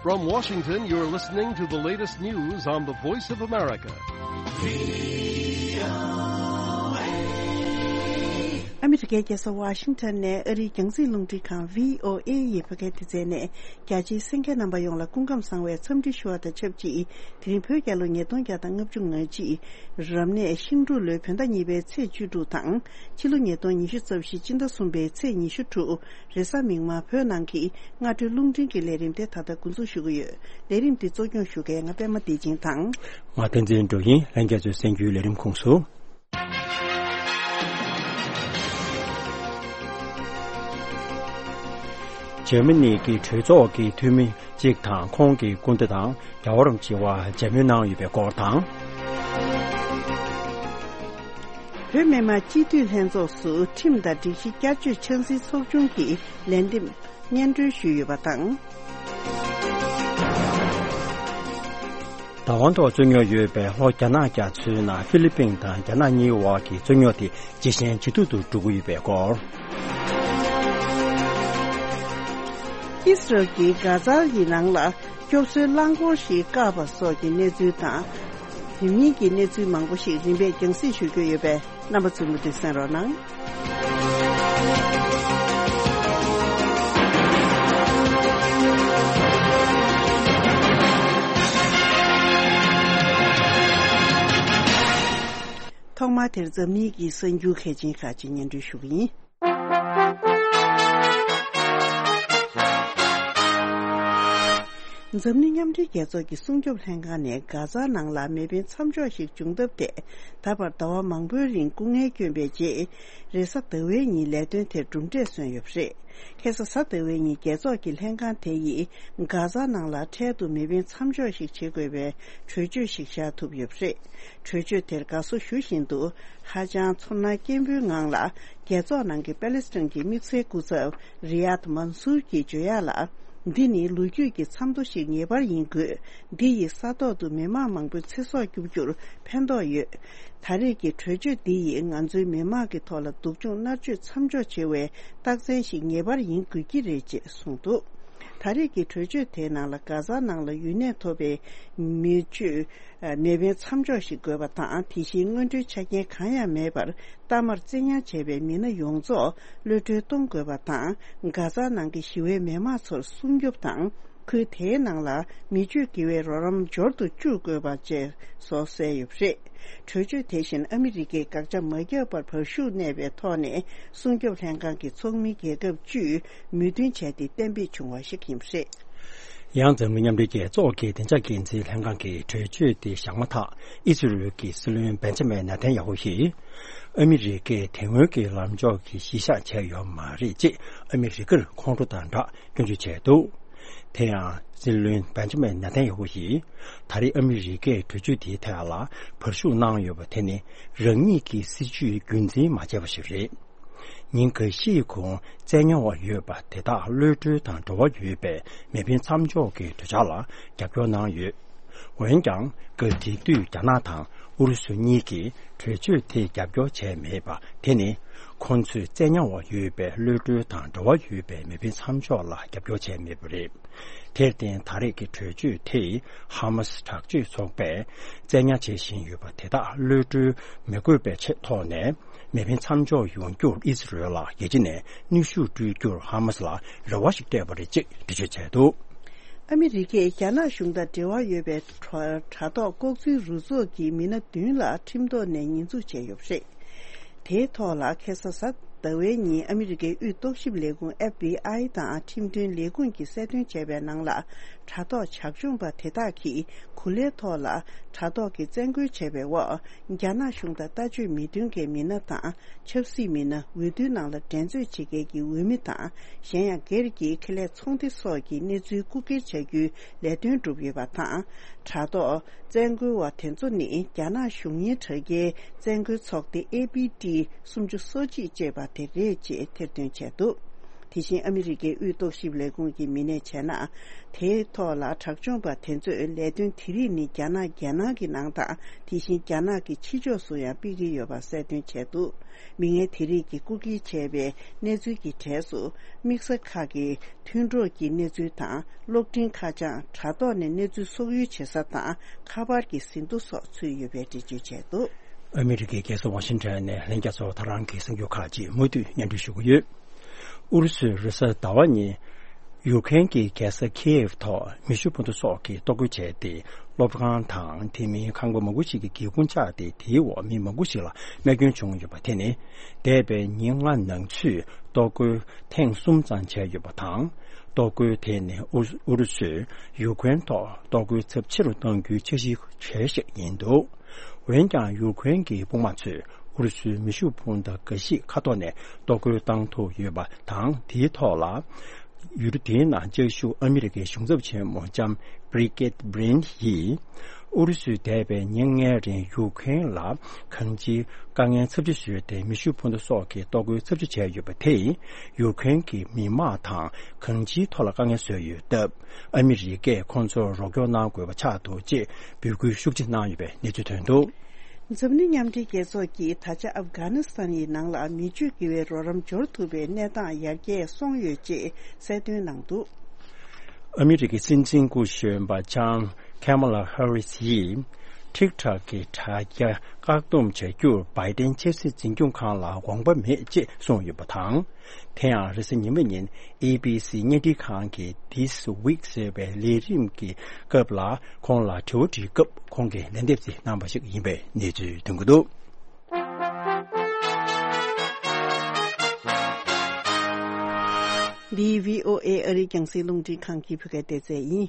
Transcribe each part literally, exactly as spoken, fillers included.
From Washington, you're listening to the latest news on the Voice of America. ཨ་མི་རི་ཀའི་རྒྱལ་ས་ཝ་ཤིང་ཊོན་ནས་ཨ་རིའི་རྒྱང་སྲིང་རླུང་འཕྲིན་ཁང་བྷི་ཨོ་ཨེ་ཡི་བོད་སྐད་སྡེ་ཚན་ནས། རྒྱ་ཆེའི་གསན་མཁན་རྣམ་པ་ཡོངས་ལ་སྐུ་ཁམས་བཟང་བའི་འཚམས་འདྲི་ཞུ་བ་དང་ཆབས་ཅིག་དེ་རིང་བོད་རྒྱལ་ལོ་ཉིས་སྟོང་བརྒྱ་དང་ལྔ་བཅུ་ང་གཅིག་རབ་གནས་ཤིང་འབྲུག་ལོའི་བོད་ཟླ་གཉིས་པའི་ཚེས་བཅུ་དྲུག་དང་། ཕྱི་ལོ་ཉིས་སྟོང་ཉི་ཤུ་རྩ་བཞི་སྤྱི་ཟླ་གསུམ་པའི་ཚེས་ཉི་ཤུ་དྲུག་རེས་གཟའ་མིག་དམར་བོད་ནང་གི་སྔ་དྲོའི་རླུང་འཕྲིན་གྱི་ལས་རིམ་དེ་ད་ལྟ་འགོ་འཛུགས་ཞུ་གི་ཡོད། ལས་རིམ་འདི་གཙོ་སྐྱོང་ཞུ་མཁན་ང་པད་མ་བདེ་ཆེན་དང་། ང་བསྟན་འཛིན་འགྲོ་ཡིན། ལྷན་རྒྱས་ཚོའི་གསན་རྒྱུའི་ལས་རིམ་ཁོངས་སུ། འཇར་མ་ནི་གི་གྲོས་ཚོགས་ཀྱི་འཐུས་མི་གཅིག་དང་ཁོང་གི་སྐུ་ཟླ་དང་རྒྱལ་བ་རིན་པོ་ཆེ་མཇལ་མོལ་གནང་ཡོད་པའི་སྐོར་དང་། བོད་མི་མང་སྤྱི་འཐུས་ལྷན་ཚོགས་སུ་ཁྲིམས་དང་སྒྲིག་གཞི་བསྐྱར་བཅོས་ཆབ་སྲིད་ཚོགས་ཆུང་གི་ལས་འདེམས་སྙན་སྒྲོན་ཞུས་ཡོད་པ་དང་། བདག་དབང་ཐོག་རྩོད་རྙོག་ཡོད་པའི་ལྷོ་རྒྱ་ནག་རྒྱ་མཚོའི་ནང་ཧྥི་ལི་པིན་དང་རྒྱ་ནག་གཉིས་དབར་གྱི་རྩོད་རྙོག་དེ་ཇེ་ཞན་ཇེ་སྡུག་ཏུ་འགྲོ་གི་ཡོད་པའི་སྐོར། ཨི་སི་རལ་གྱིས་གྷ་ཛ་ཡི་ནང་ལ་སྐྱོབ་གསོའི་རླངས་འཁོར་ཞིག་བཀག་པ་སོགས་ཀྱི་གནས་ཚུལ་དང་། དེ་མིན་གྱི་གནས་ཚུལ་མང་པོ་ཞིག་རིམ་པས་རྒྱང་སྲིང་ཞུ་རྒྱུ་ཡོད་པས། རྣམ་པ་ཚོས་མུ་མཐུད་གསན་རོགས་གནང་། ཐོག་མར་དེར་འཛམ་གླིང་གི་གསར་འགྱུར་གལ་ཆེན་ཁག་ཅིག་སྙན་སྒྲོན་ཞུ་གི་ཡིན། འཛམ་གླིང་མཉམ་འབྲེལ་རྒྱལ་ཚོགས་ཀྱི་སྲུང་སྐྱོབ་ལྷན་ཁང་ནས་གྷ་ཛ་ནང་ལ་མེ་འཕེན་མཚམས་འཇོག་ཞིག་བྱུང་ཐབས་ཐད། ད་བར་ཟླ་བ་མང་པོའི་རིང་སྐུ་ངལ་བསྐྱོན་པའི་རྗེས། རེས་གཟའ་ཟླ་བའི་ཉིན་ལས་དོན་དེར་གྲུབ་འབྲས་སོན་ཡོད་པ་རེད། ཁ་སང་གཟའ་ཟླ་བའི་ཉིན་རྒྱལ་ཚོགས་ཀྱི་ལྷན་ཁང་དེ་ཡིས་གྷ་ཛ་ནང་ལ་འཕྲལ་དུ་མེ་འཕེན་མཚམས་འཇོག་ཞིག་བྱེད་དགོས་པའི་གྲོས་ཆོད་ཞིག་བཞག་ཐུབ་ཡོད་པ་རེད། གྲོས་ཆོད་དེར་དགའ་བསུ་ཞུ་བཞིན་དུ། ཧ་ཅང་ཚོར་སྣང་སྐྱེན་པོའི་ངང་ལ། རྒྱལ་ཚོགས་ནང་གི་པ་ལེ་སི་ཐན་གྱི་དམིགས་བསལ་སྐུ་ཚབ་རི་ཡཱད་མན་སུར་གྱིས་བརྗོད་ཡག་ལ། འདི་ནི་ལོ་རྒྱུས་ཀྱི་མཚམས་ཐོ་ཞིག་ངེས་པར་ཡིན་དགོས། འདི་ཡིས་ས་ཐོག་ཏུ་མི་མང་མང་པོའི་ཚེ་སྲོག་སྐྱོབ་རྒྱུར་ཕན་ཐོགས་ཡོད། ད་རེས་ཀྱི་གྲོས་ཆོད་འདི་ཡིས་ང་ཚོའི་མི་མང་གི་ཐོག་ལ་སྡུག་སྦྱོང་མནར་གཅོད་མཚམས་འཇོག་བྱེད་པའི་རྟགས་མཚན་ཞིག་ངེས་པར་ཡིན་དགོས་ཀྱི་རེད་ཅེས་གསུངས་འདུག་ད་རེས་ཀྱི་གྲོས་ཆོད་དེའི་ནང་ལ་གྷ་ཛ་ནང་ལ་ཡུན་གནས་ཐོབ་པའི་མི་སྤྱོད་མེ་འཕེན་མཚམས་འཇོག་ཞིག་དགོས་པ་དང་། དེ་བཞིན་སྔོན་འགྲོའི་ཆ་རྐྱེན་གང་ཡང་མེད་པར་གཏའ་མར་བཙན་ཉར་བྱས་པའི་མི་སྣ་ཡོངས་རྫོགས་གློད་གྲོལ་གཏོང་དགོས་པ་དང་། གྷ་ཛ་ནང་གི་ཞི་བའི་མི་མང་ཚོར་སྲུང་སྐྱོབ་དང་། ཁུལ་དེའི་ནང་ལ་མི་སྤྱོད་དགེ་བའི་རོགས་རམ་འབྱོར་དུ་བཅུག་དགོས་པ་བཅས་སོགས་གསལ་ཡོད་པ་རེད། གྲོས་ཆོད་དེ་བཞིན་ཨ་མི་རི་ཀས་དགག་བྱ་མ་བརྒྱབ་པར་བར་ཞུགས་གནས་པའི་ཐོག་ནས། སྲུང་སྐྱོབ་ལྷན་ཁང་གི་ཚོགས་མི་རྒྱལ་ཁབ་བཅུས་མོས་མཐུན་བྱས་ཏེ་གཏན་འབེབས་བྱུང་བ་ཞིག་ཡིན་པ་རེད། ཡང་འཛམ་གླིང་མཉམ་འབྲེལ་རྒྱལ་ཚོགས་ཀྱི་བདེ་འཇགས་འགན་འཛིན་ལྷན་ཁང་གི་གྲོས་ཆོད་དེ་བཞག་མ་ཐག་ཨི་ཟི་རེལ་གྱི་སྲིད་བློན་བེན་ཇ་མིན་ནེ་ཐན་ཡ་ཧུ་ཡིས། ཨ་མི་རི་ཀས་དེ་སྔོན་གྱི་ལངས་ཕྱོགས་ཀྱི་གཞི་བཞག་བྱས་ཡོད་མ་རེད་ཅེས་ཨ་མི་རི་ཀར་ཁོང་ཁྲོ་དང་སྦྲགས་སྐྱོན་བརྗོད་བྱས་འདུག་དེ་ཡང་སྲིད་བློན་བེན་ཇ་མིན་ནེ་ཐན་ཡ་ཧུ་ཡིས། ད་རེས་ཨ་མི་རི་ཀས་གྲོས་ཆོད་དེའི་ཐད་ལ་བར་ཞུགས་གནང་ཡོད་པ་དེ་ནི་རང་ཉིད་ཀྱི་སྲིད་ཇུས་རྒྱུན་འཛིན་མ་བྱས་པ་ཞིག་རེད། ཉིན་འགའ་ཤས་གོང་བཙན་ཉར་བ་ཡོད་པ་དེ་དག་གློད་གྲོལ་དང་འབྲེལ་བ་ཡོད་པའི་མེ་འཕེན་མཚམས་འཇོག་གི་གྲོས་འཆར་ལ་རྒྱབ་སྐྱོར་གནང་ཡོད། འོན་ཀྱང་། སྐབས་དེ་དུས་རྒྱ་ནག་དང་ཨུ་རུ་སུ་གཉིས་ཀྱིས་གྲོས་ཆོད་དེ་རྒྱབ་སྐྱོར་བྱས་མེད་པ་དེ་ནི། ཁོང་ཚོས་བཙན་ཉར་བ་ཡོད་པའི་གློད་གྲོལ་དང་འབྲེལ་བ་ཡོད་པའི་མེ་འཕེན་མཚམས་འཇོག་ལ་རྒྱབ་སྐྱོར་བྱས་མེད་པ་རེད། དེར་བརྟེན། ད་རེས་ཀྱི་གྲོས་ཆོད་དེས་ཧ་མ་སི་དྲག་སྤྱོད་ཚོགས་པས་བཙན་ཉར་བྱེད་བཞིན་ཡོད་པ་དེ་དག་གློད་གྲོལ་མི་དགོས་པའི་ཆེད་ཐོག་ནས། མེ་འཕེན་མཚམས་འཇོག་ཡོང་རྒྱུར་ཨི་ཟི་རེལ་ལ་རྒྱལ་སྤྱི་ནས་གནོན་ཤུགས་སྤྲོད་རྒྱུར་ཧ་མ་སི་ལ་རེ་བ་ཞིག་སྤྲད་པ་རེད་ཅེས་འགྲེལ་བརྗོད་བྱས་འདུག་ཨ་མི་རི་ཀས་རྒྱ་ནག་གཞུང་དང་འབྲེལ་བ་ཡོད་པའི་དྲ་ཐོག་ལྐོག་འཛུལ་རུ་ཚོགས་ཀྱི་མི་སྣ་བདུན་ལ་ཁྲིམས་ཐོག་ནས་ཉེས་འཛུགས་བྱས་ཡོད་པ་རེད། དེའི་ཐོག་ལ་ཁ་སང་གཟའ་ཟླ་བའི་ཉིན་ཨ་མི་རི་ཀའི་དབུས་རྟོག་ཞིབ་ལས་ཁུངས་ཨེཕ་བི་ཨའི་དང་ཁྲིམས་དོན་ལས་ཁུངས་ཀྱིས་གསལ་སྟོན་བྱས་པའི་ནང་ལ། དྲ་ཐོག་བྱག་ལྗོངས་པ་དེ་དག་གིས་གོ་ལའི་ཐོག་ལ་དྲ་ཐོག་གི་བཙན་རྒོལ་བྱས་པའི་འོག་རྒྱ་ནག་གཞུང་དང་ལྟ་སྤྱོད་མི་མཐུན་པའི་མི་སྣ་དང་། ཆབ་སྲིད་མི་སྣ། འོས་བསྡུའི་ནང་ལ་འགྲན་རྩོད་བྱེད་མཁན་གྱི་འོས་མི་དང་། གཞན་ཡང་སྒེར་གྱི་ཁེ་ལས་ཚོང་སྡེ་སོགས་ཀྱི་གནས་ཚུལ་རྐུ་འཁྱེར་བྱ་རྒྱུའི་ལས་དོན་བསྒྲུབས་ཡོད་པ་དང་། དྲ་ཐོག་བཙན་རྒོལ་བ་དེ་ཚོ་ནི་རྒྱ་ནག་གཞུང་གཉེར་དྲ་རྒྱའི་བཙན་རྒོལ་ཚོགས་སྡེ་ཨེ་པི་ཊི་སུམ་ཅུ་སོ་གཅིག་ཅེས་པ་དེ་རེད་ཅེས་ཐེར་འདོན་བྱས་འདུག་དེ་བཞིན་ཨ་མི་རི་ཀའི་དབུས་རྟོག་ཞིབ་ལས་ཁུངས་ཀྱི་མི་སྣས་བྱས་ན། དེའི་ཐོག་ལ་དྲག་སྦྱོང་པ་དེ་ཚོས་ལས་དོན་དེ་རིགས་ནི་རྒྱ་ནག་རྒྱལ་ནང་གི་ནང་དང་དེ་བཞིན་རྒྱ་ནག་གི་ཕྱི་ཕྱོགས་སུ་ཡང་སྤེལ་གྱི་ཡོད་པ་གསལ་སྟོན་བྱས་འདུག་མི་ངན་དེ་རིགས་ཀྱིས་རྐུ་འཁྱེར་བྱས་པའི་གནས་ཚུལ་གྱི་གྲས་སུ་དམིགས་བསལ་ཁག་གི་མཐུན་གྲོགས་ཀྱི་གནས་ཚུལ་དང་གློག་འཕྲིན་ཁ་བྱང་དྲ་ཐོག་ནས་གནས་ཚུལ་སོགས་ཡོ་བྱེད་ས་དང་ཁ་པར་གྱི་ཟིན་ཐོ་སོགས་ཚུད་ཡོད་པའི་འགྲེལ་བརྗོད་བྱས་འདུག་ཨ་མི་རི་ཀའི་རྒྱལ་ས་ཝ་ཤིང་ཊོན་ནས་ལྷན་རྒྱས་ཚོར་ད་རང་གི་གསར་འགྱུར་ཁག་ཅིག་མུ་མཐུད་སྙན་སྒྲོན་ཞུ་གི་ཡོད། ཨུ་རུ་སུས་རེས་གཟའ་ཟླ་བ་ཉིན་ཡུཀ་རེན་གྱི་རྒྱལ་ས་ཁི་ཨེབ་ཐོག་མེ་ཤུགས་འཕུར་མདའ་སོགས་ཀྱིས་གཏོར་རྒོལ་བྱས་ཏེ། སློབ་ཁང་དང་དེ་མིན་ཁང་པ་མང་པོ་ཞིག་གི་སྒེའུ་ཁུང་བཅག་སྟེ། དེའི་འོག་མི་མང་པོ་ཞིག་ལ་རྨས་སྐྱོན་བྱུང་ཡོད་པ་དེ་ནི། འདས་པའི་ཉིན་ལྔ་ནང་ཚུད་གཏོར་རྒོལ་ཐེངས་གསུམ་ཙམ་བྱས་ཡོད་པ་དང་། གཏོར་རྒོལ་དེ་ནི་ཨུ་ཨུ་རུ་སུས་ཡུཀ་རེན་ཐོག་གཏོར་རྒོལ་ཚབས་ཆེ་རུ་གཏོང་རྒྱུའི་འཆར་གཞི་བྱས་ཤིག་ཡིན་འདུག་འོན་ཀྱང་ཡུཀ་རེན་གྱི་དཔུང་དམག་ཚོས་ཨུ་རུ་སུའི་མེ་ཤུགས་འཕུར་མདའ་འགའ་ཞིག་མཁའ་ཐོག་ནས་གཏོར་རྒོལ་བཏང་ཐུབ་ཡོད་པ་དང་། དེའི་ཐོག་ལ། ཡུལ་དེའི་ནང་བཅའ་བཞུགས་ཨ་མི་རི་ཀའི་གཞུང་ཚབ་ཆེན་མོ་ལྕམ་Brigid Breen་ཡིས། ཨུ་རུ་སུས་འདས་པའི་ཉིན་ལྔའི་རིང་ཡུཀ་རེན་ལ་གང་ཅིའི་དཀའ་ངལ་ཚབས་ཆེ་བཟོས་ཏེ། མེ་ཤུགས་འཕུར་མདའ་སོགས་ཀྱིས་གཏོར་རྒོལ་ཚབས་ཆེ་བྱས་ཡོད་པ་དེས། ཡུཀ་རེན་གྱི་མི་དམངས་དང་གང་ཅིའི་ཐོག་ལ་དཀའ་ངལ་བཟོས་ཡོད་སྟབས། ཨ་མི་རི་ཀས་ཁོང་ཚོར་རོགས་སྐྱོར་གནང་དགོས་པ་ཆགས་འདུག་ཅེས་འབོད་སྐུལ་ཤུགས་ཆེ་གནང་ཡོད་པའི་གནས་ཚུལ་ཐོན་འདུག་འཛམ་གླིང་མཉམ་འབྲེལ་རྒྱལ་ཚོགས་ཀྱིས་ད་ཆ་ཨབ་གྷ་ནི་སི་ཐན་ཡི་ནང་ལ་མི་སྤྱོད་དགེ་བའི་རོགས་རམ་འབྱོར་ཐུབ་པའི་གནས་སྟངས་ཡར་རྒྱས་སོང་ཡོད་ཅེས་གསལ་སྟོན་གནང་འདུག་ཨ་མི་རི་ཀའི་སྲིད་འཛིན་སྐུ་གཞོན་པ་ལྕམ་Kamala Harris་ཡིས་ཊིག་ཊོག་གི་དྲ་རྒྱ་བཀག་སྡོམ་བྱ་རྒྱུར་བྷའི་ཏན་ཆབ་སྲིད་འཛིན་སྐྱོང་ཁང་ལ་དགོངས་པ་མེད་ཅེས་གསུངས་ཡོད་པ་དང་། དེ་ཡང་རེས་གཟའ་ཉི་མ་ཉིན་ཨེ་བི་སི་བརྙན་འཕྲིན་ཁང་གི་This Week་ཟེར་བའི་ལས་རིམ་གྱི་སྐབས་ལ་ཁོང་ལ་དྲི་བ་དྲིས་སྐབས། ཁོང་གིས་ལན་འདེབས་ཤིག་གནང་བ་ཞིག་ཡིན་པའི་གནས་ཚུལ་ཐོན་གྱི་འདུག་འདི་བྷི་ཨོ་ཨེ་ཨ་རིའི་རྒྱང་སྲིང་རླུང་འཕྲིན་ཁང་གི་བོད་སྐད་སྡེ་ཚན་ཡིན།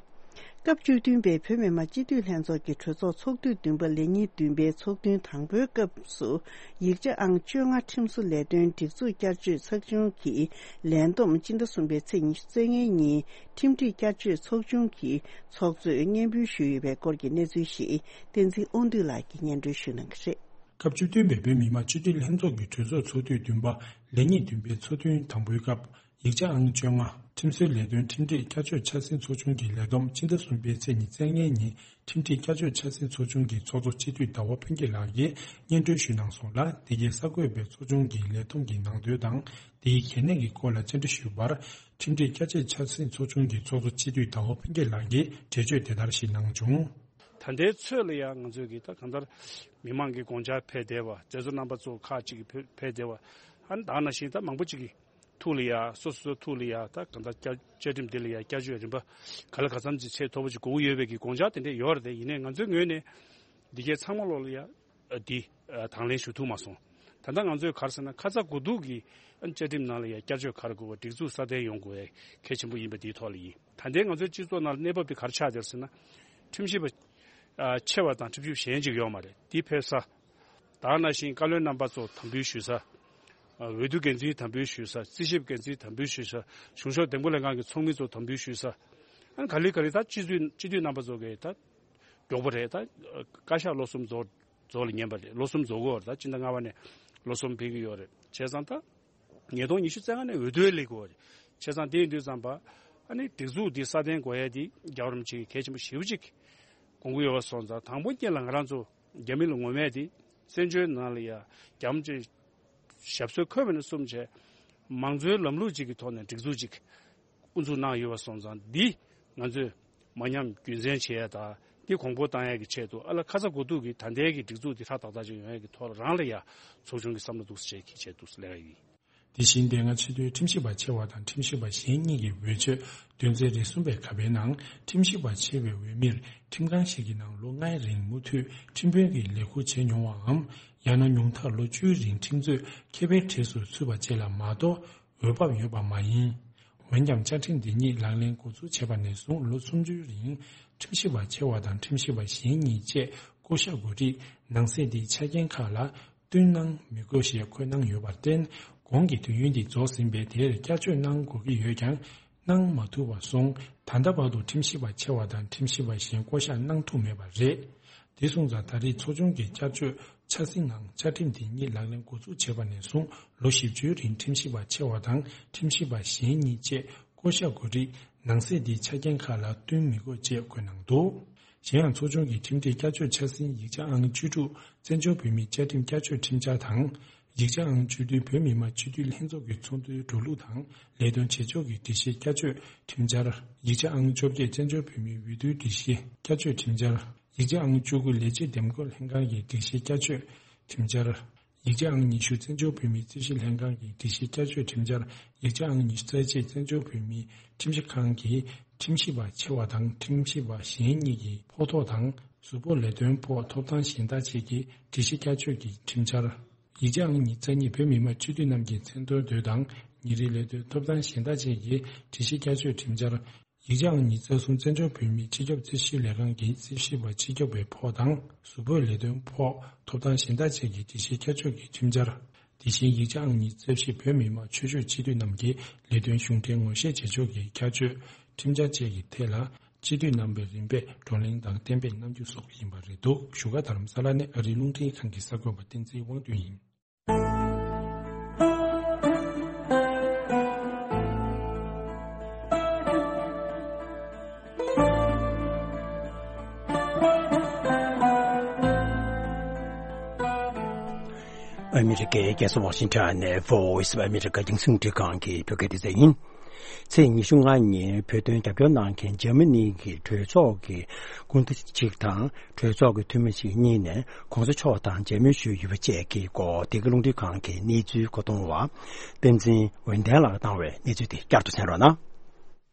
སྐབས་བཅུ་བདུན་པའི་བོད་མི་མང་སྤྱི་འཐུས་ལྷན་ཚོགས་ཀྱི་གྲོས་ཚོགས་ཚོགས་དུས་བདུན་པ་ལས་ཉིན་བདུན་པའི་ཚོགས་ཐུན་དང་པོའི་སྐབས་སུ། ཡིག་ཆ་ཨང་བཅོ་ལྔ་ཁྲིམས་བཟོ་ལས་དོན་སྒྲིག་འཛུགས་བསྐྱར་བཅོས་ཚོགས་ཆུང་གི་ལས་བསྡོམས་སྤྱི་ཟླ་གསུམ་པའི་ཚེས་ཉི་ཤུ་རྩ་ལྔའི་ཉིན་ཁྲིམས་སྒྲིག་བསྐྱར་བཅོས་ཚོགས་ཆུང་གི་ཚོགས་གཙོས་སྙན་འབུལ་ཞུས་ཡོད་པའི་སྐོར་གྱི་གནས་ཚུལ་ཞིག་བསྟན་འཛིན་དབང་འདུས་ལགས་ཀྱིས་སྙན་སྒྲོན་ཞུ་གནང་གི་རེད། སྐབས་བཅུ་བདུན་པའི་བོད་མི་མང་སྤྱི་འཐུས་ལྷན་ཚོགས་ཀྱི་གྲོས་ཚོགས་ཚོགས་དུས་བདུན་པ་ལས་ཉིན་བདུན་པའི་ཚོགས་ཐུན་དང་པོའི་སྐབས། ཡིག་ཆ་ཨང་བཅོ་ལྔ་ཁྲིམས་བཟོའི་ལས་དོན་ཁྲིམས་སྒྲིག་བསྐྱར་བཅོས་འཆར་ཟིན་ཚོགས་ཆུང་གི་ལས་བསྡོམས་སྤྱི་ཟླ་གསུམ་པའི་ཚེས་ཉི་ཤུ་རྩ་ལྔའི་ཉིན་ཁྲིམས་སྒྲིག་བསྐྱར་བཅོས་འཆར་ཟིན་ཚོགས་ཆུང་གི་ཚོགས་གཙོ་སྤྱི་འཐུས་ཟླ་བ་ཕུན་སྐྱིད་ལགས་ཀྱིས་སྙན་སྒྲོན་ཞུས་གནང་སོང་ལ། འདི་གའི་གསར་འགོད་པས་ཚོགས་ཆུང་གི་ལས་བསྡོམས་ཀྱི་ནང་དོན་དང་དེའི་གལ་གནད་ཀྱི་སྐོར་ལ་བཅར་འདྲི་ཞུས་པར། ཁྲིམས་སྒྲིག་བསྐྱར་བཅོས་འཆར་ཟིན་ཚོགས་ཆུང་གི་ཚོགས་གཙོ་སྤྱི་འཐུས་ཟླ་བ་ཕུན་སྐྱིད་ལགས་ཀྱིས་འགྲེལ་བརྗོད་དེ་ལྟར་ཞིག་གནང་བྱུང་། ད་ལྟའི་ཚོད་ལ་ཡང་ང་ཚོས་ཀྱི་ད་གང་ལྟར་མི་མང་གི་དགོངས་འཆར་ཕེབས་བསྡད་པ། མཛད་གཙོ་རྣམ་པ་ཚོ་ཁག་ཅིག་གིས་ཕེབས་ཕེབས་བསྡད་པ། ཨ་ནི་ད་ནང་བཞིན་ད་མང་པོ་ཅིག་གི་ཐུགས་ལ་ཡ་སོ་སོ་སོ་ཐུགས་ལ་ཡ་ད་གང་ལྟར་བསྐྱར་བཅའ་ཁྲིམས་འདི་ལ་ཡ་བསྐྱར་བཅོས་རིམ་པ་ག་ལ་ག་ཙམ་ཅིག་ཚད་མཐོ་པོ་ཅིག་དགོས་ཀྱི་ཡོད་པའི་གི་དགོངས་འཆར་དེ་འདྲས་ཡོད་རེད་དེ། ཡིན་ནའི་ང་ཚོའི་ངོས་ནས་འདི་གའི་ཚང་མ་ལོག་ལ་ཡ་འདི་དང་ལེན་ཞུ་ཐུབ་མ་སོང་། ད་ལྟ་ང་ཚོས་ག་རེ་ཟེར་ན། ཁ་ཚ་དགོས་གཏུགས་ཀྱི་ཨ་ནི་བཅའ་ཁྲིམས་ནང་ལ་ཡ་བསྐྱར་བཅོས་ག་རེ་དགོས་པ། སྒྲིག་འཛུགས་སྲ་བརྟན་ཡོང་དགོས་པའི་གལ་ཆེན་པོ་ཡིན་པ་འདིའི་ཐོག་ལ་ཡིན། ད་ལྟའི་ང་ཚོའི་སྤྱི་ཚོགས་ནང་ལ་གནས་བབ་དེ་ག་རེ་ཆགས་བསྡད་ཟེར་ན། ཁྲིམས་ཞིབ་པ་ཨ་ཆེ་བ་དང་ཁྲིམས་ཞིབ་གཞན་ཅིག་ཡོད་མ་རེད། འདི་ཕེབས་ས། ད་ནང་བཞིན་བཀའ་བློན་རྣམ་པ་ཚོ་དམ་འབུལ་ཞུ་ས། ཨ་འོས་བསྡུ་འགན་འཛིན་དམ་འབུལ་ཞུ་ས། རྩིས་ཞིབ་འགན་འཛིན་དམ་འབུལ་ཞུ་ས། གཞུང་ཕྱོགས་འདེམས་བསྐོ་ལྷན་ཁང་གི་ཚོགས་མི་ཚོ་དམ་འབུལ་ཞུ་ས། ཨ་ནི་ག་ལེ་ག་ལེ་ད་སྤྱི་འཐུས་སྤྱི་འཐུས་རྣམ་པ་ཚོ་གིས་ད་མགྱོགས་པོ་རེད། ད་བཀའ་ཤག་ལོ་གསུམ་རྫོགས་རྫོགས་ལ་ཉན་པ་རེད། ལོ་གསུམ་རྫོགས་ཀྱི་ཡོད་རེད། ད་སྤྱི་ཟླ་ལྔ་པ་ནས་ལོ་གསུམ་ཕེབས་ཀྱི་ཡོད་རེད། བྱས་ཙང་ད་ཉིས་སྟོང་ཉི་ཤུ་རྩ་ལྔ་ནས་འོས་བསྡུ་ལས་དགོས་པ་རེད། བྱས་ཙང་དེ་ཡིན་དུས་ཙམ་པ་ཨ་ནི་སྒྲིག་འཛུགས་འདི་སྲ་བརྟན་དགོས་ཡ་འདི་རྒྱལ་བ་རིན་པོ་ཆེ་གིས་གལ་ཆེན་པོ་ཞེ་པོ་ཅིག་དགོངས་ཀྱི་ཡོད་པ་སོང་ཙང་། དང་པོ་ཉིད་ལ་ང་རང་ཚོ་རྒྱ་མི་ལ་ངོ་མས་དེ་བཙན་བྱོལ་ནང་ལ་ཡ་རྒྱ་མི་ཅིག་ཞབས་སོར་འཁོད་པ་ནས་བཟུང་བྱས། མང་གཙོའི་ལམ་ལུགས་ཅིག་གི་ཐོག་ནས་སྒྲིག་འཛུགས་ཅིག་དབུ་འཛུགས་གནང་ཡོད་པ་སོང་ཙང་། འདི་ང་ཚོས་མ་ཉམས་རྒྱུན་འཛིན་བྱེད་ཡ་དང་། འདི་གོང་འཕེལ་གཏང་ཡ་གི་ཆེད་དུ། ཨ་ལ་ཁ་ཚ་དགོས་གཏུགས་ཀྱི་ད་ལྟའི་གི་སྒྲིག་འཛུགས་འདི་ཧྲག་ཏག་ཏག་ཅིག་ཡོང་ཡ་གི་ཐོག་ལ་རང་ལ་ཡ་ཚོགས་ཆུང་གི་བསམ་བློ་འདུག་སེ་བྱས་ཀྱི་ཆེད་དུ་ལས་ཀ་ཡིན། དེ་བཞིན་དེ་སྔ་ཆེས་མཐོའི་ཁྲིམས་ཞིབ་པ་ཆེ་བ་དང་ཁྲིམས་ཞིབ་པ་གཞན་གཉིས་ཀྱི་འོས་ཆོས་དོན་ཚན་རེ་གསུམ་པའི་ཁ་པའི་ནང་། ཁྲིམས་ཞིབ་པ་ཆེ་བའི་འོས་མིར་ཁྲིམས་ཁང་ཞིག་གི་ནང་ལོ་ལྔའི་རིང་མུ་མཐུད་ཁྲིམས་དཔོན་གྱི་ལས་ཁུར་བྱས་མྱོང་བའམ། ཡང་ན་ཉུང་མཐར་ལོ་བཅུའི་རིང་ཁྲིམས་རྩོད་མཁས་པའི་གྲས་སུ་ཚུད་པ་བཅས་ལ་མ་གཏོགས། འོས་བབ་ཡོད་པ་མ་ཡིན། འོན་ཀྱང་། བཅའ་ཁྲིམས་འདི་ཉིད་ལག་ལེན་འགོ་འཛུགས་བྱས་པ་ནས་བཟུང་ལོ་སུམ་ཅུའི་རིང་། ཁྲིམས་ཞིབ་པ་ཆེ་བ་དང་ཁྲིམས་ཞིབ་པ་གཞན་གཉིས་བཅས་བསྐོ་གཞག་དགོས་རིགས་ནང་གསེས་འདིའི་ཆ་རྐྱེན་ཁག་ལ་བསྟུན་གནང་མི་དགོས་ཞེས་འཁོད་གནང་ཡོད་པར་བརྟེན། གོང་གི་དུས་ཡུན་འདི་རྫོགས་ཟིན་པས། དེར་བསྐྱར་བཅོས་གནང་དགོས་ཀྱི་ཡོད་ཀྱང་། གནང་མ་ཐུབ་པར་སོང་། ད་ལྟ་བར་དུ་ཁྲིམས་ཞིབ་པ་ཆེ་བ་དང་ཁྲིམས་ཞིབ་པ་གཞན་བསྐོ་གཞག་གནང་ཐུབ་མེད་པ་རེད། དེ་སོང་ཙང་། ད་རེས་ཚོགས་ཆུང་གིས་བསྐྱར་བཅོས་ འཆར་ཟིན་ནང་བཅའ་ཁྲིམས་དེ་ཉིད་ལག་ལེན་འགོ་འཛུགས་བྱས་པ་ནས་བཟུང་ལོ་བཞི་བཅུའི་རིང་ཁྲིམས་ཞིབ་པ་ཆེ་བ་དང་ཁྲིམས་ཞིབ་པ་གཞན་གཉིས་བཅས་བསྐོ་གཞག་དགོས་རིགས་ནང་གསེས་འདིའི་ཆ་རྐྱེན་ཁག་ལ་བསྟུན་མི་དགོས་ཅེས་བཀོད་གནང་འདུག་གཞན་ཡང་ཚོགས་ཆུང་གི་ཁྲིམས་སྒྲིག་བསྐྱར་བཅོས་འཆར་ཟིན་ཡིག་ཆ་ཨང་བཅུ་དྲུག་བཙན་བྱོལ་བོད་མིའི་བཅའ་ཁྲིམས་བསྐྱར་བཅོས་ཁྲིམས་འཆར་དང་། ཡིག་ཆ་ཨང་བཅུ་བདུན་བོད་མི་མང་སྤྱི་འཐུས་ལྷན་ཚོགས་ཀྱི་ཚོགས་འདུའི་འགྲོ་ལུགས་དང་ལས་དོན་བྱེད་ཕྱོགས་ཀྱི་སྒྲིག་གཞི་བསྐྱར་བཅོས་ཁྲིམས་འཆར། ཡིག་ཆ་ཨང་བཅོ་བརྒྱད་བཙན་བྱོལ་བོད་མིའི་འོས་བསྡུའི་སྒྲིག་གཞི་བསྐྱར་བཅོས་ཁྲིམས་འཆར། ཡིག་ཆ་ཨང་བཅུ་དགུ་ལས་བྱེད་འདེམས་བསྐོ་ལྷན་ཁང་གི་སྒྲིག་གཞི་བསྐྱར་བཅོས་ཁྲིམས་འཆར། ཡིག་ཆ་ཨང་ཉི་ཤུ་བཙན་བྱོལ་བོད་མིའི་རྩིས་ཞིབ་ལྷན་ཁང་གི་སྒྲིག་གཞི་བསྐྱར་བཅོས་ཁྲིམས་འཆར། ཡིག་ཆ་ཨང་ཉི་ཤུ་རྩ་གཅིག་བཙན་བྱོལ་བོད་མིའི་ཁྲིམས་ཞིབ་ཁང་གི་ཁྲིམས་ཞིབ་པ་ཆེ་བ་དང་ཁྲིམས་ཞིབ་པ་གཞན་གཉིས་ཀྱི་ཕོགས་ཐོག་དང་གཟུགས་པོ་ལས་དོན་ཕོགས་ཐོབ་ཐང་གཞན་དག་བཅས་ཀྱི་སྒྲིག་གཞི་བསྐྱར་བཅོས་ཀྱི་ཁྲིམས་འཆར། ཡིག་ཆ་ཨང་ཉི་ཤུ་རྩ་གཉིས་བོད་མི་མང་སྤྱི་འཐུས་རྣམས་ཀྱི་མཚན་འདོན་དུས་དང་ཉིན་རེའི་ལས་དོན་ཐོབ་ཐང་གཞན་དག་བཅས་ཀྱི་སྒྲིག་གཞི་བསྐྱར་བཅོས་ཁྲིམས་འཆར། ཡིག་ཆ་ཨང་ཉི་ཤུ་རྩ་གསུམ་བཙན་བྱོལ་བོད་མིའི་སྤྱི་ཁྱབ་རྩིས་ཞིབ་ལས་ཁང་གི་རྩིས་ཞིབ་པ་སྤྱི་ཁྱབ་པའི་ཕོགས་དང་གཟུགས་པོའི་ལས་དོན་ཕོགས་ཐོབ་ཐང་གཞན་དག་བཅས་ཀྱི་སྒྲིག་གཞི་བསྐྱར་བཅོས་ཀྱི་ཁྲིམས་འཆར། དེ་བཞིན་ཡིག་ཆ་ཨང་ཉི་ཤུ་རྩ་བཞི་བོད་མི་མང་ཆོས་ཕྱོགས་སྤྱི་འཐུས་རྣམས་ཀྱི་ལས་དོན་གཞུང་འབྲེལ་ངོ་ཤེས་བྱེད་ཕྱོགས་ཀྱི་བསྐྱར་བཅོས་ཁྲིམས་འཆར་བཅས་ཀྱི་ཐད་ལ་སྤྱི་འཐུས་རྣམ་པས་རིམ་པས་བགྲོ་གླེང་དང་གཏན་འབེབས་གནང་རྒྱུ་སོགས་ཡིན་པ་རེད་འདུག་བཞུགས་སྒར་རྡ་རམ་ས་ལ་ནས་ཨ་རིའི་རླུང་འཕྲིན་ཁང་གི་གསར་འགོད་པ་བསྟན་འཛིན་དབང་འདུས་ཡིན། ཨ་མི་རི་ཀའི་རྒྱལ་ས་ཝ་ཤིང་ཊོན་ནས་Voice of America་རྒྱང་སྲིང་རླུང་འཕྲིན་ཁང་གི་བོད་སྐད་སྡེ་ཚན་ཡིན། ཚེས་ཉི་ཤུ་ལྔ་ཉིན་བོད་དོན་རྒྱབ་སྐྱོར་གནང་མཁན་འཇར་མ་ནི་གི་གྲོས་ཚོགས་ཀྱི་སྐུ་ཟླ་གཅིག་དང་གྲོས་ཚོགས་ཀྱི་འཐུས་མི་གཅིག་གཉིས་ནས་གོང་ས་མཆོག་དང་མཇལ་མོལ་ཞུས་ཡོད་པ་བཅས་ཀྱི་སྐོར་འདི་ག་རླུང་འཕྲིན་ཁང་གི་གནས་ཚུལ་བཀོད་གཏོང་བ་བསྟན་འཛིན་འོད་ལྡན་ལགས་བཏང་བའི་གནས་ཚུལ་དེ་བསྐྱར་དུ་གསན་རོགས་གནང་།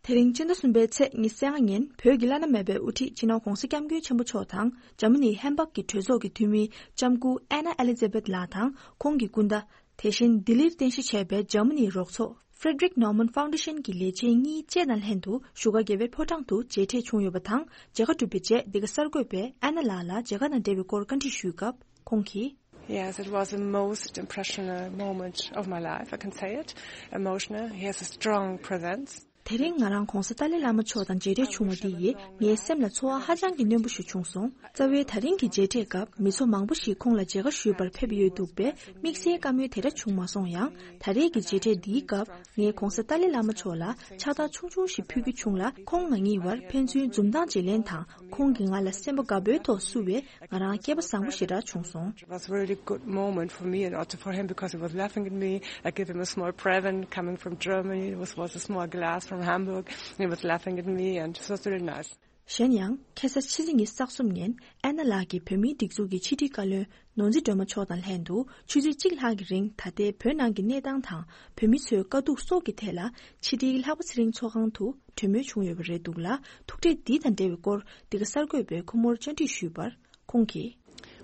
དེ་རིང་སྤྱི་ཟླ་གསུམ་པའི་ཚེས་ཉི་ཤུ་རྩ་ལྔ་ཉིན་བོད་ཀྱི་བླ་ན་མེད་པའི་དབུ་ཁྲིད་སྤྱི་ནོར་༧གོང་ས་༧སྐྱབས་མགོན་ཆེན་པོ་མཆོག་དང་འཇར་མ་ནིའི་ཧེམ་བྷག་གི་གྲོས་ཚོགས་ཀྱི་འཐུས་མི་ལྕམ་སྐུ་ཨེ་ན་ཨེ་ལི་ཛེ་བེད་ལགས་དང་ཁོང་གི་སྐུ་ཟླ། དེ་བཞིན་ལྡི་ལིར་རྟེན་གཞི་བྱས་པའི་འཇར་མ་ནིའི་རོགས་ཚོགས་Frederick Naumann Foundation་གྱི་ལས་བྱེད་གཉིས་བཅས་དང་ལྷན་དུ་བཞུགས་སྒར་རྒྱལ་བའི་ཕོ་བྲང་དུ་མཇལ་འཕྲད་བྱུང་ཡོད་པ་དང་། མཇལ་ཁ་གྲུབ་པའི་རྗེས་འདི་ག་གསར་འགོད་པས་ཨེ་ན་ལགས་ལ་མཇལ་ཁ་དང་འབྲེལ་བའི་སྐོར་བཀའ་འདྲི་ཞུས་སྐབས་ཁོང་གིས། Yes, it was the most impressional moment of my life, I can say it. Emotional. He has a strong presence. དེ་རིང་ང་རང་༧གོང་ས་ཏཱ་ལའི་བླ་མ་མཆོག་དང་མཇལ་འཕྲད་བྱུང་བ་འདི་ཡིས་ངའི་སེམས་ལ་ཚོར་བ་ཧ་ཅང་གི་རྣོན་པོ་ཞིག་བྱུང་སོང་། རྩ་བའི་ད་རིང་གི་མཇལ་འཕྲད་སྐབས་མི་ཚོགས་མང་པོ་ཞིག་ཁོང་ལ་མཇལ་ཁ་ཞུས་པར་ཕེབས་ཡོད་འདུག་པས་དམིགས་བསལ་བཀའ་མོལ་དེ་འདྲ་བྱུང་མ་སོང་ཡང་། ད་རེས་ཀྱི་མཇལ་འཕྲད་འདིའི་སྐབས་ངས་༧གོང་ས་ཏཱ་ལའི་བླ་མ་མཆོག་ལ་ཕྱག་རྟགས་ཆུང་ཆུང་ཞིག་ཕུལ་རྒྱུ་བྱུང་ལ། ཁོང་ང་གཉིས་བར་ཕན་ཚུན་འཛུམ་མདངས་བརྗེ་ལེན་དང་། ཁོང་གིས་ང་ལ་སེམས་པ་དགའ་པོའི་ཐོག་བསུ་བས་ང་རང་སྐལ་པ་བཟང་པོ་ཞེ་དྲག་བྱུང་སོང་། It was a really good moment for me and also for him because he was laughing at me. I gave him a small present coming from Germany. It was, was a small glass from Hamburg. He was laughing at me and it was really nice. གཞན་ཡང་ཁ་སང་ཕྱི་ཚེས་ཉི་ཤུ་རྩ་གསུམ་ཉིན་ཨེ་ན་ལགས་ཀྱིས་བོད་མིའི་སྒྲིག་འཛུགས་ཀྱི་ཕྱི་དྲིལ་བཀའ་བློན་ནོར་འཛིན་སྒྲོལ་མ་མཆོག་དང་ལྷན་དུ་ཆུ་ཚོད་གཅིག་ལྷག་གི་རིང་ད་ལྟའི་བོད་ནང་གི་གནས་སྟངས་དང་བོད་མི་ཚོའི་དཀའ་སྡུག་སོགས་ཀྱི་ཐད་ལ་ཕྱི་དྲིལ་ལྷག་པ་ཚེ་རིང་ཚོགས་ཁང་དུ་གྲོས་མོལ་བྱུང་ཡོད་པ་རེད་འདུག་ལ། ཐུག་འཕྲད་འདི་དང་འབྲེལ་བའི་སྐོར་འདི་ག་གསར་འགོད་པས་ཁོ་མོར་བཅར་འདྲི་ཞུས་པར་ཁོང་གིས།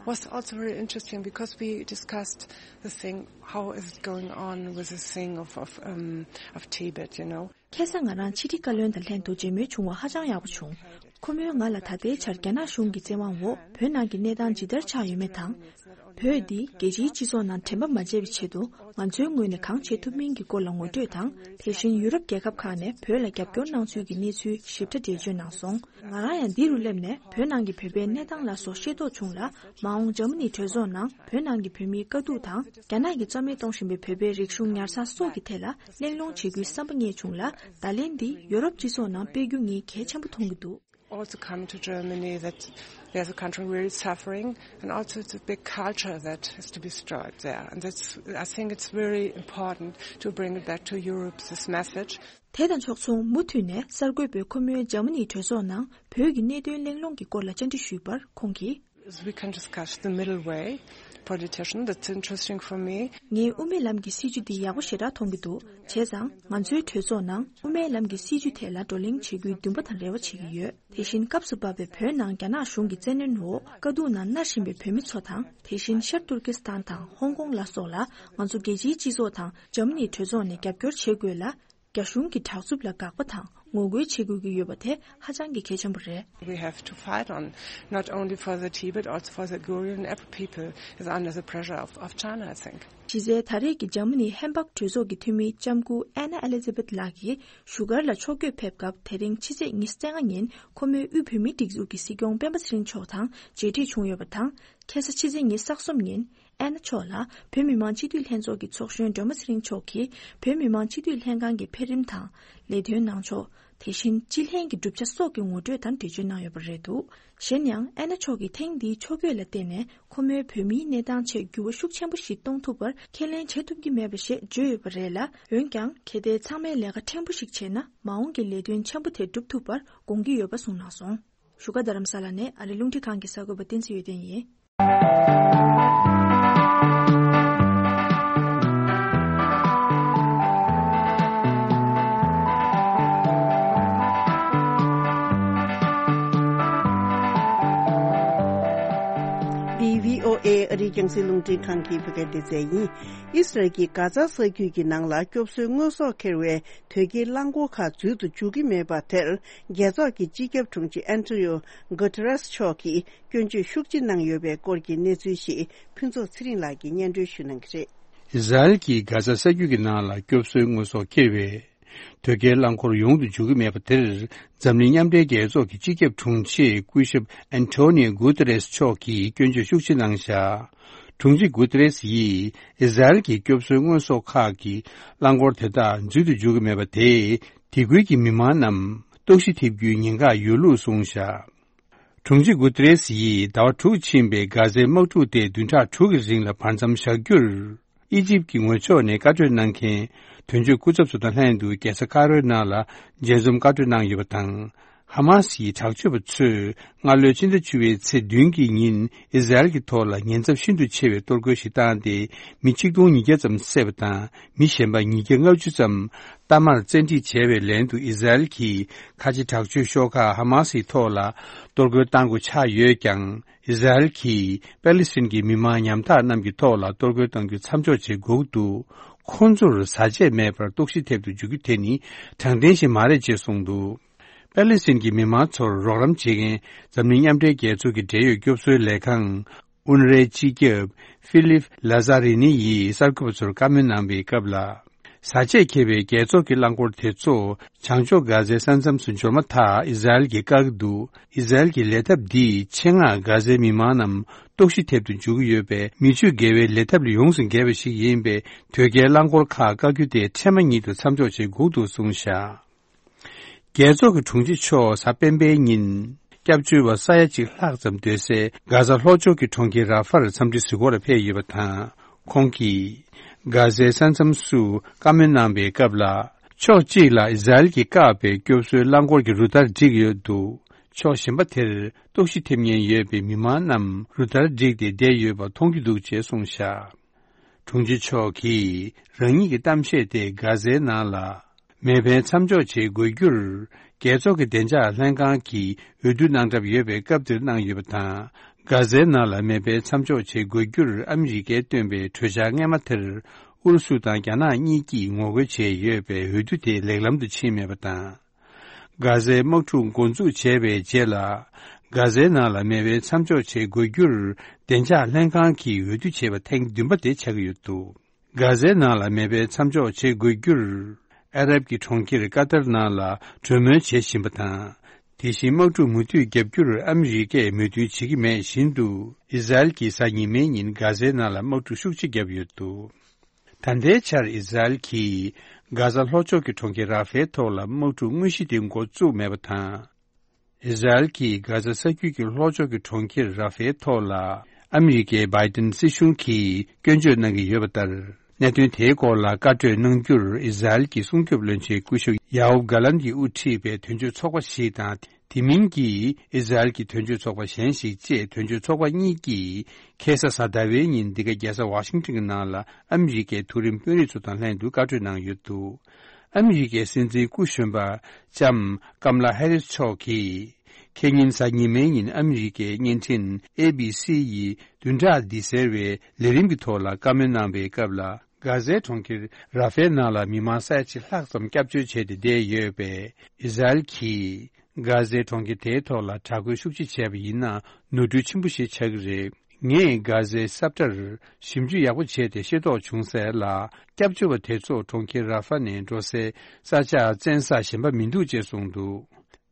Was also very interesting because we discussed the thing, how is it going on with the thing of, of, um, of Tibet, you know. ཁ་སང་ང་རང་ཕྱི་དྲིལ་བཀའ་བློན་དང་ལྷན་དུ་མཇལ་མོལ་བྱུང་བ་ཧ་ཅང་ཡག་པོ་བྱུང་། ཁོ་མོས་ང་ལ་ད་ལྟའི་ཆར་རྒྱ་ནག་གཞུང་གི་བཙན་དབང་འོག་བོད་ནང་གི་གནས་སྟངས་ཇི་ལྟར་ཆགས་ཡོད་མེད་དང་། བོད་འདི་རྒྱལ་སྤྱིའི་སྤྱི་ཚོགས་ནང་དྲན་པ་མ་བརྗེད་པའི་ཆེད་དུ་ང་ཚོའི་ངོས་ནས་གང་བྱེད་ཐུབ་མིན་གྱི་སྐོར་ལ་ངོ་སྤྲོད་དང་། དེ་བཞིན་ཡུ་རོབ་རྒྱལ་ཁབ་ཁག་ནས་བོད་ལ་རྒྱབ་སྐྱོར་གནང་ཚུལ་གྱི་གནས་ཚུལ་ཞིབ་ཕྲ་འགྲེལ་བརྗོད་གནང་སོང་། ང་རང་ཡང་འདི་རུ་སླེབས་ནས་བོད་ནང་གི་བོད་པའི་གནས་སྟངས་ལ་སོགས་ཤེས་རྟོགས་བྱུང་ལ། མ་འོངས་འཇར་མ་ནིའི་གྲོས་ཚོགས་ནང་བོད་ནང་གི་བོད་མིའི་དཀའ་སྡུག་དང་། རྒྱ་ནག་གིས་རྩ་མེད་གཏོང་བཞིན་པའི་བོད་པའི་རིག་གཞུང་ཉར་ཚགས་སོགས་ཀྱི་ཐད་ལ་གླེང་སློང་བྱེད་རྒྱུའི་བསམ་པ་རྙེད་བྱུང་ལ། བརྡ་ལན་འདི་ཡོ་རོབ་སྤྱི་ཚོགས་ནང་སྤེལ་རྒྱུ་ངས་གལ་ཆེན་པོ་མཐོང་གི་འདུག Also coming to Germany, that there's a country really suffering, and also it's a big culture that has to be disturbed there. And that's, I think it's very important to bring it back to Europe, this message. དེ་དང་ཕྱོགས་མཚུངས་མུ་མཐུད་ནས་གསར་འགོད་པས་ཁོ་མོའི་འཇར་མ་ནིའི་གྲོས་ཚོགས་ནང་བོད་ཀྱི་གནད་དོན་གླེང་སློང་གི་སྐོར་ལ་བཅར་འདྲི་ཞུས་པར་ཁོང་གིས། We can discuss the middle way, politician, that's interesting for me. ངས་དབུ་མའི་ལམ་གྱི་སྲིད་བྱུས་འདི་ཡག་པོ་ཞེ་དྲག་མཐོང་གི་འདུག་བྱས་ཙང་ང་ཚོའི་གྲོས་ཚོགས་ནང་དབུ་མའི་ལམ་གྱི་སྲིད་བྱུས་ཐད་ལ་བགྲོ་གླེང་བྱེད་རྒྱུའི་འདུན་པ་དང་རེ་བ་བྱེད་ཀྱི་ཡོད། དེ་བཞིན་སྐབས་སུ་བབས་པའི་བོད་ནང་རྒྱ་ནག་གཞུང་གི་བཙན་གནོན་འོག་དཀའ་སྡུག་ནང་མནར་བཞིན་པའི་བོད་མི་ཚོ་དང་། དེ་བཞིན་ཤར་ཏུར་ཀི་སི་ཐན་དང་ཧོང་ཀོང་ལ་སོགས་ལ་ང་ཚོ་རྒྱལ་སྤྱིའི་སྤྱི་ཚོགས་དང་འཇར་མ་ནིའི་གྲོས་ཚོགས་ནས་རྒྱབ་སྐྱོར་བྱེད་དགོས་ལ། རྒྱ་གཞུང་གི་དྲག་རྩུབ་ལ་དགག་པ་དང་ངོ་རྒོལ་བྱེད་དགོས་ཀྱི་ཡོད་པ་དེ་ཧ་ཅང་གི་གལ་ཆེན་པོ་རེད། We have to fight on, not only for the Tibet, also for the Uyghur and every people is under the pressure of, of China, I think. གཞི་རྩའི་ད་རེས་ཀྱི་འཇར་མ་ནིའི་ཧེམ་བྷག་གྲོས་ཚོགས་ཀྱི་འཐུས་མི་ལྕམ་སྐུ་ཨེ་ན་ཨེ་ལི་ཛ་བེད་ལགས་ཀྱིས་བཞུགས་སྒར་ལ་ཕྱོགས་བསྐྱོད་ཕེབས་སྐབས། དེ་རིང་ཕྱི་ཚེས་ཉི་ཤུ་རྩ་ལྔ་ཉིན་ཁོ་མོས་དབུས་བོད་མིའི་སྒྲིག་འཛུགས་ཀྱི་སྲིད་སྐྱོང་སྤེན་པ་ཚེ་རིང་མཆོག་དང་མཇལ་འཕྲད་བྱུང་ཡོད་པ་དང་། ཁ་སང་ཕྱི་ཚེས་ཉི་ཤུ་རྩ་གསུམ་ཉིན་ཨེ་ན་མཆོག་ལ་བོད་མི་མང་སྤྱི་འཐུས་ལྷན་ཚོགས་ཀྱི་ཚོགས་གཞོན་སྒྲོལ་མ་ཚེ་རིང་མཆོག་གིས་བོད་མི་མང་སྤྱི་འཐུས་ལྷན་ཁང་གི་འཕེལ་རིམ་དང་ལས་དོན་གནང་ཕྱོགས། དེ་བཞིན་སྤྱི་ལྷན་གྱི་གྲུབ་ཆ་སོགས་ཀྱི་ངོ་སྤྲོད་དང་འགྲེལ་བརྗོད་གནང་ཡོད་པ་རེད་འདུག་གཞན་ཡང་ཨེ་ན་མཆོག་གིས་ཐེངས་འདིའི་ཕྱོགས་བསྐྱོད་ལ་བརྟེན་ནས་ཁོ་མོའི་བོད་མིའི་གནས་སྟངས་ཆེད་འགྱུར་བ་ཤུགས་ཆེན་པོ་ཞིག་གཏོང་ཐུབ་པར་ཁས་ལེན་བྱེད་ཐུབ་ཀྱི་མེད་པ་ཞེས་བརྗོད་ཡོད་པ་རེད་ལ། འོན་ཀྱང་གལ་ཏེ་ཚང་མས་ལས་ཀ་ཕྲན་བུ་ཞིག་བྱས་ན་མ་འོངས་ཀྱི་ལས་དོན་ཆེན་པོ་དེ་འགྲུབ་ཐུབ་པར་དགོངས་ཀྱི་ཡོད་པ་གསུངས་གནང་སོང་། བཞུགས་སྒར་རྡ་རམ་ས་ལ་ནས་ཨ་རི་རླུང་འཕྲིན་ཁང་གི་གསར་འགོད་པ་བསྟན་འཛིན་ཡོན་ཏན་ཡིན། འདི་བྷི་ཨོ་ཨེ་ཨ་རིའི་རྒྱང་སྲིང་རླུང་འཕྲིན་ཁང་གི་བོད་སྐད་སྡེ་ཚན་ཡིན། ཨིས་རལ་གྱིས་གྷ་ཛ་ས་རྒྱུད་ཀྱི་ནང་ལ་སྐྱོབ་གསོའི་དངོས་ཟོག་འཁྱེར་བའི་དོས་སྐྱེལ་རླངས་འཁོར་ཁག་འཛུལ་དུ་འཇུག་གི་མེད་པ་དེར། རྒྱལ་ཚོགས་ཀྱི་སྤྱི་ཁྱབ་དྲུང་ཆེ་ཨན་ཐོ་ནི་ཡོ་གྷོ་ཏེ་རེས་མཆོག་གིས་སྐྱོན་བརྗོད་ཤུགས་ཆེ་གནང་ཡོད་པའི་སྐོར་གྱི་གནས་ཚུལ་ཞིག་ཕུན་ཚོགས་ཚེ་རིང་ལགས་ཀྱིས་སྙན་སྒྲོན་ཞུ་གནང་གི་རེད། ཨིས་ར་ཨེལ་གྱིས་གྷ་ཛ་ས་རྒྱུད་ཀྱི་ནང་ལ་སྐྱོབ་གསོའི་དངོས་ཟོག་འཁྱེར་བའི་དོས་སྐྱེལ་རླངས་འཁོར་ཡོང་དུ་འཇུག་གི་མེད་པ་དེར། འཛམ་གླིང་མཉམ་འབྲེལ་རྒྱལ་ཚོགས་ཀྱི་སྤྱི་ཁྱབ་དྲུང་ཆེ་སྐུ་ཞབས་ཨན་ཐོ་ནི་ཡོ་གྷོ་ཏེ་རེས་མཆོག་གིས་སྐྱོན་བརྗོད་ཤུགས་ཆེ་གནང་བཞག་དྲུང་ཆེ་གྷོ་ཏེ་རེས་ཡིས་ཨིས་ར་ཨེལ་གྱི་སྐྱོབ་གསོའི་དངོས་ཟོག་ཁག་གི་རླངས་འཁོར་དེ་དག་འཛུལ་དུ་འཇུག་གི་མེད་པ་དེས་དེ་ཁུལ་གྱི་མི་མང་རྣམས་ལྟོགས་ཤི་ཐེབས་རྒྱུའི་ཉེན་ཁ་ཡོད་ལུགས་གསུངས་བཞག་དྲུང་ཆེ་གྷོ་ཏེ་རེས་ཡིས་ཟླ་བ་དྲུག་ཕྱིན་པའི་གྷ་ཛའི་དམག་འཁྲུག་དེ་བདུན་ཕྲག་དྲུག་གི་རིང་ལ་བར་མཚམས་བཞག་རྒྱུར། ཨི་ཇིབ་ཀྱི་ངོས་ཕྱོགས་ནས་བཀའ་གྲོས་གནང་མཁན་དོན་གཅོད་སྐུ་ཚབ་ཚོ་དང་ལྷན་དུ་རྒྱལ་ས་ཀ་རོའི་ནང་ལ་མཇལ་འཛོམས་བཀའ་གྲོས་གནང་ཡོད་པ་དང་། ཧ་མ་སི་ཡི་དྲག་སྤྱོད་པ་ཚོས་སྔ་ལོའི་ཕྱི་ཟླ་བཅུ་པའི་ཚེས་བདུན་གྱི་ཉིན་ཨི་ཟ་རེལ་གྱི་ཐོག་ལ་ཉེན་ཚབས་ཤིན་ཏུ་ཆེ་བའི་གཏོར་རྒོལ་ཞིག་བཏང་སྟེ་མི་ཆིག་སྟོང་ཉིས་བརྒྱ་ཙམ་བསད་པ་དང་མི་གཞན་པ་ཉིས་བརྒྱ་ལྔ་བཅུ་ཙམ་གཏའ་མར་བཙན་ཁྲིད་བྱས་པའི་ལན་དུ་ཨི་ཟ་རེལ་གྱིས་ཁ་ཆེ་དྲག་སྤྱོད་ཤོག་ཁག་ཧ་མ་སིའི་ཐོག་ལ་གཏོར་རྒོལ་བཏང་དགོས་ཆགས་ཡོད་ཀྱང་། ཨི་ཟ་རེལ་གྱིས་པེ་ལི་སི་ཐན་གྱི་མི་མང་ཉམ་ཐག་རྣམས་ཀྱི་ཐོག་ལ་གཏོར་རྒོལ་གཏང་རྒྱུ་མཚམས་འཇོག་བྱེད་དགོས་འདུག་ཁོང་ཚོར་བཟའ་ཆས་མེད་པར་ལྟོགས་ཤི་ཐེབས་དུ་འཇུག་རྒྱུ་དེ་ནི་དྲང་བདེན་ཞིག་མ་རེད་ཅེས་གསུངས་འདུག་པེ་ལི་སི་ཐན་གྱི་མི་མང་ཚོར་རོགས་རམ་བྱེད་མཁན་འཛམ་གླིང་མཉམ་འབྲེལ་རྒྱལ་ཚོགས་ཀྱི་འབྲེལ་ཡོད་སྐྱོབ་གསོའི་ལས་ཁང་ཨུན་རའི་སྤྱི་ཁྱབ་ཧྥི་ལིབ་ལ་ཛ་རི་ནི་ཡིས་གསར་འགོད་པ་ཚོར་བཀའ་མོལ་གནང་བའི་སྐབས་ལ། བཟའ་ཆས་འཁྱེར་བའི་རྒྱལ་ཚོགས་ཀྱི་རླངས་འཁོར་དེ་ཚོ་བྱང་ཕྱོགས་གྷ་ཛའི་ས་མཚམས་སུ་འབྱོར་མ་ཐག་ཨི་ཟ་རེལ་གྱིས་བཀག་གི་འདུག་ཨི་ཟ་རེལ་གྱི་ལས་ཐབས་འདིས་ཆེད་མངགས་གྷ་ཛའི་མི་མང་རྣམས་ལྟོགས་ཤི་ཐེབས་དུ་འཇུག་གི་ཡོད་པས། མི་སྤྱོད་དགེ་བའི་ལས་ཐབས་ལས་ཡོངས་སུ་འགལ་བ་ཞིག་ཡིན་པས། དོས་སྐྱེལ་རླངས་འཁོར་ཁག་བཀག་རྒྱུ་དེ་འཕྲལ་མ་ཉིད་དུ་མཚམས་འཇོག་བྱེད་དགོས་འདུག་གསུངས་བཞག་རྒྱལ་ཚོགས་ཀྱི་དྲུང་ཆེ་མཆོག་གཟའ་སྤེན་པའི་ཉིན། སྐྱབས་བཅོལ་བ་ས་ཡ་གཅིག་ལྷག་ཙམ་སྡོད་སའི་གྷ་ཛ་ལྷོ་ཕྱོགས་ཀྱི་གྲོང་ཁྱེར་ར་ཧྥར་འཚམས་འདྲི་གཟིགས་སྐོར་ལ་ཕེབས་ཡོད་པ་དང་། ཁོང་གིས་གྷ་ཛའི་ས་མཚམས་སུ་བཀའ་མོལ་གནང་བའི་སྐབས་ལ། ཕྱོགས་གཅིག་ལ་ཨི་ཟ་རེལ་གྱིས་བཀག་པའི་སྐྱོབ་གསོའི་རླངས་འཁོར་གྱི་རུ་སྟར་བསྒྲིགས་ཡོད་འདུག་ཕྱོགས་གཞན་པ་དེར་ལྟོགས་ཤི་ཐེབས་ཉེན་ཡོད་པའི་མི་མང་རྣམས་རུ་སྟར་བསྒྲིགས་ཏེ་བསྡད་ཡོད་པ་མཐོང་རྒྱུ་འདུག་ཅེས་གསུངས་བཞག་དྲུང་ཆེ་མཆོག་གིས་རང་ཉིད་ཀྱི་གཏམ་བཤད་དེ་གྷ་ཛའི་ནང་ལ། མེ་འཕེན་མཚམས་འཇོག་བྱེད་དགོས་རྒྱུར། རྒྱལ་ཚོགས་ཀྱི་བདེ་འཇགས་ལྷན་ཁང་གིས་འོས་བསྡུ་གནང་གྲབས་ཡོད་པའི་སྐབས་དེར་གནང་ཡོད་པ་དང་། གྷ་ཛའི་ནང་ལ་མེ་འཕེན་མཚམས་འཇོག་བྱེད་དགོས་རྒྱུར་ཨ་མི་རི་ཀས་བཏོན་པའི་གྲོས་འཆར་སྔས་མ་དེར། ཨུ་རུ་སུ་དང་རྒྱ་ནག་གཉིས་ཀྱིས་ངོ་རྒོལ་བྱས་ཡོད་པས། འོས་བསྡུ་དེ་ལེགས་ལམ་དུ་ཕྱིན་མེད་པ་དང་། གྷ་ཛའི་དམག་འཁྲུག་འགོ་འཛུགས་བྱས་པའི་རྗེས་ལ། གྷ་ཛའི་ནང་ལ་མེ་འཕེན་མཚམས་འཇོག་བྱེད་དགོས་རྒྱུར། བདེ་འཇགས་ལྷན་ཁང་གིས་འོས་བསྡུ་བྱས་པ་ཐེངས་བདུན་པ་དེ་ཆགས་ཀྱི་ཡོད་འདུག་གྷ་ཛའི་ནང་ལ་མེ་འཕེན་མཚམས་འཇོག་བྱེད་དགོས་རྒྱུར། ཨ་རབ་ཀྱི་གྲོང་ཁྱེར་ཀ་ཏར་ནང་ལ་གྲོས་མོལ་བྱེད་བཞིན་པ་དང་། དེ་བཞིན་དམག་འཁྲུག་མུ་མཐུད་བརྒྱབ་རྒྱུར་ཨ་མི་རི་ཀས་མོས་མཐུན་བྱེད་ཀྱི་མེད་བཞིན་དུ། ཨི་ཟ་རེལ་གྱིས་གཟའ་ཉི་མའི་ཉིན་གྷ་ཛའི་ནང་ལ་དམག་འཁྲུག་ཤུགས་ཆེ་བརྒྱབ་ཡོད་འདུག་ད་ལྟའི་ཆར་ཨི་ཟ་རེལ་གྱིས་གྷ་ཛ་ལྷོ་ཕྱོགས་ཀྱི་གྲོང་ཁྱེར་ར་ཧྥའི་ཐོག་ལ་དམག་འཁྲུག་དངོས་གཞི་དེ་འགོ་བཙུགས་མེད་པ་དང་། ཨི་ཟ་རེལ་གྱིས་གྷ་ཛ་ས་རྒྱུད་ཀྱི་ལྷོ་ཕྱོགས་ཀྱི་གྲོང་ཁྱེར་ར་ཧྥའི་ཐོག་ལ་ཨ་མི་རི་ཀའི་བྷའི་ཏིན་སྲིད་གཞུང་གིས་སྐྱོན་བརྗོད་གནང་གི་ཡོད་པ་ལྟར། གནད་དོན་དེའི་སྐོར་ལ་བཀའ་གྲོས་གནང་རྒྱུར་ཨི་ཟ་རེལ་གྱི་སྲུང་སྐྱོབ་བློན་ཆེན་སྐུ་ཞབས་ཡ་ཨོབ་གྷ་ལན་གྱིས་དབུ་ཁྲིད་པའི་དོན་གཅོད་ཚོགས་པ་ཞིག་དང་། དེ་མིན་གྱི་ཨི་ཟ་རེལ་གྱི་དོན་གཅོད་ཚོགས་པ་གཞན་ཞིག་བཅས་དོན་གཅོད་ཚོགས་པ་གཉིས་ཀྱིས་ཁ་སང་གཟའ་ཟླ་བའི་ཉིན་འདི་ག་རྒྱལ་ས་ཝ་ཤིང་ཊོན་གྱི་ནང་ལ་ཨ་མི་རི་ཀའི་མཐོ་རིམ་དཔོན་རིགས་ཚོ་དང་ལྷན་དུ་བཀའ་གྲོས་གནང་ཡོད་འདུག་ཨ་མི་རི་ཀའི་སྲིད་འཛིན་སྐུ་གཞོན་པ་ལྕམ་ཀམ་ལ་ཧེ་རིས་མཆོག་གིས། ཁེ་ཉིན་གཟའ་ཉི་མའི་ཉིན་ཨ་མི་རི་ཀའི་བརྙན་འཕྲིན་ཨེ་བི་སི་ཡི་བདུན་ཕྲག་འདི་ཟེར་བའི་ལས་རིམ་གྱི་ཐོག་ལ་བཀའ་མོལ་གནང་བའི་སྐབས་ལ། གྷ་ཟའི་གྲོང་ཁྱེར་ར་ཧྥེལ་ནང་ལ་མི་མང་ས་ཡ་གཅིག་ལྷག་ཙམ་སྐྱབས་བཅོལ་བྱས་ཏེ་བསྡད་ཡོད་པས། ཨི་ཟ་རེལ་གྱིས་གྷ་ཟའི་གྲོང་ཁྱེར་དེའི་ཐོག་ལ་དྲག་རྒོལ་ཤུགས་ཆེ་བྱས་པ་ཡིན་ན། ནོར་འཁྲུལ་ཆེན་པོ་ཞིག་ཆགས་ཀྱི་རེད། ངས་གྷ་ཟའི་ས་བཀྲར་ཞིབ་འཇུག་ཡག་པོ་བྱས་ཏེ་ཤེས་རྟོགས་བྱུང་གསལ་ལ། སྐྱབས་བཅོལ་བ་དེ་ཚོ་གྲོང་ཁྱེར་ར་ཧྥ་ནས་འགྲོ་སའི་ས་ཆ་བཙན་ས་གཞན་པ་མི་འདུག་ཅེས་གསུངས་འདུག་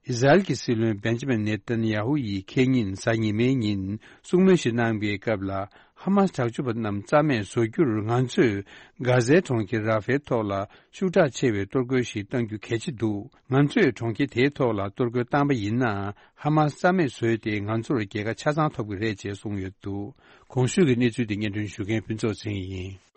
ཨི་ཟ་རེལ་གྱི་སྲིད་བློན་བེན་ཇ་མིན་ནེ་ཏན་ཡ་ཧུ་ཡིས་ཁེ་ཉིན་གཟའ་ཉི་མའི་ཉིན་གསུང་མོལ་ཞིག་གནང་བའི་སྐབས་ལ། ཧ་མ་སི་དྲག་སྤྱོད་པ་རྣམས་རྩ་མེད་བཟོ་རྒྱུར་ང་ཚོས་གྷ་ཟའི་གྲོང་ཁྱེར་ར་ཧྥེལ་ཐོག་ལ་ཤུགས་དྲག་ཆེ་བའི་གཏོར་རྒོལ་ཞིག་གཏང་རྒྱུ་གལ་ཆེ་འདུག་ང་ཚོས་གྲོང་ཁྱེར་དེའི་ཐོག་ལ་གཏོར་རྒོལ་བཏང་པ་ཡིན་ན། ཧ་མ་སི་རྩ་མེད་བཟོས་ཏེ་ང་ཚོར་རྒྱལ་ཁ་ཆ་ཚང་ཐོབ་ཀྱི་རེད་ཅེས་གསུངས་ཡོད་འདུག་གོང་ཞུས་ཀྱི་གནས་ཚུལ་དེ་སྙན་སྒྲོན་ཞུ་མཁན་ཕུན་ཚོགས་ཚེ་རིང་ཡིན།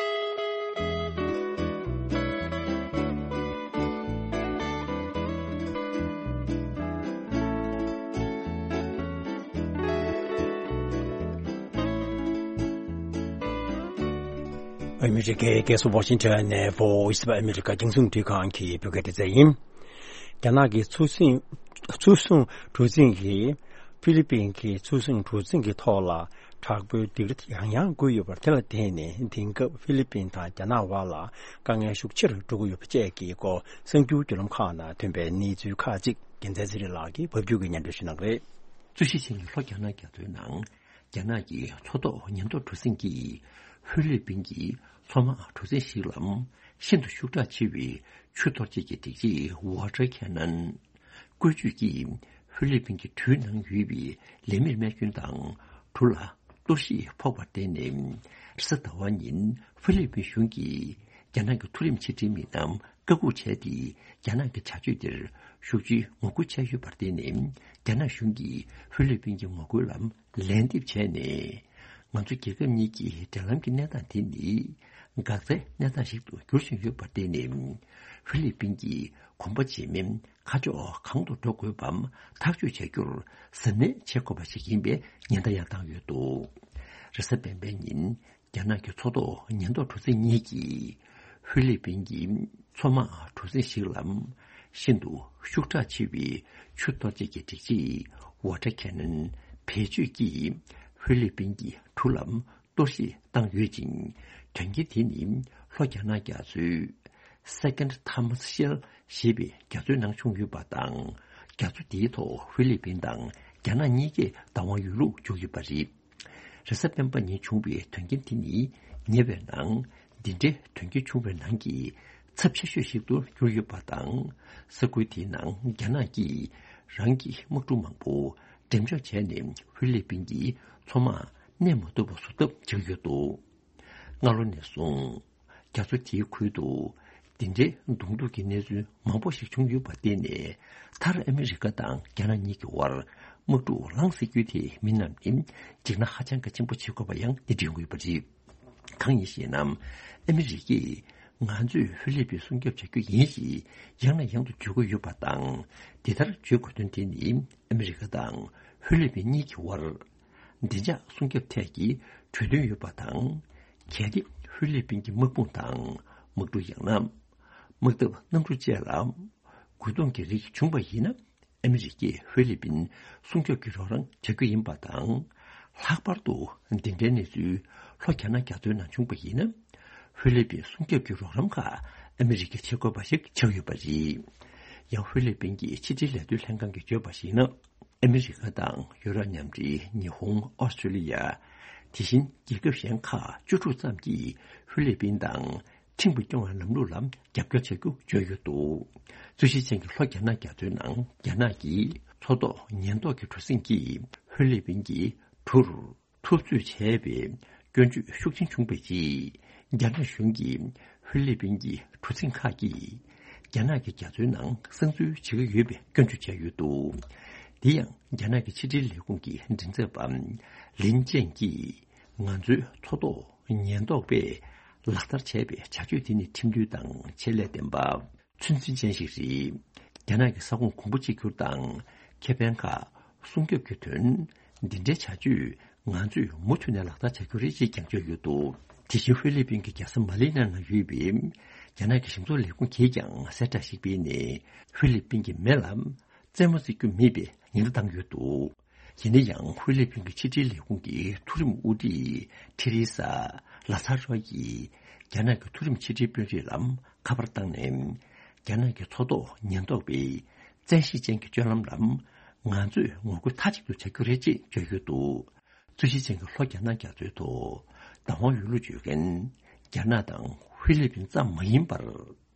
ཨ་མི་རི་ཀའི་རྒྱལ་ས་ཝ་ཤིང་ཊོན་ནས་Voice of America རྒྱང་སྲིང་རླུང་འཕྲིན་ཁང་གི་བོད་སྐད་སྡེ་ཚན་ཡིན། རྒྱ་ནག་གི་ཚུར་སེང་ཚུར་སྲུང་གྲུ་གཟིངས་ཀྱིས་ཧྥི་ལི་པིན་གྱི་ཚུར་སྲུང་གྲུ་གཟིངས་ཀྱི་ཐོག་ལ་དྲག་པོའི་སྡིགས་ར་ཡང་ཡང་བསྐུལ་ཡོད་པ། དེ་ལ་བརྟེན་ནས་དེང་སྐབས་ཧྥི་ལི་པིན་དང་རྒྱ་ནག་དབར་ལ་དཀའ་ངལ་ཤུགས་ཆེ་རུ་འགྲོ་གི་ཡོད་པ་བཅས་ཀྱི་སྐོར་གསར་འགྱུར་བརྒྱུད་ལམ་ཁག་ནང་ཐོན་པའི་གནས་ཚུལ་ཁག་ཅིག་རྒྱལ་མཚན་ཚེ་རིང་ལགས་ཀྱིས་ཕབ་སྒྱུར་གྱིས་སྙན་སྒྲོན་ཞུ་གནང་གི་རེད། རྩོད་གཞི་ཅན་གྱི་ལྷོ་རྒྱ་ནག་རྒྱ་མཚོའི་ནང་། རྒྱ་ནག་གི་མཚོ་ཐོག་ཉེན་རྟོག་གྲུ་གཟིངས་ཀྱིས་ཧྥི་ལི་པིན་གྱི་མཚོ་དམག་གྲུ་གཟིངས་ཤིག་ལ་ཤིན་ཏུ་ཤུགས་དྲག་ཆེ་བའི་ཆུ་གཏོར་བྱེད་ཀྱི་སྒྲིག་ཆས་Water Cannon བཀོལ་སྤྱོད་ཀྱིས་ཧྥི་ལི་པིན་གྱི་གྲུའི་ནང་ཡོད་པའི་ལས་མིར་རྨས་སྐྱོན་དང་། གྲུ་ལ་གཏོར་བཤིག་ཕོག་པར་བརྟེན་ནས། རེས་གཟའ་ཟླ་བ་ཉིན་ཧྥི་ལི་པིན་གཞུང་གིས་རྒྱ་ནག་གི་མཐོ་རིམ་ཕྱི་འབྲེལ་མི་སྣ་བཀག་འགོག་བྱས་ཏེ། རྒྱ་ནག་གི་བྱ་སྤྱོད་དེར་ཤུགས་ཆེའི་ངོ་རྒོལ་བྱས་ཡོད་པར་བརྟེན་ནས། རྒྱ་ནག་གཞུང་གིས་ཧྥི་ལི་པིན་གྱི་ངོ་རྒོལ་ལ་ལན་འདེབས་བྱས་ནས། ང་ཚོ་རྒྱལ་ཁབ་གཉིས་ཀྱི་འབྲེལ་ལམ་གྱི་གནས་སྟངས་དེ་ནི་འགག་རྩའི་གནས་སྟངས་ཤིག་ཏུ་འགྱུར་བཞིན་ཡོད་པར་བརྟེན་ནས། ཧྥི་ལི་པིན་གྱིས་གོམ་པ་འཇལ་མིན་ཁ་ཕྱོགས་གང་དུ་འགྲོ་དགོས་པའམ་ཐག་གཅོད་བྱ་རྒྱུར་གཟབ་ནན་བྱེད་དགོས་པ་ཞིག་ཡིན་པའི་ཉེན་བརྡ་ཡང་བཏང་ཡོད་འདུག་རེས་གཟའ་སྤེན་པའི་ཉིན། རྒྱ་ནག་གི་མཚོ་ཐོག་ཉེན་རྟོག་གྲུ་གཟིངས་གཉིས་ཀྱིས་ཧྥི་ལི་པིན་གྱི་མཚོ་དམག་གྲུ་གཟིངས་ཤིག་ལ་ཤིན་ཏུ་ཤུགས་དྲག་ཆེ་བའི་ཆུ་གཏོར་བྱེད་ཀྱི་སྒྲིག་ཆས་Water Cannon བེད་སྤྱོད་ཀྱིས་ཧྥི་ལི་པིན་གྱི་གྲུ་ལ་གཏོར་བཤིག་བཏང་ཡོད་ཅིང་། དོན་རྐྱེན་དེ་ནི་ལྷོ་རྒྱ་ནག་རྒྱ་མཚོའི་Second Thomas Shell ཞེས་པའི་རྒྱ་མཚོའི་ནང་བྱུང་ཡོད་པ་དང་། རྒྱ་མཚོ་དེའི་ཐོག་ཧྥི་ལི་པིན་དང་རྒྱ་ནག་གཉིས་ཀས་བདག་དབང་ཡོད་ལུགས་བརྗོད་ཡོད་པ་རེད། རེས་གཟའ་སྤེན་པ་ཉིན་བྱུང་བའི་དོན་རྐྱེན་དེ་ནི་ཉེ་བའི་ནང་འདི་འདྲའི་དོན་རྐྱེན་བྱུང་བའི་ནང་གི་ཚབས་ཆེ་ཤོས་ཤིག་ཏུ་གྱུར་ཡོད་པ་དང་། ས་ཁུལ་དེའི་ནང་རྒྱ་ནག་གིས་རང་གི་དམག་གྲུ་མང་པོ་འགྲེམས་འཇོག་བྱས་ནས་ཧྥི་ལི་པིན་གྱི་མཚོ་དམག་གནས་མ་ཐུབ་པ་བཟོ་ཐབས་བྱེད་ཀྱི་ཡོད་འདུག་སྔ་ལོ་ནས་བཟུང་རྒྱ་མཚོ་དེའི་ཁུལ་དུ་འདི་འདྲའི་གདོང་ཐུག་གི་གནས་ཚུལ་མང་པོ་ཞིག་བྱུང་ཡོད་པར་བརྟེན་ནས། མཐར་ཨ་མི་རི་ཀ་དང་རྒྱ་ནག་གཉིས་ཀྱི་དབར་དམག་འཁྲུག་ལངས་སྲིད་རྒྱུ་དེ་མི་རྣམས་ནི་འཇིགས་སྣང་ཧ་ཅང་གི་ཆེན་པོ་བྱེད་དགོས་པ་ཡང་འདི་དྲན་དགོས་པ་རེད། གང་ཡིན་ཞེ་ན། ཨ་མི་རི་ཀས་ང་ཚོས་ཧྥི་ལི་པིན་སྲུང་སྐྱོབ་བྱ་རྒྱུ་ཡིན་ཞེས་ཡང་ནས་ཡང་དུ་བརྗོད་ཀྱི་ཡོད་པ་དང་། འདི་ལྟར་བརྗོད་དགོས་དོན་དེ་ནི་ཨ་མི་རི་ཀ་དང་ཧྥི་ལི་པིན་གཉིས་ཀྱི་དབར་བདེ་འཇགས་སྲུང་སྐྱོབ་ཐད་ཀྱི་གྲོས་མཐུན་ཡོད་པ་དང་། གལ་ཏེ་ཧྥི་ལི་པིན་གྱི་དམག་དཔུང་དང་དམག་གྲུ། ཡང་ན་དམག་འཐབ་གནམ་གྲུ་བཅས་ལ་རྒོལ་རྡུང་གི་རིགས་བྱུང་བ་ཡིན་ན། ཨ་མི་རི་ཀས་ཧྥི་ལི་པིན་སྲུང་སྐྱོབ་ཀྱི་རོགས་རམ་བྱ་རྒྱུ་ཡིན་པ་དང་། ལྷག་པར་དུ་འདི་འདྲའི་གནས་ཚུལ་ལྷོ་རྒྱ་ནག་རྒྱ་མཚོའི་ནང་བྱུང་བ་ཡིན་ན། ཧྥི་ལི་པིན་སྲུང་སྐྱོབ་ཀྱི་རོགས་རམ་ཁག་ཨ་མི་རི་ཀས་བྱེད་དགོས་པ་ཞིག་ཆགས་ཡོད་པ་རེད། ཡང་ཧྥི་ལི་པིན་གྱི་ཕྱི་འབྲེལ་ལས་དོན་ལྷན་ཁང་གིས་བརྗོད་པར་གཞིགས་ན། ཨ་མི་རི་ཀ་དང་ཡུ་རོབ་མཉམ་འབྲེལ། ཉི་ཧོང་། ཨོ་སི་ཀྲོ་ལི་ཡ། དེ་བཞིན་རྒྱལ་ཁབ་གཞན་ཁག་བཅུ་དྲུག་ཙམ་གྱིས་ཧྥི་ལི་པིན་དང་ཁྲིམས་ཀྱིས་སྐྱོང་བའི་ལམ་ལུགས་ལ་རྒྱབ་སྐྱོར་བྱ་རྒྱུ་བརྗོད་ཡོད་འདུག་རྩོད་གཞི་ཅན་གྱི་ལྷོ་རྒྱ་ནག་རྒྱ་མཚོའི་ནང་རྒྱ་ནག་གི་མཚོ་ཐོག་ཉེན་རྟོག་གི་གྲུ་གཟིངས་ཀྱིས་ཧྥི་ལི་པིན་གྱི་གྲུར་འཐབ་རྩོད་བྱས་པའི་སྐྱོན་བརྗོད་ཤུགས་ཆེན་བྱུང་བའི་རྗེས། རྒྱ་ནག་གཞུང་གིས་ཧྥི་ལི་པིན་གྱི་གྲུ་གཟིངས་ཁག་གིས་རྒྱ་ནག་གི་རྒྱ་མཚོའི་ནང་གསང་འཛུལ་བྱེད་ཀྱི་ཡོད་པའི་སྐྱོན་བརྗོད་བྱས་ཡོད་འདུག་དེ་ཡང་རྒྱ་ནག་གི་ཕྱི་འབྲེལ་ལས་ཁུངས་ཀྱི་མགྲིན་ཚབ་པ་ལིན་ཅན་གྱིས། ང་ཚོའི་མཚོ་ཐོག་ཉེན་རྟོག་པས་ལག་བསྟར་བྱས་པའི་བྱ་སྤྱོད་དེ་ནི་ཁྲིམས་མཐུན་དང་ཆེད་ལས་ལྡན་པ། ཚོད་འཛིན་ཅན་ཞིག་རེད། རྒྱ་ནག་གི་ས་ཁོངས་གོང་བུ་གཅིག་གྱུར་དང་ཁེ་ཕན་ཁག་སྲུང་སྐྱོབ་ཀྱི་དོན། འདི་འདྲའི་བྱ་སྤྱོད་ང་ཚོས་མུ་མཐུད་ནས་ལག་བསྟར་བྱ་རྒྱུ་རེད་ཅེས་ཀྱང་བརྗོད་ཡོད་འདུག་དེ་བཞིན་ཧྥི་ལི་པིན་གྱི་རྒྱལ་ས་མ་ལི་ན་ན་ཡོད་པའི་རྒྱ་ནག་གི་གཞུང་ཚབ་ལས་ཁུངས་ཀྱིས་ཀྱང་གསལ་བསྒྲགས་ཤིག་སྤེལ་ནས། ཧྥི་ལི་པིན་གྱི་མེ་ལ་རྩེད་མོ་རྩེ་རྒྱུ་མེད་པའི་ཉེན་བརྡ་བཏང་ཡོད་འདུག་ཡིན་ན་ཡང་ཧྥི་ལི་པིན་གྱི་ཕྱི་འབྲེལ་ལས་ཁུངས་ཀྱི་མཐོ་རིམ་དབུ་ཁྲིད་ཐེ་རེ་ས་ལ་ཚ་རོ་ཡིས། རྒྱ་ནག་གི་མཐོ་རིམ་ཕྱི་དྲིལ་དཔོན་རིགས་ལ་ཁ་པར་བཏང་ནས། རྒྱ་ནག་གི་མཚོ་ཐོག་ཉེན་རྟོག་པའི་བཙན་ཤེད་ཅན་གྱི་སྤྱོད་ལམ་ལ་ང་ཚོས་ངོ་རྒོལ་མཐའ་གཅིག་ཏུ་བྱ་རྒྱུ་རེད་ཅེས་བརྗོད་ཡོད་འདུག། རྩོད་གཞི་ཅན་གྱི་ལྷོ་རྒྱ་ནག་རྒྱ་མཚོའི་ཐོག་བདག་དབང་ཡོད་ལུགས་བརྗོད་མཁན་རྒྱ་ནག་དང་ཧྥི་ལི་པིན་ཙམ་མ་ཡིན་པར།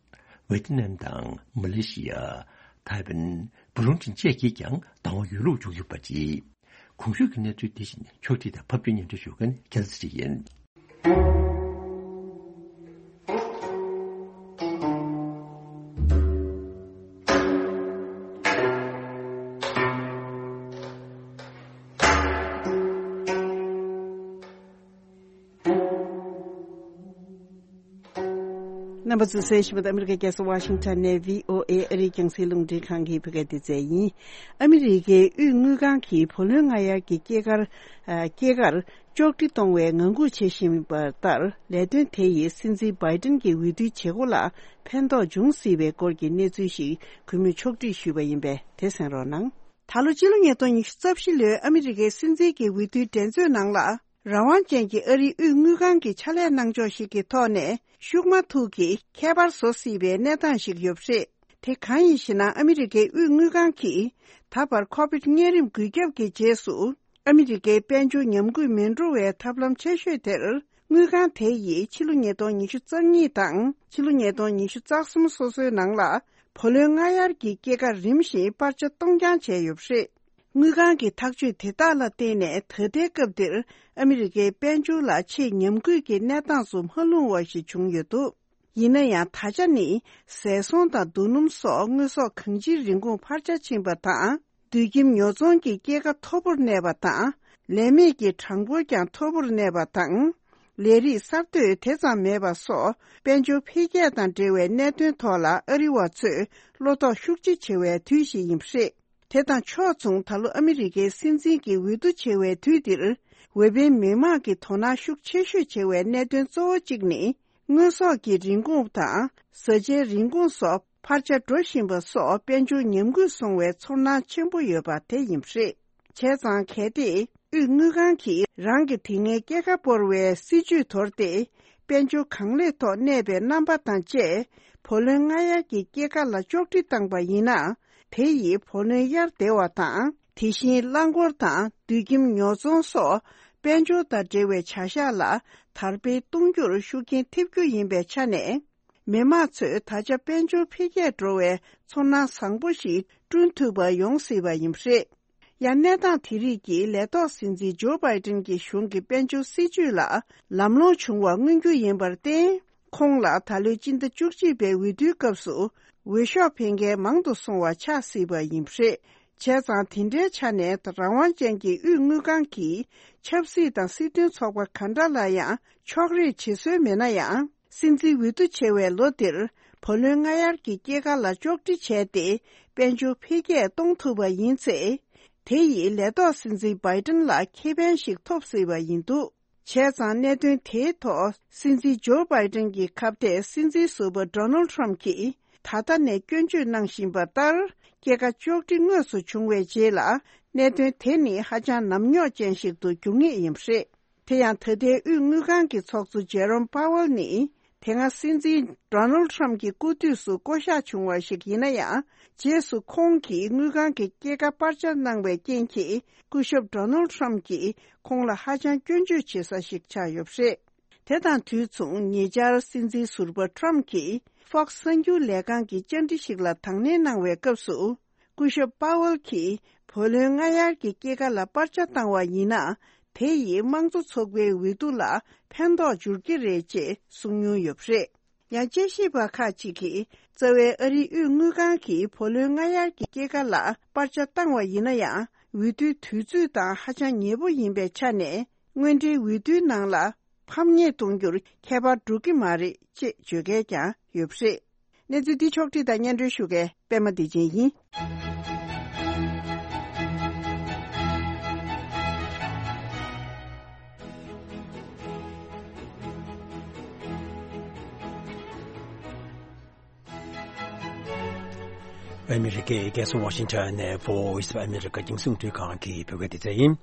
ཝེ་ཏི་ནམ་དང་མ་ལེ་ཤི་ཡ། ཐའེ་ཝན། བུ་ལུང་ཁྲིན་བཅས་ཀྱིས་ཀྱང་བདག་དབང་ཡོད་ལུགས་བརྗོད་ཡོད་པ་རེད། གོང་ཞུས་ཀྱི་གནས་ཚུལ་འདི་བཞིན་ཕྱོགས་སྒྲིག་དང་ཕབ་སྒྱུར་སྙན་སྒྲོན་ཞུ་མཁན་རྒྱལ་སྲས་ཡིན། རྣམ་པ་ཚོས་གསན་བཞིན་པ་ཨ་མི་རི་ཀའི་རྒྱལ་ས་ཝ་ཤིང་ཊོན་ནས་བྷི་ཨོ་ཨེ་ཨ་རིའི་རྒྱང་སྲིང་རླུང་འཕྲིན་ཁང་གི་བོད་སྐད་སྡེ་ཚན་ཡིན། ཨ་མི་རི་ཀའི་དབུས་དངུལ་ཁང་གིས་བུ་ལོན་སྔ་གཡར་གྱི་སྐྱེད་ཀར། ཨ། སྐྱེད་ཀར་གཅོག་འཕྲི་གཏོང་བའི་ངང་སྒུག་བྱེད་བཞིན་པ་ལྟར། ལས་དོན་དེ་ཡིས་སྲིད་འཛིན་བྷའི་ཏིན་གྱི་འོས་བསྡུའི་བྱེད་སྒོ་ལ་ཕན་ཐོགས་འབྱུང་སྲིད་པའི་སྐོར་གྱི་གནས་ཚུལ་ཞིག་གུས་མོས་ཕྱོགས་སྒྲིག་ཞུས་པ་ཡིན་པས། དེ་གསན་རོགས་གནང་། ད་ལོ་སྤྱི་ལོ་ཉིས་སྟོང་ཉི་ཤུ་རྩ་བཞི་ལོའི་ཨ་མི་རི་ཀའི་སྲིད་འཛིན་གྱི་འོས་བསྡུའི་འགྲན་རྩོད་ནང་ལ། རང་དབང་ཅན་གྱི་ཨ་རིའི་དབུས་དངུལ་ཁང་གི་ཕྱག་ལས་གནང་ཕྱོགས་ཤིག་གི་ཐོག་ནས་ཤུགས་མ་ཐུག་གིས་ཁྱད་པར་བཟོ་སྲིད་པའི་གནས་སྟངས་ཤིག་ཡོད་པ་རེད། དེ་གང་ཡིན་ཞེ་ན། ཨ་མི་རི་ཀའི་དབུས་དངུལ་ཁང་གིས་ད་བར་ཁོ་བིད་གཉན་རིམས་འགོས་ཁྱབ་ཀྱི་རྗེས་སུ། ཨ་མི་རི་ཀའི་དཔལ་འབྱོར་ཉམས་རྒུད་མི་འགྲོ་བའི་ཐབས་ལམ་ཆེ་ཤོས་དེར། དངུལ་ཁང་དེ་ཡིས་ཕྱི་ལོ་ཉིས་སྟོང་ཉི་ཤུ་རྩ་གཉིས་དང་ཕྱི་ལོ་ཉིས་སྟོང་ཉི་ཤུ་རྩ་གསུམ་སོ་སོའི་ནང་ལ། བུ་ལོན་སྔ་གཡར་གྱི་སྐྱེད་ཀ་རིམ་བཞིན་སྤར་ཆ་གཏོང་རྐྱང་བྱས་ཡོད་པ་རེད། དངུལ་ཁང་གི་ཐག་གཅོད་དེ་དག་ལ་བརྟེན་ནས། ད་ལྟའི་སྐབས་འདིར་ཨ་མི་རི་ཀའི་དཔལ་འབྱོར་ལ་ཆེས་ཉམས་རྒུད་ཀྱི་གནས་སྟངས་སུ་མ་ལྷུང་བ་ཞིག་བྱུང་ཡོད་འདུག། ཡིན་ན་ཡང་། ད་ཆ་ནི་ཟས་ཚོང་དང་རྡོ་སྣུམ་སོགས་དངོས་ཟོག་གང་ཅིའི་རིན་གོང་འཕར་ཆ་ཕྱིན་པ་དང་། སྡོད་ཁྱིམ་ཉོ་ཚོང་གི་སྐྱེད་ཀ་མཐོ་པོར་གནས་པ་དང་། ལས་མེད་ཀྱི་གྲངས་འབོར་ཀྱང་མཐོ་པོར་གནས་པ་དང་། ལས་རིགས་གསར་གཏོད་དེ་ཙམ་མེད་པ་སོགས། དཔལ་འབྱོར་འཕེལ་རྒྱས་དང་འབྲེལ་བའི་གནད་དོན་ཐོག་ལ་ཨ་རི་བ་ཚོས་བློ་དོགས་ཤུགས་ཆེ་བྱེད་པའི་དུས་ཤིག་ཡིན་པ་རེད། དེ་དང་ཕྱོགས་མཚུངས། ད་ལོ་ཨ་མི་རི་ཀའི་སྲིད་འཛིན་གྱི་འོས་བསྡུ་བྱེད་པའི་དུས་འདིར། འོས་འཕེན་མི་མང་གི་དོ་སྣང་ཤུགས་ཆེ་ཤོས་བྱེད་པའི་གནད་དོན་གཙོ་བོ་གཅིག་ནི། དངོས་ཟོག་གི་རིན་གོང་དང་། བཟའ་བཅའི་རིན་གོང་སོགས་འཕར་ཆ་འགྲོ་བཞིན་པ་སོགས། དཔལ་འབྱོར་ཉམས་རྒུད་སོང་བའི་ཚོར་སྣང་ཆེན་པོ་ཡོད་པ་དེ་ཡིན་པ་རེད། བྱས་ཙང་། གལ་ཏེ་དབུས་དངུལ་ཁང་གིས་རང་གི་དེ་སྔའི་སྐྱེད་ཀ་སྤོར་བའི་སྲིད་ཇུས་དོར་ཏེ། དཔལ་འབྱོར་གང་ལེགས་ཐོག་གནས་པའི་རྣམ་པ་དང་བཅས། བུ་ལོན་སྔ་གཡར་གྱི་སྐྱེད་ཀ་ལ་གཅོག་འཕྲི་བཏང་པ་ཡིན་ན། དེ་ཡིས་བུ་ལོན་གཡར་བདེ་བ་དང་། དེ་བཞིན་རླངས་འཁོར་དང་། སྡོད་ཁྱིམ་ཉོ་ཚོང་སོགས། དཔལ་འབྱོར་དང་འབྲེལ་བའི་བྱ་གཞག་ལ་དར་སྤེལ་གཏོང་རྒྱུར་ཤུགས་རྐྱེན་ཐེབས་རྒྱུ་ཡིན་པའི་ཆ་ནས། མི་མང་ཚོས་ད་ཆ་དཔལ་འབྱོར་འཕེལ་རྒྱས་འགྲོ་བའི་ཚོར་སྣང་བཟང་པོ་ཞིག་བསྐྲུན་ཐུབ་པ་ཡོང་སྲིད་པ་ཡིན་པ་རེད། ཡང་། གནས་སྟངས་དེ་རིགས་ཀྱིས་ལས་ཐོག་སྲིད་འཛིན་ཇོ་བྷའི་ཏིན་གྱི་གཞུང་གི་དཔལ་འབྱོར་སྲིད་ཇུས་ལ་ལམ་ལྷོང་བྱུང་བ་མངོན་རྒྱུ་ཡིན་པར་བརྟེན། ཁོང་ལ་ད་ལོའི་སྤྱི་ཟླ་བཅུ་གཅིག་པའི་འོས་བསྡུའི་སྐབས་སུ་འོས་ཤོག་འཕེན་མཁན་མང་དུ་སོང་བ་ཆགས་སྲིད་པ་ཡིན་པ་རེད། བྱས་ཙང་། དེ་འདྲའི་ཆ་ནས། རང་དབང་ཅན་གྱི་དབུས་དངུལ་ཁང་གིས་ཆབ་སྲིད་དང་སྲིད་དོན་ཚོགས་པ་ག་འདྲ་ལ་ཡང་ཕྱོགས་རིས་བྱེད་སྲོལ་མེད་ན་ཡང་། སྲིད་འཛིན་འོས་བསྡུ་བྱེད་པའི་ལོ་འདིར། བུ་ལོན་སྔ་གཡར་གྱི་སྐྱེད་ཀ་ལ་གཅོག་འཕྲི་བྱས་ཏེ། དཔལ་འབྱོར་འཕེལ་རྒྱས་གཏོང་ཐུབ་པ་ཡིན་ཚེ། དེ་ཡིས་ལས་ཐོག་སྲིད་འཛིན་བྷའི་ཏིན་ལ་ཁེ་ཕན་ཞིག་ཐོབ་སྲིད་པ་ཡིན་འདུག། བྱས་ཙང་། གནད་དོན་དེའི་ཐོག་སྲིད་འཛིན་ཇོ་བྷའི་ཏིན་གྱི་ཁ་གཏད་སྲིད་འཛིན་ཟུར་པ་ཌོ་ནལ་ཊམ་གྱིས་ད་ལྟ་ནས་སྐྱོན་བརྗོད་གནང་བཞིན་པ་ལྟར། སྐྱེད་ཀ་གཅོག་འཕྲི་དངོས་སུ་བྱུང་བའི་རྗེས་ལ། གནད་དོན་དེ་ནི་ཧ་ཅང་ནམ་རྙོག་ཅན་ཞིག་ཏུ་འགྱུར་ངེས་ཡིན་པ་རེད། དེ་ཡང་། ད་ལྟའི་དབུས་དངུལ་ཁང་གི་ཚོགས་གཙོ་ཇེ་རོམ་པ་ཝལ་ནི། དེ་སྔ་སྲིད་འཛིན་ཌོ་ནལ་ཊམ་གྱི་སྐུ་དུས་སུ་བསྐོ་གཞག་བྱུང་བ་ཞིག་ཡིན་ན་ཡང་། རྗེས་སུ་ཁོང་གིས་དངུལ་ཁང་གི་སྐྱེད་ཀ་སྤར་ཆ་གནང་བའི་རྐྱེན་གྱིས། སྐུ་ཞབས་ཌོ་ནལ་ཊམ་གྱིས་ཁོང་ལ་ཧ་ཅང་སྐྱོན་བརྗོད་བྱེད་ས་ཞིག་ཆགས་ཡོད་པ་རེད། དེ་དང་དུས་མཚུངས། ཉེ་ཆར་སྲིད་འཛིན་ཟུར་པ་ཊམ་གྱིས་ཧྥོག་སི་གསར་འགྱུར་ལས་ཁང་གི་བཅར་འདྲི་ཞིག་ལ་དང་ལེན་གནང་བའི་སྐབས་སུ། སྐུ་ཞབས་པ་ཝལ་གྱིས་བུ་ལོན་སྔ་གཡར་གྱི་སྐྱེད་ཀ་ལ་སྤར་ཆ་བཏང་བ་ཡིན་ན། དེ་ཡིས་དམངས་གཙོ་ཚོགས་པའི་འོས་བསྡུ་ལ་ཕན་ཐོགས་འབྱོར་གྱི་རེད་ཅེས་གསུངས་མྱོང་ཡོད་པ་རེད། ཡང་། དཔྱད་ཞིབ་པ་ཁག་ཅིག་གིས། རྩ་བའི་ཨ་རིའི་དབུས་དངུལ་ཁང་གིས་བུ་ལོན་སྔ་གཡར་གྱི་སྐྱེད་ཀ་ལ་སྤར་ཆ་བཏང་བ་ཡིན་ན་ཡང་། འོས་བསྡུའི་དུས་ཚོད་དང་ཧ་ཅང་ཉེ་པོ་ཡིན་པའི་ཆ་ནས། དངོས་འབྲེལ་འོས་བསྡུའི་ནང་ལ་ཕམ་ཉེས་གཏོང་རྒྱུར་ཁྱད་པར་འགྲོ་གི་མ་རེད་ཅེས་བརྗོད་མཁན་ཀྱང་ཡོད་པ་རེད། གནས་ཚུལ་འདི་ཕྱོགས་བསྒྲིགས་དང་སྙན་སྒྲོན་ཞུ་མཁན་པད་མ་བདེ་ཆེན་ཡིན། ཨ་མི་རི་ཀའི་རྒྱལ་ས་ཝ་ཤིང་ཊོན་ནས་Voice of America རྒྱང་སྲིང་རླུང་འཕྲིན་ཁང་གི་བོད་སྐད་སྡེ་ཚན་ཡིན།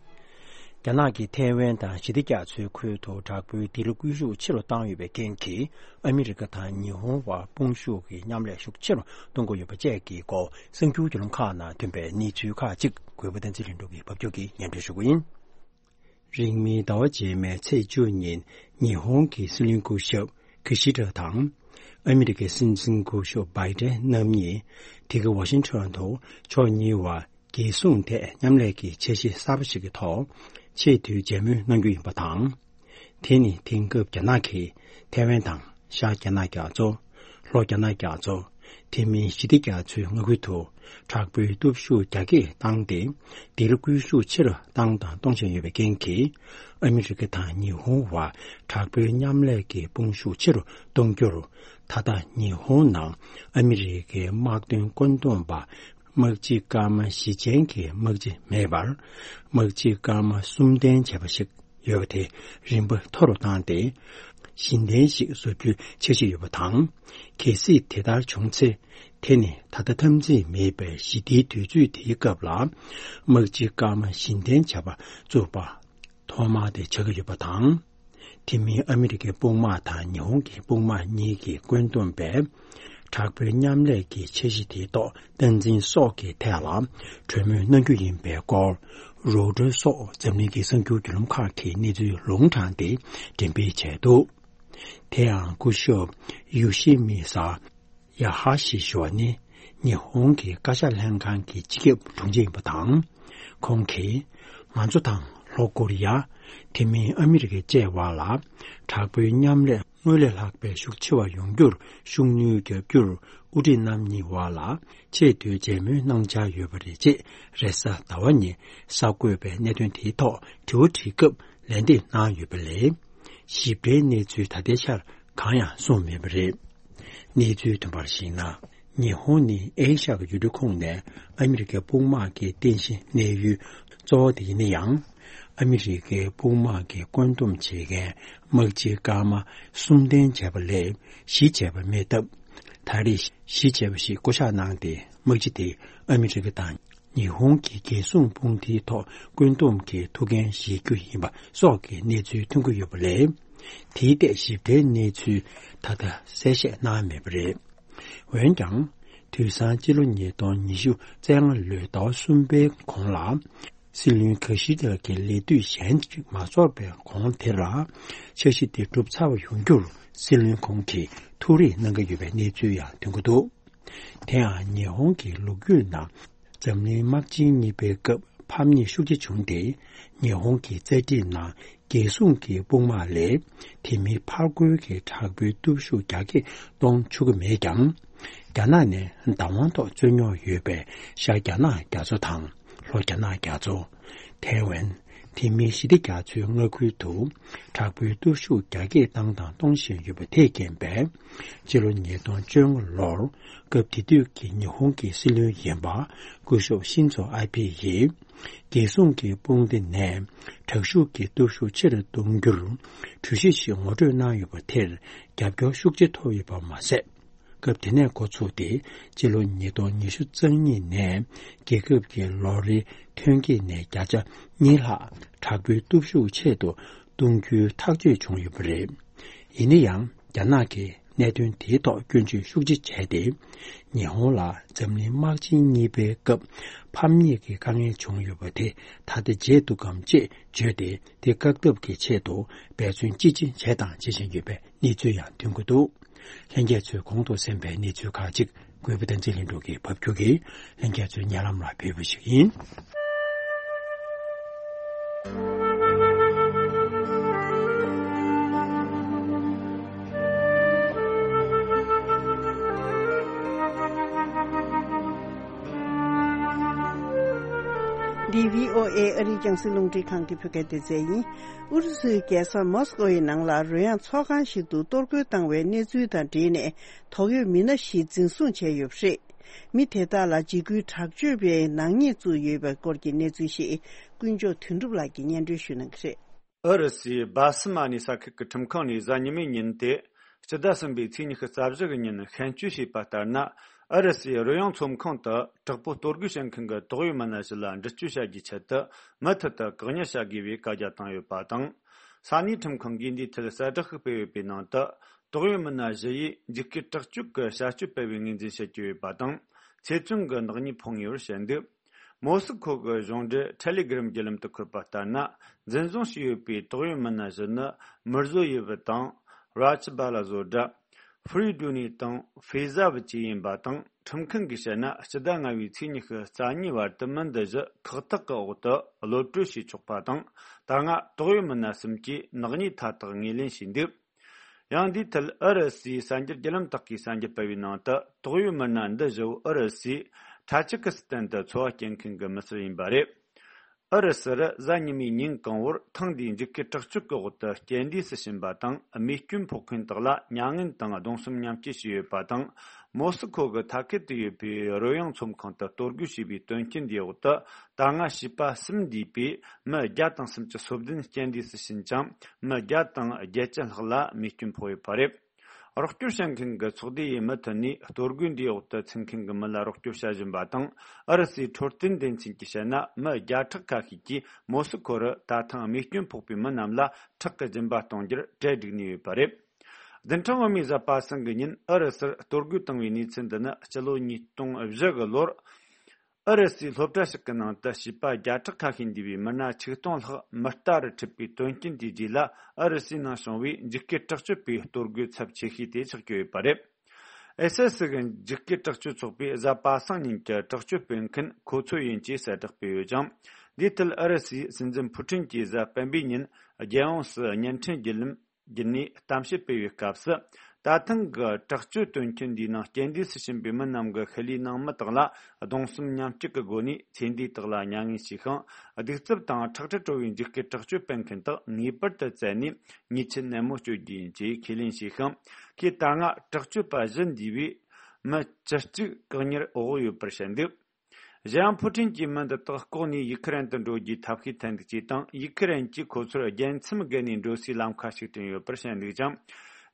རྒྱ་ནག་གིས་ཐའེ་ཝན་དང་ཞི་བདེ་རྒྱ་མཚོའི་ཁུལ་དུ་དྲག་པོའི་དེད་དཔོན་སྐུལ་ཤུགས་ཆེ་རུ་བཏང་ཡོད་པའི་རྐྱེན་གྱིས། ཨ་མི་རི་ཀ་དང་ཉི་ཧོང་བར་དཔུང་ཤུགས་ཀྱི་མཉམ་ལས་ཤུགས་ཆེ་རུ་གཏོང་དགོས་ཡོད་པ་བཅས་ཀྱི་སྐོར་གསར་འགྱུར་བརྒྱུད་ལམ་ཁག་ནང་ཐོན་པའི་གནས་ཚུལ་ཁག་ཅིག་གུས་པ་བསྟན་འཛིན་ལྷུན་གྲུབ་ཀྱིས་ཕབ་སྒྱུར་གྱིས་སྙན་སྒྲོན་ཞུ་གི་ཡིན། རིང་མིན་ཟླ་བ་རྗེས་མའི་ཚེས་བཅུ་ཉིན་ཉི་ཧོང་གི་སྲིད་བློན་སྐུ་ཞབས་ཀི་ཤི་ཌ་དང་། ཨ་མི་རི་ཀའི་སྲིད་འཛིན་སྐུ་ཞབས་བྷའི་ཏན་རྣམ་གཉིས་དེ་གའི་ཝ་ཤིང་ཊོན་དུ་ཕྱོགས་གཉིས་བར་རྒྱལ་སྲུང་ཐད་མཉམ་ལས་ཀྱི་འཆར་གཞི་གསར་པ་ཞིག་གི་ཐོག་ཆེས་མཐོའི་མཇལ་མོལ་གནང་རྒྱུ་ཡིན་པ་དང་། དེ་ནི་དེང་སྐབས་རྒྱ་ནག་གིས་ཐའེ་ཝན་དང་ཤར་རྒྱ་ནག་རྒྱ་མཚོ། ལྷོ་རྒྱ་ནག་རྒྱ་མཚོ། དེ་མིན་ཞི་བདེ་རྒྱ་མཚོའི་མངའ་ཁུལ་དུ་དྲག་པོའི་སྟོབས་ཤུགས་རྒྱ་སྐྱེད་བཏང་སྟེ། དེར་སྐུལ་ཤུགས་ཆེ་རུ་བཏང་དང་གཏོང་བཞིན་ཡོད་པའི་རྐྱེན་གྱིས། ཨ་མི་རི་ཀ་དང་ཉི་ཧོང་བར་དྲག་པོའི་མཉམ་ལས་ཀྱི་དཔུང་ཤུགས་ཆེ་རུ་གཏོང་རྒྱུར། ད་ལྟ་ཉི་ཧོང་ནང་ཨ་མི་རི་ཀའི་དམག་དོན་བཀོད་འདོམས་པ་དམག་སྤྱི་སྐར་མ་བཞི་ཅན་གྱི་དམག་སྤྱི་མེད་པར། དམག་སྤྱི་སྐར་མ་གསུམ་ལྡན་བྱས་པ་ཞིག་ཡོད་པ་དེ་རིམ་པ་མཐོ་རུ་བཏང་སྟེ། གཞི་རྟེན་ཞིག་བཟོ་རྒྱུའི་འཆར་གཞི་ཡོད་པ་དང་། གལ་སྲིད་དེ་ལྟར་བྱུང་ཚེ། དེ་ནི་ད་ལྟ་འཐབ་འཛིང་མེད་པའི་ཞི་བདེའི་དུས་ཚོད་དེའི་སྐབས་ལ། དམག་སྤྱི་སྐར་མ་བཞི་ལྡན་བྱ་བ་བཙུགས་པ་ཐོག་མ་དེ་ཆགས་ཀྱི་ཡོད་པ་དང་། དེ་མིན་ཨ་མི་རི་ཀའི་དཔུང་དམག་དང་ཉི་ཧོང་གི་དཔུང་དམག་གཉིས་ཀྱིས་བཀོད་འདོམས་པའི་དྲག་པོའི་མཉམ་ལས་ཀྱི་འཆར་གཞི་དེའི་ཐོག་སྟངས་འཛིན་སོགས་ཀྱི་ཐད་ལ་གྲོས་མོལ་གནང་རྒྱུ་ཡིན་པའི་སྐོར། རོའུ་ཊར་སོགས་འཛམ་གླིང་གི་གསར་འགྱུར་བརྒྱུད་ལམ་ཁག་གིས་གནས་ཚུལ་ལུང་དྲངས་ཏེ་འགྲེམས་སྤེལ་བྱས་འདུག་དེ་ཡང་སྐུ་ཞབས་ཡོ་ཤི་མི་ས་ཡ་ཧ་ཤི་ཞུ་བ་ནི། ཉི་ཧོང་གི་བཀའ་ཤག་ལྷན་ཁང་གི་སྤྱི་ཁྱབ་དྲུང་ཆེ་ཡིན་པ་དང་། ཁོང་གིས། ང་ཚོ་དང་ལྷོ་ཀོ་རི་ཡ། དེ་མིན་ཨ་མི་རི་ཀ་བཅས་བར་ལ་དྲག་པོའི་མཉམ་ལས་སྔོན་ལས་ལྷག་པའི་ཤུགས་ཆེ་བ་ཡོང་རྒྱུར་ཤུགས་སྣོན་རྒྱག་རྒྱུར། དབུ་ཁྲིད་རྣམ་གཉིས་བར་ལ་ཆེས་མཐོའི་མཇལ་མོལ་གནང་འཆར་ཡོད་པ་རེད། ཅེས་རེས་གཟའ་ཟླ་བ་ཉིན་གསར་འགོད་པས་གནད་དོན་དེའི་ཐོག་དྲི་བ་དྲིས་སྐབས་ལན་འདེབས་གནང་ཡོད་པ་ལས། ཞིབ་ཕྲའི་གནས་ཚུལ་ད་ལྟའི་ཆར་གང་ཡང་གསུངས་མེད་པ་རེད། གནས་ཚུལ་ཐོན་པར་གཞིགས་ན། ཉི་ཧོང་ནི་ཨེ་ཤ་ཡ་གི་ཡུལ་གྲུ་ཁོངས་ནས་ཨ་མི་རི་ཀའི་དཔུང་དམག་གི་རྟེན་གཞི་གནས་ཡུལ་གཙོ་བོ་དེ་ཡིན་ན་ཡང་། ཨ་མི་རི་ཀའི་དཔུང་དམག་གི་བཀོད་འདོམས་བྱེད་མཁན་དམག་སྤྱི་སྐར་མ་གསུམ་ལྡན་བྱས་པ་ལས་བཞི་བྱས་པ་མེད་སྟབས། ད་རེས་བཞི་བྱས་པ་ཞིག་བསྐོ་གཞག་གནང་སྟེ། དམག་སྤྱི་དེ་ཨ་མི་རི་ཀ་དང་ཉི་ཧོང་གི་རྒྱལ་སྲུང་དཔུང་སྡེའི་ཐོག་བཀོད་འདོམས་ཀྱི་ཐུགས་འགན་བཞེས་རྒྱུ་ཡིན་པ་སོགས་ཀྱི་གནས་ཚུལ་ཐོན་གྱི་ཡོད་པ་ལས། དེའི་ཐད་ཞིབ་ཕྲའི་གནས་ཚུལ་ད་ལྟ་གསལ་བཤད་གནང་མེད་པ་རེད། འོན་ཀྱང་། དུས་སང་སྤྱི་ལོ་ཉིས་སྟོང་ཉི་ཤུ་རྩ་ལྔ་ལོའི་ཟླ་བ་གསུམ་པའི་གོང་ལ། སྲིད་བློན་ཀི་ཤི་ཌ་གི་ལས་དུས་གཞན་ཞིག་མ་རྫོགས་པའི་གོང་དེར། འཆར་གཞི་དེ་གྲུབ་ཚར་བ་ཡོང་རྒྱུར་སྲིད་བློན་ཁོང་གིས་ཐུགས་རེ་གནང་གི་ཡོད་པའི་གནས་ཚུལ་ཡང་ཐོན་གྱི་འདུག་དེ་ཡང་ཉི་ཧོང་གི་ལོ་རྒྱུས་ནང་འཛམ་གླིང་དམག་ཆེན་གཉིས་པའི་སྐབས་ཕམ་ཉེས་ཤུགས་ཆེ་བྱུང་སྟེ། ཉི་ཧོང་གི་རྩ་ཁྲིམས་ནང་རྒྱལ་སྲུང་གི་དཔུང་དམག་ལས་དེ་མིན་ཕར་རྒོལ་གྱི་དྲག་པོའི་སྟོབས་ཤུགས་རྒྱ་སྐྱེད་གཏོང་ཆོག་གི་མེད་ཀྱང་། རྒྱ་ནག་ནས་བདག་དབང་ཐོག་རྩོད་རྙོག་ཡོད་པའི་ཤར་རྒྱ་ནག་རྒྱ་མཚོ་དང་ལྷོ་རྒྱ་ནག་རྒྱ་མཚོ། ཐའེ་ཝན། དེ་མིན་ཞི་བདེ་རྒྱ་མཚོའི་མངའ་ཁུལ་དུ་དྲག་པོའི་སྟོབས་ཤུགས་རྒྱ་སྐྱེད་བཏང་དང་གཏོང་བཞིན་ཡོད་པ་དེས་རྐྱེན་པས། སྤྱི་ལོ་ཉིས་སྟོང་བཅོ་ལྔ་ལོར་སྐབས་དེ་དུས་ཀྱི་ཉི་ཧོང་གི་སྲིད་བློན་ཡིན་པ་སྐུ་ཞབས་ཤིན་ཛོ་ཨ་བྷེ་ཡིས། རྒྱལ་སྲུང་གི་དཔུང་སྡེ་ནས་དྲག་ཤུགས་ཀྱི་སྟོབས་ཤུགས་ཆེ་རུ་གཏོང་རྒྱུར་གྲོས་གཞི་ཞིག་ངོ་སྤྲོད་གནང་ཡོད་པ་དེར་རྒྱབ་སྐྱོར་ཤུགས་ཆེ་ཐོབ་ཡོད་པ་མ་ཟད། སྐབས་དེ་ནས་འགོ་ཚུགས་ཏེ་སྤྱི་ལོ་ཉིས་སྟོང་ཉི་ཤུ་རྩ་གཉིས་ནས་རྒྱལ་ཁབ་ཀྱི་ལོ་རེའི་ཐོན་སྐྱེད་ནས་བརྒྱ་ཆ་གཉིས་ལྷག་དྲག་པོའི་སྟོབས་ཤུགས་ཆེད་དུ་གཏོང་རྒྱུའི་ཐག་གཅོད་བྱུང་ཡོད་པ་རེད། ཡིན་ན་ཡང་རྒྱ་ནག་གིས་གནད་དོན་དེའི་ཐོག་སྐྱོན་བརྗོད་ཤུགས་ཆེ་བྱས་ཏེ། ཉི་ཧོང་ལ་འཛམ་གླིང་དམག་ཆེན་གཉིས་པའི་སྐབས་ཕམ་ཉེས་ཀྱི་དཀའ་ངལ་བྱུང་ཡོད་པ་དེ་ད་ལྟ་བརྗེད་འདུག་གམ་ཅེས་བརྗོད་དེ། དེ་བཀག་ཐབས་ཀྱི་ཆེད་དུ་འབད་བརྩོན་ཅི་ཆེ་བྱས་དང་བྱེད་བཞིན་ཡོད་པའི་གནས་ཚུལ་ཡང་ཐོན་གྱི་འདུག་ལྷན་རྒྱས་ཚོས་གོང་དུ་གསན་པའི་གནས་ཚུལ་ཁག་ཅིག་གུས་པ་བསྟན་འཛིན་ལྷུན་གྲུབ་ཀྱིས་ཕབ་སྒྱུར་གྱིས་ལྷན་རྒྱས་ཚོའི་སྙན་ལམ་ལ་ཕུལ་བ་ཞིག་ཡིན། འདི་བྷི་ཨོ་ཨེ་ཨ་རིའི་རྒྱང་སྲིང་རླུང་འཕྲིན་ཁང་གི་བོད་སྐད་སྡེ་ཚན་ཡིན། ཨུ་རུ་སུའི་རྒྱལ་ས་མོ་སི་ཀོ་ཡི་ནང་ལ་རོལ་དབྱངས་ཚོགས་ཁང་ཞིག་ཏུ་གཏོར་རྒོལ་བཏང་བའི་གནས་ཚུལ་དང་འབྲེལ་ནས། དོགས་ཡོད་མི་སྣ་བཞི་འཛིན་བཟུང་བྱས་ཡོད་པ་རེད། མི་དེ་དག་ལ་འཇིགས་སྐུལ་དྲག་སྤྱོད་པའི་ནག་ཉེས་བཙུགས་ཡོད་པའི་སྐོར་གྱི་གནས་ཚུལ་ཞིག་ཀུན་མཆོག་དོན་གྲུབ་ལགས་ཀྱིས་སྙན་སྒྲོན་ཞུ་གནང་གི་རེད། ཨུ་རུ་སུའི་སྦ་སི་མ་ནི་ས་ཁུལ་གྱི་ཁྲིམས་ཁང་ནས་གཟའ་ཉི་མའི་ཉིན་ཏེ། སྤྱི་ཟླ་གསུམ་པའི་ཚེས་ཉི་ཤུ་རྩ་བཞི་གི་ཉིན་བཤན་སྤྱོད་བྱས་པ་ལྟར་ན། ཨུ་རུ་སུའི་རོལ་དབྱངས་ཚོམས་ཁང་དུ་དྲག་པོ་གཏོར་རྒོལ་བྱེད་མཁན་གྱི་དོགས་ཡོད་མི་སྣ་བཞི་ལ་འདྲི་གཅོད་བྱ་རྒྱུའི་ཆེད་དུ། མུ་མཐུད་དུ་བཀག་ཉར་བྱ་དགོས་པའི་བཀའ་རྒྱ་བཏང་ཡོད་པ་དང་། ས་གནས་ཁྲིམས་ཁང་གིས་འདིའི་ཐད་གསལ་བསྒྲགས་ཤིག་སྤེལ་ཡོད་པའི་ནང་དུ། དོགས་ཡོད་མི་སྣ་བཞི་ཡིས་འཇིགས་སྐུལ་དྲག་སྤྱོད་ཀྱི་བྱ་སྤྱོད་སྤེལ་བའི་ངོས་འཛིན་བྱེད་ཀྱི་ཡོད་པ་དང་། ཚེ་བཙོན་གྱི་ནག་ཉེས་ཕོག་ངེས་པར་བཤད་འདུག་མོ་སི་ཁོ་གི་གཞུང་འབྲེལ་ཊེ་ལི་གྷི་རམ་བརྒྱུད་ལམ་དུ་འཁོད་པ་ལྟར་ན། འཛིན་བཟུང་བྱས་ཡོད་པའི་དོགས་ཡོད་མི་སྣ་བཞི་ནི། མིར་ཟོ་ཡེ་བི་དང་། ར་ཆི་བྷ་ལ་ཟོ་ཌ། ཧྥི་རི་ཌུ་ནི་དང་ཧྥེ་ཟ་བི་བཅས་ཡིན་པ་དང་། ཁྲིམས་ཁང་གིས་བཤད་ན། སྤྱི་ཟླ་ལྔ་བའི་ཚེས་ཉི་ཤུ་རྩ་གཉིས་བར་དུ་མི་འདི་བཞི་ཁག་ཐེག་གི་འོག་ཏུ་གློད་གྲོལ་བྱས་ཆོག་པ་དང་། ད་སྔ་དོགས་ཡོད་མི་སྣ་གསུམ་གྱིས་ནག་ཉེས་མཐའ་དག་ངོས་ལེན་བྱས་འདུག་ཡང་འདིའི་ཐད་ཨུ་རུ་སུའི་གསར་འགྱུར་བརྒྱུད་ལམ་དག་གིས་གསར་འགྱུར་སྤེལ་བའི་ནང་དུ། དོགས་ཡོད་མི་སྣ་འདི་བཞི་བོ་ཨུ་རུ་སུའི་ཊ་ཇི་ཀི་སི་ཐན་དུ་འཚོ་བ་སྐྱེལ་མཁན་གྱི་མི་སེར་ཡིན་པ་རེད། ཨུ་རུ་སུར་གཟའ་ཉི་མའི་ཉིན་གང་བོར་ཐེངས་འདིའི་འཇིགས་སྐུལ་དྲག་སྤྱོད་ཀྱི་འོག་ཏུ་རྐྱེན་འདས་སུ་ཕྱིན་པ་དང་རྨས་སྐྱོན་ཕོག་མཁན་དག་ལ་མྱ་ངན་དང་གདུང་སེམས་མཉམ་སྐྱེད་ཞུས་ཡོད་པ་དང་། མོ་སི་ཁོ་གི་མཐའ་ཁུལ་དུ་ཡོད་པའི་རོལ་དབྱངས་ཚོམས་ཁང་དུ་གཏོར་རྒོལ་བྱས་པའི་དོན་རྐྱེན་འདིའི་འོག་ཏུ། ད་སྔ་བྱིས་པ་གསུམ་འདུས་པའི་མི་བརྒྱ་དང་སུམ་ཅུ་སོ་བདུན་རྐྱེན་འདས་སུ་ཕྱིན་ཅིང་། མི་བརྒྱ་དང་བརྒྱད་ཅུ་ལྷག་ལ་རྨས་སྐྱོན་ཕོག་ཡོད་པ་རེད། རོགས་སྐྱོར་བྱེད་མཁན་གྱི་ཚོགས་སྡེ་ཡིས་མུ་མཐུད་ནས་གཏོར་རྒོལ་འདིའི་འོག་ཏུ་ཚུད་མཁན་གྱི་མི་ལ་རོགས་སྐྱོར་བྱ་བཞིན་པ་དང་། ཨུ་རུ་སུའི་འཕྲོད་བསྟེན་སྡེ་ཚན་གྱིས་བཤད་ན། མི་བརྒྱ་ཕྲག་ཁ་ཤས་ཀྱིས་མོ་སི་ཁོ་རུ་ད་ཐེངས་རྨས་སྐྱོན་ཕོག་པའི་མི་རྣམས་ལ་ཁྲག་གི་སྦྱིན་པ་གཏོང་རྒྱུར་གྲལ་བསྒྲིགས་ནས་ཡོད་པ་རེད། བདུན་ཕྲག་སྔོན་མའི་གཟའ་པ་སངས་ཀྱི་ཉིན་ཨུ་རུ་སུར་གཏོར་རྒོལ་བཏང་བའི་གནས་ཚུལ་འདི་ནི་སྤྱི་ལོ་ཉིས་སྟོང་བཞི་གི་ལོར། ཨུ་རུ་སུའི་སློབ་གྲྭ་ཞིག་གི་ནང་དུ་བྱིས་པ་བརྒྱ་ཕྲག་ཁ་ཤས་འདུས་པའི་མི་སྣ་ཆིག་སྟོང་ལྷག་མི་རྟ་རུ་ཁྲིད་པའི་དོན་རྐྱེན་དེའི་རྗེས་ལ། ཨུ་རུ་སུའི་ནང་བྱུང་བའི་འཇིགས་སྐུལ་དྲག་སྤྱོད་པའི་གཏོར་རྒོལ་ཚབས་ཆེ་ཤོས་དེ་ཆགས་ཀྱི་ཡོད་པ་རེད། ཨེས་ཨེས་སི་གི་འཇིགས་སྐུལ་དྲག་སྤྱོད་ཚོགས་པས་གཟའ་པ་སངས་ཉིན་གྱི་དྲག་སྤྱོད་སྤེལ་མཁན་ཁོ་ཚོ་ཡིན་ཅེས་གསལ་བསྒྲགས་སྤེལ་ཡོད་ཅིང་། འདིའི་ཐད་ཨུ་རུ་སུའི་སྲིད་འཛིན་ཕུ་ཀྲིན་གྱིས་གཟའ་སྤེན་པའི་ཉིན་རྒྱལ་ཡོངས་སུ་བརྙན་འཕྲིན་བརྒྱུད་ལམ་བརྒྱུད་ནས་གཏམ་བཤད་སྤེལ་བའི་སྐབས་སུ། ད་ཐེངས་ཀྱི་དྲག་སྤྱོད་དོན་རྐྱེན་འདིའི་ནང་རྐྱེན་འདས་སུ་ཕྱིན་པའི་མི་རྣམས་ཀྱི་ཤུལ་ལུས་ནང་མི་དག་ལ་གདུང་སེམས་མཉམ་སྐྱེད་ཀྱི་སྒོ་ནས་ཚེ་འདས་དག་ལ་མྱ་ངན་ཞུས་ཤིང་། གདུག་རྩུབ་དང་ཁྲག་དྲི་བྲོ་བའི་འཇིགས་སྐུལ་དྲག་སྤྱོད་སྤེལ་མཁན་དག་ངེས་པར་དུ་བཙལ་ནས་ཉེས་ཆད་ནན་མོ་གཅོད་རྒྱུ་ཡིན་ཅེས་ཁས་ལེན་བྱས་ཤིང་། ཁོས་ད་སྔ་དྲག་སྤྱོད་པ་བཞི་འདུས་པའི་མི་བཅུ་གཅིག་བཀག་ཉར་འོག་ཡོད་པར་བཤད་འདུག་གཞན་ཡང་ཕུ་ཀྲིན་གྱིས་མི་འདི་དག་ལྐོག་ནས་ཡུ་ཁུ་རེན་དུ་འགྲོ་རྒྱུའི་ཐབས་ཤེས་འཐེན་འདུག་ཅེས་དང་། ཡུ་ཁུ་རེན་གྱིས་ཁོ་ཚོར་རྒྱལ་མཚམས་བརྒལ་ནས་འགྲོ་སའི་ལམ་ཁ་ཞིག་བསྐྲུན་ཡོད་པར་བཤད་འདུག་ཅིང་།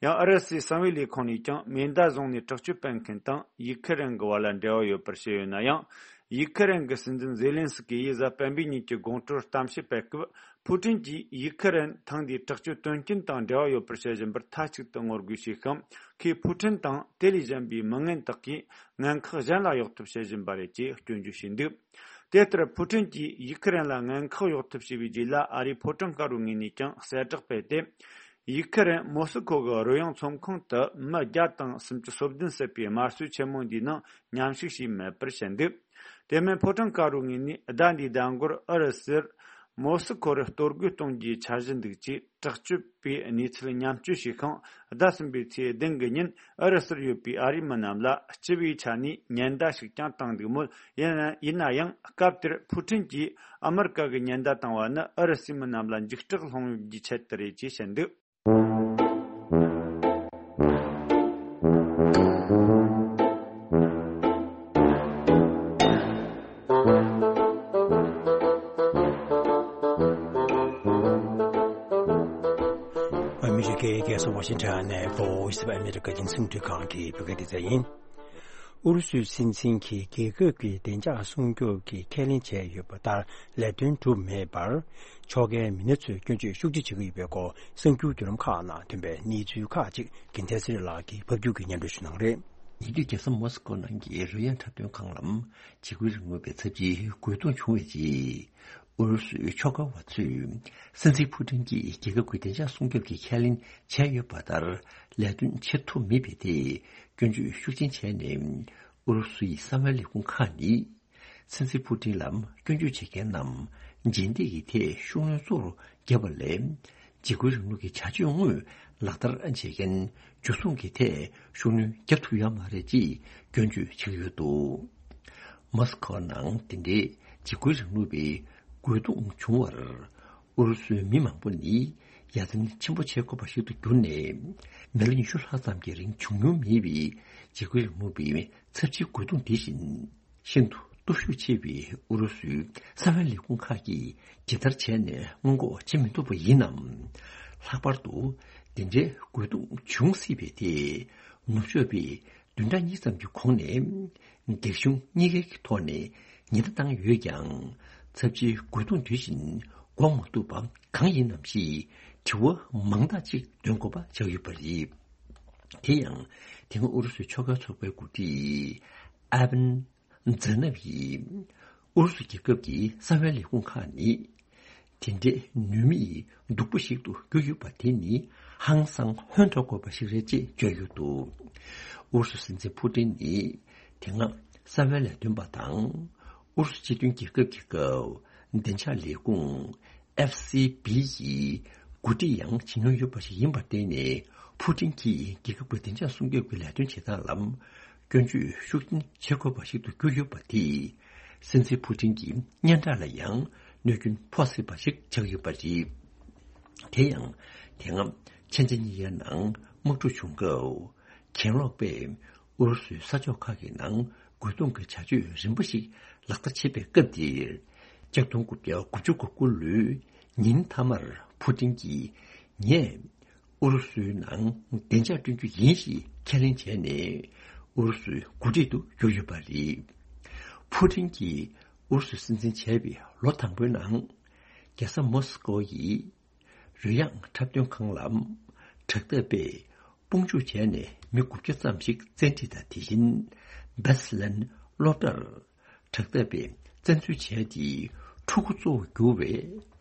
ཡང་ཨུ་རུ་སུའི་གསང་བའི་ལས་ཁུངས་ནས་ཀྱང་མེ་མདའ་བཟུང་ནས་དྲག་སྤྱོད་སྤེལ་མཁན་དང་ཡུ་ཁུ་རེན་གྱི་བར་ལ་འབྲེལ་བ་ཡོད་པར་བཤད་ཡོད་ན་ཡང་། ཡུ་ཁུ་རེན་གྱི་སྲིད་འཛིན་ཛེ་ལན་སི་ཀི་ཡིས་གཟའ་སྤེན་པའི་ཉིན་གྱི་དགོང་དྲོར་གཏམ་བཤད་སྤེལ་སྐབས། ཕུ་ཀྲིན་གྱིས་ཡུ་ཁུ་རེན་ཐེངས་འདིའི་དྲག་སྤྱོད་དོན་རྐྱེན་དང་འབྲེལ་བ་ཡོད་པར་བཤད་བཞིན་པར་མཐའ་གཅིག་ཏུ་ངོ་རྒོལ་བྱས་ཤིང་། ཁོས་ཕུ་ཀྲིན་དང་དེ་ལས་གཞན་པའི་མི་ངན་དག་གིས་ངན་ཁག་གཞན་ལ་གཡོག་ཐབས་བྱེད་བཞིན་པ་རེད་ཅེས་སྐྱོན་བརྗོད་བྱས་འདུག་དེ་ལྟར་ཕུ་ཀྲིན་གྱིས་ཡུ་ཁུ་རེན་ལ་ངན་ཁག་གཡོག་ཐབས་བྱས་པའི་རྗེས་ལ། ཨ་རིའི་ཕོ་བྲང་དཀར་པོའི་ངོས་ནས་ཀྱང་གསལ་བསྒྲགས་སྤེལ་ཏེ། ཡུ་ཁུ་རེན་མོ་སི་ཁོ་གི་རོལ་དབྱངས་ཚོམས་ཁང་དུ་མི་བརྒྱ་དང་སུམ་ཅུ་སོ་བདུན་བསད་པའི་དམར་གསོད་ཆེན་མོ་འདིའི་ནང་མཉམ་ཞུགས་བྱས་མེད་པར་བཤད་འདུག་དེ་མིན་ཕོ་བྲང་དཀར་པོའི་ངོས་ནས་ཟླ་འདིའི་ཟླ་འགོར་ཨུ་རུ་སུར་མོ་སི་ཁོ་རུ་གཏོར་རྒོལ་གཏོང་རྒྱུའི་འཆར་གཞི་འདུག་ཅེས་དྲག་སྤྱོད་པའི་གནས་ཚུལ་མཉམ་སྤྱོད་བྱས་ཤིང་། ཟླ་གསུམ་པའི་ཚེས་བདུན་གི་ཉིན་ཨུ་རུ་སུར་ཡོད་པའི་ཨ་རིའི་མི་རྣམས་ལ་སྤྱི་པའི་ཆ་ནས་ཉེན་བརྡ་ཞིག་ཀྱང་བཏང་འདུག་མོད། ཡིན་ན་ཡིན་ན་ཡང་སྐབས་དེར་ཕུ་ཀྲིན་གྱིས་ཨ་མི་རི་ཀ་གི་ཉེན་བརྡ་བཏང་བ་ནི་ཨུ་རུ་སུའི་མི་རྣམས་ལ་འཇིགས་སྐྲག་སློང་རྒྱུའི་ཆེད་དུ་རེད་ཅེས་བཤད་འདུག་ཨ་མི་རི་ཀའི་རྒྱལ་ས་ཝ་ཤིང་ཊོན་ནས་Voice of America རྒྱང་སྲིང་རླུང་འཕྲིན་ཁང་གི་བོད་སྐད་སྡེ་ཚན་ཡིན། ཨུ་རུ་སུའི་སྲིད་འཛིན་གྱིས་རྒྱལ་ཁབ་ཀྱི་བདེ་འཇགས་སྲུང་སྐྱོབ་ཀྱི་ཁས་ལེན་བྱས་ཡོད་པ་ལྟར་ལས་དོན་གྲུབ་མེད་པར། ཕྱོགས་འགལ་མི་སྣ་ཚོས་སྐྱོན་བརྗོད་ཤུགས་ཆེ་བྱེད་ཀྱི་ཡོད་པའི་སྐོར་གསར་འགྱུར་བརྒྱུད་ལམ་ཁག་ནང་ཐོན་པའི་གནས་ཚུལ་ཁག་ཅིག་རྒྱལ་མཚན་ཚེ་རིང་ལགས་ཀྱིས་ཕབ་སྒྱུར་གྱིས་སྙན་སྒྲོན་ཞུ་གནང་རེད། ཉེ་དུས་རྒྱལ་ས་མོ་སི་ཀོ་ནང་གི་རོལ་དབྱངས་འཁྲབ་སྟོན་ཁང་ལ་འཇིགས་སྐུལ་རིང་ལུགས་པའི་ཚབས་ཆེའི་རྒོལ་རྡུང་བྱུང་བའི་རྗེས། ཨུ་རུ་སུའི་ཕྱོགས་འགལ་བ་ཚོས་སྲིད་འཛིན་ཕུ་ཀྲིན་གྱིས་རྒྱལ་ཁབ་ཀྱི་བདེ་འཇགས་སྲུང་སྐྱོབ་ཀྱི་ཁས་ལེན་བྱས་ཡོད་པ་ལྟར་ལས་དོན་བྱེད་ཐུབ་མེད་པའི་ཐད་སྐྱོན་བརྗོད་ཤུགས་ཆེན་བྱས་ནས། ཨུ་རུ་སུའི་གསང་བའི་ལས་ཁུངས་ཁག་ནི། སྲིད་འཛིན་ཕུ་ཀྲིན་ལ་སྐྱོན་བརྗོད་བྱེད་མཁན་རྣམས་རྗེས་འདེད་ཀྱི་ཐད་ཤུགས་སྣོན་གཙོ་བོར་བརྒྱབ་པ་ལས། འཇིགས་སྐུལ་རིང་ལུགས་ཀྱི་བྱ་སྤྱོད་དངོས་ལག་བསྟར་བྱེད་མཁན་འཇུ་བཟུང་གི་ཐད་ཤུགས་སྣོན་བརྒྱབ་ཐུབ་ཡོད་མ་རེད་ཅེས་སྐྱོན་བརྗོད་བྱེད་ཀྱི་ཡོད་འདུག་མོ་སི་ཁོ་ནང་དེ་འདྲའི་འཇིགས་སྐུལ་རིང་ལུགས་པའི་རྒོལ་རྡུང་བྱུང་བར། ཨུ་རུ་སུའི་མི་མང་པོ་ནི་ཡ་མཚན་ཆེན་པོ་བྱེད་དགོས་པ་ཞིག་ཏུ་གྱུར་ནས། མི་ལོ་ཉི་ཤུ་ལྷག་ཙམ་གྱི་རིང་བྱུང་མྱོང་མེད་པའི་འཇིགས་སྐུལ་རིང་ལུགས་པའི་ཚབས་ཆེའི་རྒོལ་རྡུང་དེ་བཞིན། ཤིན་ཏུ་སྟོབས་ཤུགས་ཆེ་བའི་ཨུ་རུ་སུའི་གསང་བའི་ལས་ཁུངས་ཁག་གིས་ཇི་ལྟར་བྱས་ནས་སྔོན་འགོག་བྱེད་མི་ཐུབ་པ་ཡིན་ནམ། ལྷག་པར་དུ་འདི་འདྲའི་རྒོལ་རྡུང་བྱུང་སྲིད་པའི་ཐད་ནུབ་ཕྱོགས་པས་ བདུན་ཕྲག་གཉིས་ཙམ་གྱི་གོང་ནས། སྒེར་གཞུང་གཉིས་ཀའི་ཐོག་ནས་ཉེན་བརྡ་བཏང་ཡོད་ཀྱང་། ཚབས་ཆེའི་རྒོལ་རྡུང་དུས་བཞིན་འགོག་མ་ཐུབ་པ་གང་ཡིན་ནམ་ཞེས་དྲི་བ་མང་དག་ཅིག་འདོན་དགོས་པ་ཆགས་ཡོད་པ་རེད། དེ་ཡང་། དེ་སྔ་ཨུ་རུ་སུའི་ཕྱོགས་འགལ་ཚོགས་པའི་འགོ་ཁྲིད་ཨ་བན་ཛེ་ནབ་ཡིས། ཨུ་རུ་སུ་རྒྱལ་ཁབ་ཀྱི་གསང་བའི་ལས་ཁུངས་ཁག་ནི། དེ་འདྲའི་ནུས་མེད་སྡུག་པོ་ཞིག་ཏུ་གྱུར་ཡོད་པ་དེ་ནི་ཧང་སང་ཧོན་ཐོར་དགོས་པ་ཞིག་རེད་ཅེས་བརྗོད་ཡོད་འདུག་ཨུ་རུ་སུ་སྲིད་འཛིན་ཕུ་ཏིན་ནི་དེ་སྔ་གསང་བའི་ལས་དོན་པ་དང་ཨུ་རུ་སུ་སྤྱི་མཐུན་རྒྱལ་ཁབ་ཀྱི་སྐབས་བདེ་འཇགས་ལས་ཁུངས་ཨེཕ་སི་བི་ཡི་འགོ་ཁྲིད་ཡང་བྱེད་མྱོང་ཡོད་པ་ཞིག་ཡིན་པར་བརྟེན་ནས། ཕུ་ཏིན་གྱིས་རྒྱལ་ཁབ་ཀྱི་བདེ་འཇགས་སྲུང་སྐྱོབ་ཀྱི་ལས་དོན་བྱེད་སྟངས་ལ། སྐྱོན་བརྗོད་ཤུགས་ཆེན་བྱེད་དགོས་པ་ཞིག་ཏུ་གྱུར་ཡོད་པ་དེས། སྲིད་འཛིན་ཕུ་ཏིན་གྱི་སྙན་གྲགས་ལ་ཡང་གནོད་སྐྱོན་ཕོག་སྲིད་པ་ཞིག་ཆགས་ཡོད་པ་རེད། དེ་ཡང་། དེ་སྔ་ཕྱི་ཟླ་གཉིས་པའི་ནང་དམག་འཁྲུག་བྱུང་སྐབས། གྱེན་ལོག་པས་ཨུ་རུ་སུའི་ས་ཕྱོགས་ཁག་གི་ནང་རྒོལ་རྡུང་གི་བྱ་སྤྱོད་རིམ་པ་ཞིག་ལག་བསྟར་བྱེད་པའི་སྐབས་དེར། ཆིག་སྟོང་དགུ་བརྒྱ་དགུ་བཅུ་གོ་དགུ་ལོའི་ཉིན་མཐའ་མར་ཕུ་ཏིན་གྱིས། ངས། ཨུ་རུ་སུའི་ནང་བདེ་འཇགས་བསྐྲུན་རྒྱུ་ཡིན་ཞེས་ཁས་ལེན་བྱས་ནས། ཨུ་རུ་སུའི་འགོ་ཁྲིད་དུ་གྱུར་ཡོད་པ་རེད། ཕུ་ཊིན་གྱིས་ཨུ་རུ་སུ་སྲིད་འཛིན་བྱས་པའི་ལོ་དང་པོའི་ནང་། རྒྱལ་ས་མོ་སི་ཀོ་ཡི་རོལ་དབྱངས་འཁྲབ་སྟོན་ཁང་ལ་དྲག་འཐབ་པས་དཔུང་འཇུག་བྱས་ནས་མི་དགུ་བརྒྱ་ཙམ་ཞིག་བཙན་ཁྲིད་དང་། དེ་བཞིན་བེ་སི་ལན་སློབ་གྲྭར་དྲག་འཐབ་པས་བཙན་འཛུལ་བྱས་ཏེ། ཕྲུ་གུ་གཙོ་བོར་གྱུར་བའི་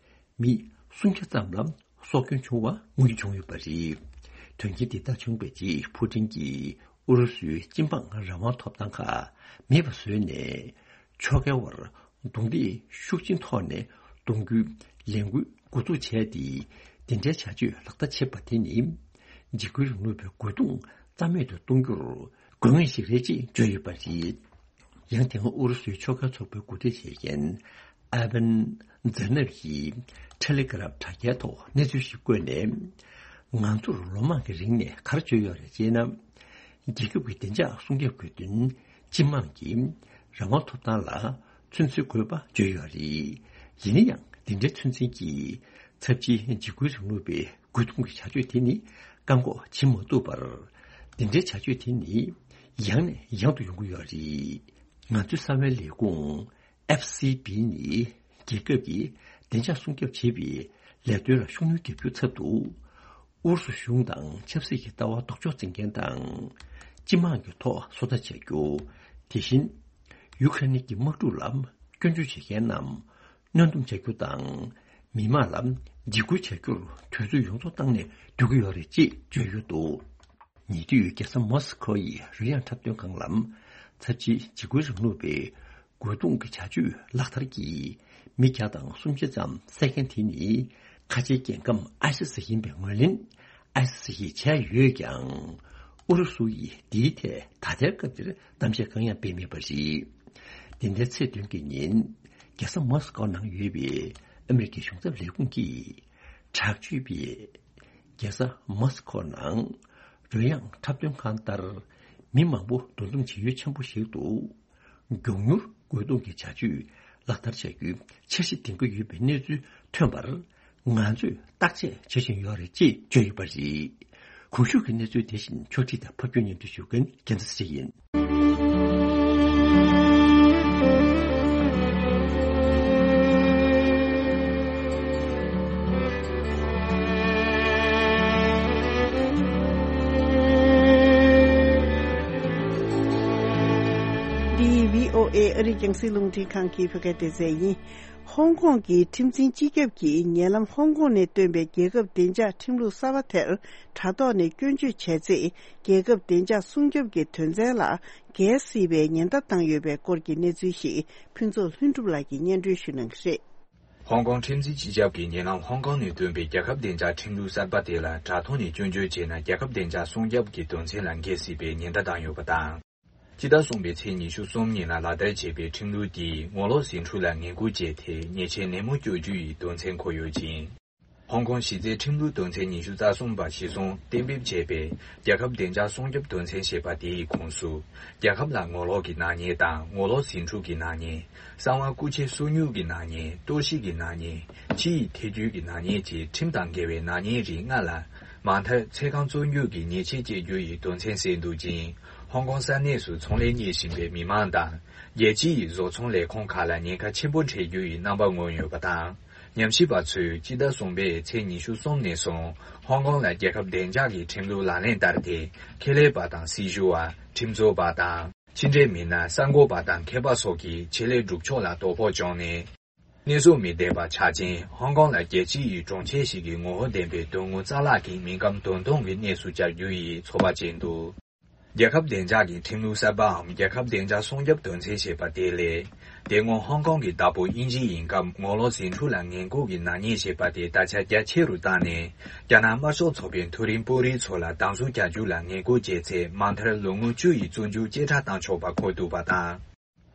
མི་སུམ་བརྒྱ་ཙམ་ལ་སྲོག་སྐྱོན་བྱུང་བ་མངོན་གྱི་བྱུང་ཡོད་པ་རེད། དོན་རྐྱེན་འདི་ལྟར་བྱུང་བའི་རྗེས་ཕུ་ཊིན་གྱིས་ཨུ་རུ་སུའི་སྤྱི་འབངས་རང་དབང་ཐོབ་ཐང་ཁག་མེད་པ་བཟོས་ནས། ཕྱོགས་འགལ་བར་རྡུང་རྡེག་ཤུགས་ཆེན་ཐོག་ནས་གཏོང་རྒྱུའི་ལས་འགུལ་འགོ་འཛུགས་བྱས་ཏེ། དེ་འདྲའི་བྱ་སྤྱོད་ལག་བསྟར་བྱེད་པ་དེ་ནི། འཇིགས་སྐུལ་རིང་ལུགས་པའི་རྒོལ་རྡུང་རྩ་མེད་དུ་གཏོང་རྒྱུར་དགོས་ངེས་ཤིག་རེད་ཅེས་བརྗོད་ཡོད་པ་རེད། ཡང་དེ་སྔ་ཨུ་རུ་སུའི་ཕྱོགས་འགལ་ཚོགས་པའི་འགོ་ཁྲིད་བྱེད་མཁན་ཨ་བན་ཛེ་ནབ་ཡིས་ཊེ་ལི་གྷི་རམ་དྲ་རྒྱའི་ཐོག་གནས་ཚུལ་ཞིག་བཀོད་ནས། ང་ཚོར་ལོ་མང་གི་རིང་ནས་ག་རེ་བརྗོད་ཡོད་རེད་ཅེ་ན། རྒྱལ་ཁབ་ཀྱི་བདེ་འཇགས་སྲུང་སྐྱོབ་ཀྱི་དོན། སྤྱི་དམངས་ཀྱི་རང་དབང་ཐོབ་ཐང་ལ་ཚོད་འཛིན་དགོས་པ་བརྗོད་ཡོད་རེད། ཡིན་ན་ཡང་། འདི་འདྲའི་ཚོད་འཛིན་གྱིས་ཚབས་ཆེའི་འཇིགས་སྐུལ་རིང་ལུགས་པའི་རྒོལ་རྡུང་གི་བྱ་སྤྱོད་དེ་ནི་བཀག་འགོག་བྱེད་མ་ཐུབ་པར། འདི་འདྲའི་བྱ་སྤྱོད་དེ་ནི་ཡང་ནས་ཡང་དུ་ཡོང་གི་ཡོད་རེད། ང་ཚོའི་གསང་བའི་ལས་ཁུངས་ཨེཕ་སི་བི་ནི་རྒྱལ་ཁབ་ཀྱི་བདེ་འཇགས་སྲུང་སྐྱོབ་བྱེད་པའི་ལས་དོན་ལ་ཤུགས་སྣོན་རྒྱག་རྒྱུའི་ཚབ་ཏུ། ཨུ་རུ་སུ་གཞུང་དང་ཆབ་སྲིད་ཀྱི་ལྟ་བ་ལྡོག་ཕྱོགས་འཛིན་མཁན་དང་། སྤྱི་དམངས་ཀྱི་ཐོག་སོ་ལྟ་བྱ་རྒྱུ། དེ་བཞིན། ཡུ་ཁ་རེན་གྱི་དམག་འཁྲུག་ལ་སྐྱོན་བརྗོད་བྱེད་མཁན་རྣམས་གནོན་སྡོམ་བྱ་རྒྱུ་དང་། མི་མང་ལ་འཇིགས་སྐུལ་བྱ་རྒྱུར་དུས་ཚོད་ཡོངས་རྫོགས་བཏང་ནས་སྡོད་ཀྱི་ཡོད་རེད་ཅེས་བརྗོད་ཡོད་འདུག་ཉེ་དུས་རྒྱལ་ས་མོ་སི་ཁོ་ཡི་རོལ་དབྱངས་འཁྲབ་སྟོན་ཁང་ལ་ཚབས་ཆེའི་འཇིགས་སྐུལ་རིང་ལུགས་པའི་རྒོལ་རྡུང་གི་བྱ་སྤྱོད་ལག་བསྟར་གྱིས་མི་བརྒྱ་དང་སུམ་བརྒྱ་ཙམ་བསད་མཁན་དེ་ནི་ཁ་ཆེའི་རྒྱལ་ཁམས་ཨའི་སི་སི་ཡིན་པའི་ངོས་ལེན་ཨའི་སི་སི་ཡིས་བྱས་ཡོད་ཀྱང་། ཨུ་རུ་སུ་ཡིས་འདིའི་ཐད་ད་ལྟའི་སྐབས་འདིར་གཏམ་བཤད་གང་ཡང་སྤེལ་མེད་པ་རེད། འདི་ཟླའི་ཚེས་བདུན་གྱི་ཉིན་རྒྱལ་ས་མོ་སི་ཀོ་ནང་ཡོད་པའི་ཨ་མེ་རི་ཀའི་གཞུང་ཚབ་ལས་ཁུངས་ཀྱིས་དྲག་སྤྱོད་པས། རྒྱལ་ས་མོ་སི་ཁོ་ནང་རོལ་དབྱངས་འཁྲབ་སྟོན་ཁང་ལྟར་མི་མང་པོ་འདུ་འཛོམས་བྱེད་ཡུལ་ཆེན་པོ་ཞིག་ཏུ་མགྱོགས་མྱུར་རྒོལ་རྡུང་གི་བྱ་སྤྱོད་ལག་བསྟར་བྱ་རྒྱུའི་འཆར་གཞི་འདིང་གི་ཡོད་པའི་གནས་ཚུལ་ཐོན་པར་ང་ཚོས་བརྟག་དཔྱད་བྱེད་བཞིན་ཡོད་རེད་ཅེས་བརྗོད་ཡོད་པ་རེད། གོང་ཞུས་ཀྱི་གནས་ཚུལ་དེ་བཞིན་ཕྱོགས་སྒྲིག་དང་ཕབ་སྒྱུར་སྙན་སྒྲོན་ཞུ་མཁན་རྒྱལ་མཚན་ཚེ་རིང་ཡིན། འདི་བྷི་ཨོ་ཨེ་ཨ་རིའི་རྒྱང་སྲིང་རླུང་འཕྲིན་ཁང་གི་བོད་སྐད་སྡེ་ཚན་ཡིན། ཧོང་ཀོང་གི་ཁྲིམས་འཛིན་སྤྱི་ཁྱབ་ཀྱིས་ཉེ་ལམ་ཧོང་ཀོང་ནས་བཏོན་པའི་རྒྱལ་ཁབ་བདེ་འཇགས་ཁྲིམས་ལུགས་གསར་པ་དེར་དྲ་ཐོག་ནས་སྐྱོན་བརྗོད་བྱས་ཚེ། རྒྱལ་ཁབ་བདེ་འཇགས་སྲུང་སྐྱོབ་ཀྱི་དོན་ཚན་ལ་འགལ་སྲིད་པའི་ཉེན་བརྡ་བཏང་ཡོད་པའི་སྐོར་གྱི་གནས་ཚུལ་ཞིག་ཕུན་ཚོགས་ལྷུན་གྲུབ་ལགས་ཀྱིས་སྙན་སྒྲོན་ཞུ་གནང་གི་རེད། ཧོང་ཀོང་ཁྲིམས་འཛིན་སྤྱི་ཁྱབ་ཀྱིས་ཉེ་ལམ་ཧོང་ཀོང་ནས་བཏོན་པའི་རྒྱལ་ཁབ་བདེ་འཇགས་ཁྲིམས་ལུགས་གསར་པ་དེ་ལ་དྲ་ཐོག་ནས་སྐྱོན་བརྗོད་བྱས་ན། རྒྱལ་ཁབ་བདེ་འཇགས་སྲུང་སྐྱོབ་ཀྱི་དོན་ཚན་ལ་འགལ་སྲིད་པའི་ཉེན་བརྡ་བཏང་ཡོད་པ་དང་། སྤྱི་ཟླ་གསུམ་པའི་ཚེས་ཉི་ཤུ་གསུམ་ཉིན་ལ་ལག་བསྟར་བྱས་པའི་ཁྲིམས་ལུགས་དེས་ངོ་ལོག་ཟིང་འཁྲུག་ལ་ངན་སྐུལ་བྱས་ཏེ། ཉེས་ཆད་ནན་མོ་གཅོད་རྒྱུ་ཡི་དོན་ཚན་འཁོད་ཡོད་ཅིང་། ཧོང་ཀོང་གཞི་རྩའི་ཁྲིམས་ལུགས་དོན་ཚན་ཉི་ཤུ་རྩ་གསུམ་པ་གཞིར་བཟུང་གཏན་འབེབས་བྱས་པའི་རྒྱལ་ཁབ་བདེ་འཇགས་སྲུང་སྐྱོབ་དོན་ཚན་ཞེས་པ་དེའི་ཁོངས་སུ། རྒྱལ་ཁབ་ལ་ངོ་ལོག་གི་ནག་ཉེས་དང་། ངོ་ལོག་ཟིང་འཁྲུག་གི་ནག་ཉེས། གསང་བ་རྐུ་འཁྱེར་སོ་ཉུལ་གྱི་ནག་ཉེས། གཏོར་བཤིག་གི་ནག་ཉེས། ཕྱི་ཡི་ཐེ་ཇུས་ཀྱི་ནག་ཉེས་བཅས་ཁྲིམས་དང་འགལ་བའི་ནག་ཉེས་རིགས་ལྔ་ལ། མ་མཐའི་ཚེ་གང་བཙོན་འཇུག་གི་ཉེས་ཆད་གཅོད་རྒྱུ་ཡི་དོན་ཚན་གསལ་འདུག་ཅིང་། ཧོང་ཀོང་ས་གནས་སུ་ཚོང་ལས་གཉེར་བཞིན་པའི་མི་མང་དང་། རྒྱལ་སྤྱི་ཡི་བཟོ་ཚོང་ལས་ཁང་ཁག་ལ་ཉེན་ཁ་ཆེན་པོ་འཕྲད་རྒྱུ་ཡི་རྣམ་པ་མངོན་ཡོད་པ་དང་། ཉམས་ཞིབ་པ་ཚོས་སྤྱི་ཟླ་གསུམ་པའི་ཚེས་ཉི་ཤུ་གསུམ་ནས་བཟུང་ཧོང་ཀོང་ལ་རྒྱལ་ཁབ་བདེ་འཇགས་ཀྱི་ཁྲིམས་ལུགས་ལག་ལེན་བསྟར་ཏེ། ཁེ་ལས་པ་དང་སྲི་ཞུ་བ། ཁྲིམས་རྩོད་པ་དང་། ཕྱི་འབྲེལ་མི་སྣ། གསར་འགོད་པ་དང་མཁས་པ་སོགས་ཀྱི་ཆེད་ལས་སྒྲུབ་ཕྱོགས་ལ་དོ་ཕོག་བྱུང་ནས། གནས་སུ་མི་བདེ་བ་ཆགས་རྐྱེན། ཧོང་ཀོང་ལ་རྒྱལ་སྤྱི་ཡི་གྲོང་ཁྱེར་ཞིག་གི་ངོ་བོ་ལྡན་པའི་དོན་དངོས་རྩ་བརླག་གིས་མི་ཁམས་དོན་སྟོང་གི་གནས་སུ་གྱར་རྒྱུ་ཡི་ཚོད་དཔག་བྱས་འདུག་རྒྱལ་ཁབ་བདེ་འཇགས་ཀྱི་ཁྲིམས་ལུགས་གསར་པའམ་རྒྱལ་ཁབ་བདེ་འཇགས་སྲུང་སྐྱོབ་དོན་ཚན་ཞེས་པ་དེ་ལས། དེ་སྔོན་ཧོང་ཀོང་གི་བདག་པོ་དབྱིན་ཇི་ཡིན་སྐབས་ངོ་ལོག་ཟིང་འཁྲུག་ལ་ངན་སྐུལ་གྱི་ནག་ཉེས་ཞེས་པ་དེ་ད་ཆ་རྒྱ་ཆེ་རུ་བཏང་ནས། རྒྱ་ནག་དམར་ཤོག་ཚོགས་པའི་མཐོ་རིམ་དཔོན་རིགས་ཚོ་ལ་སྡང་ཟུག་བྱ་རྒྱུ་ལ་ངན་སྐུལ་བྱས་ཚེ་མ་མཐར་ལོ་ངོ་བཅུ་ཡི་བཙོན་འཇུག་བཅད་ཁྲ་བཏང་ཆོག་པ་འཁོད་འདུག་པ་དང་།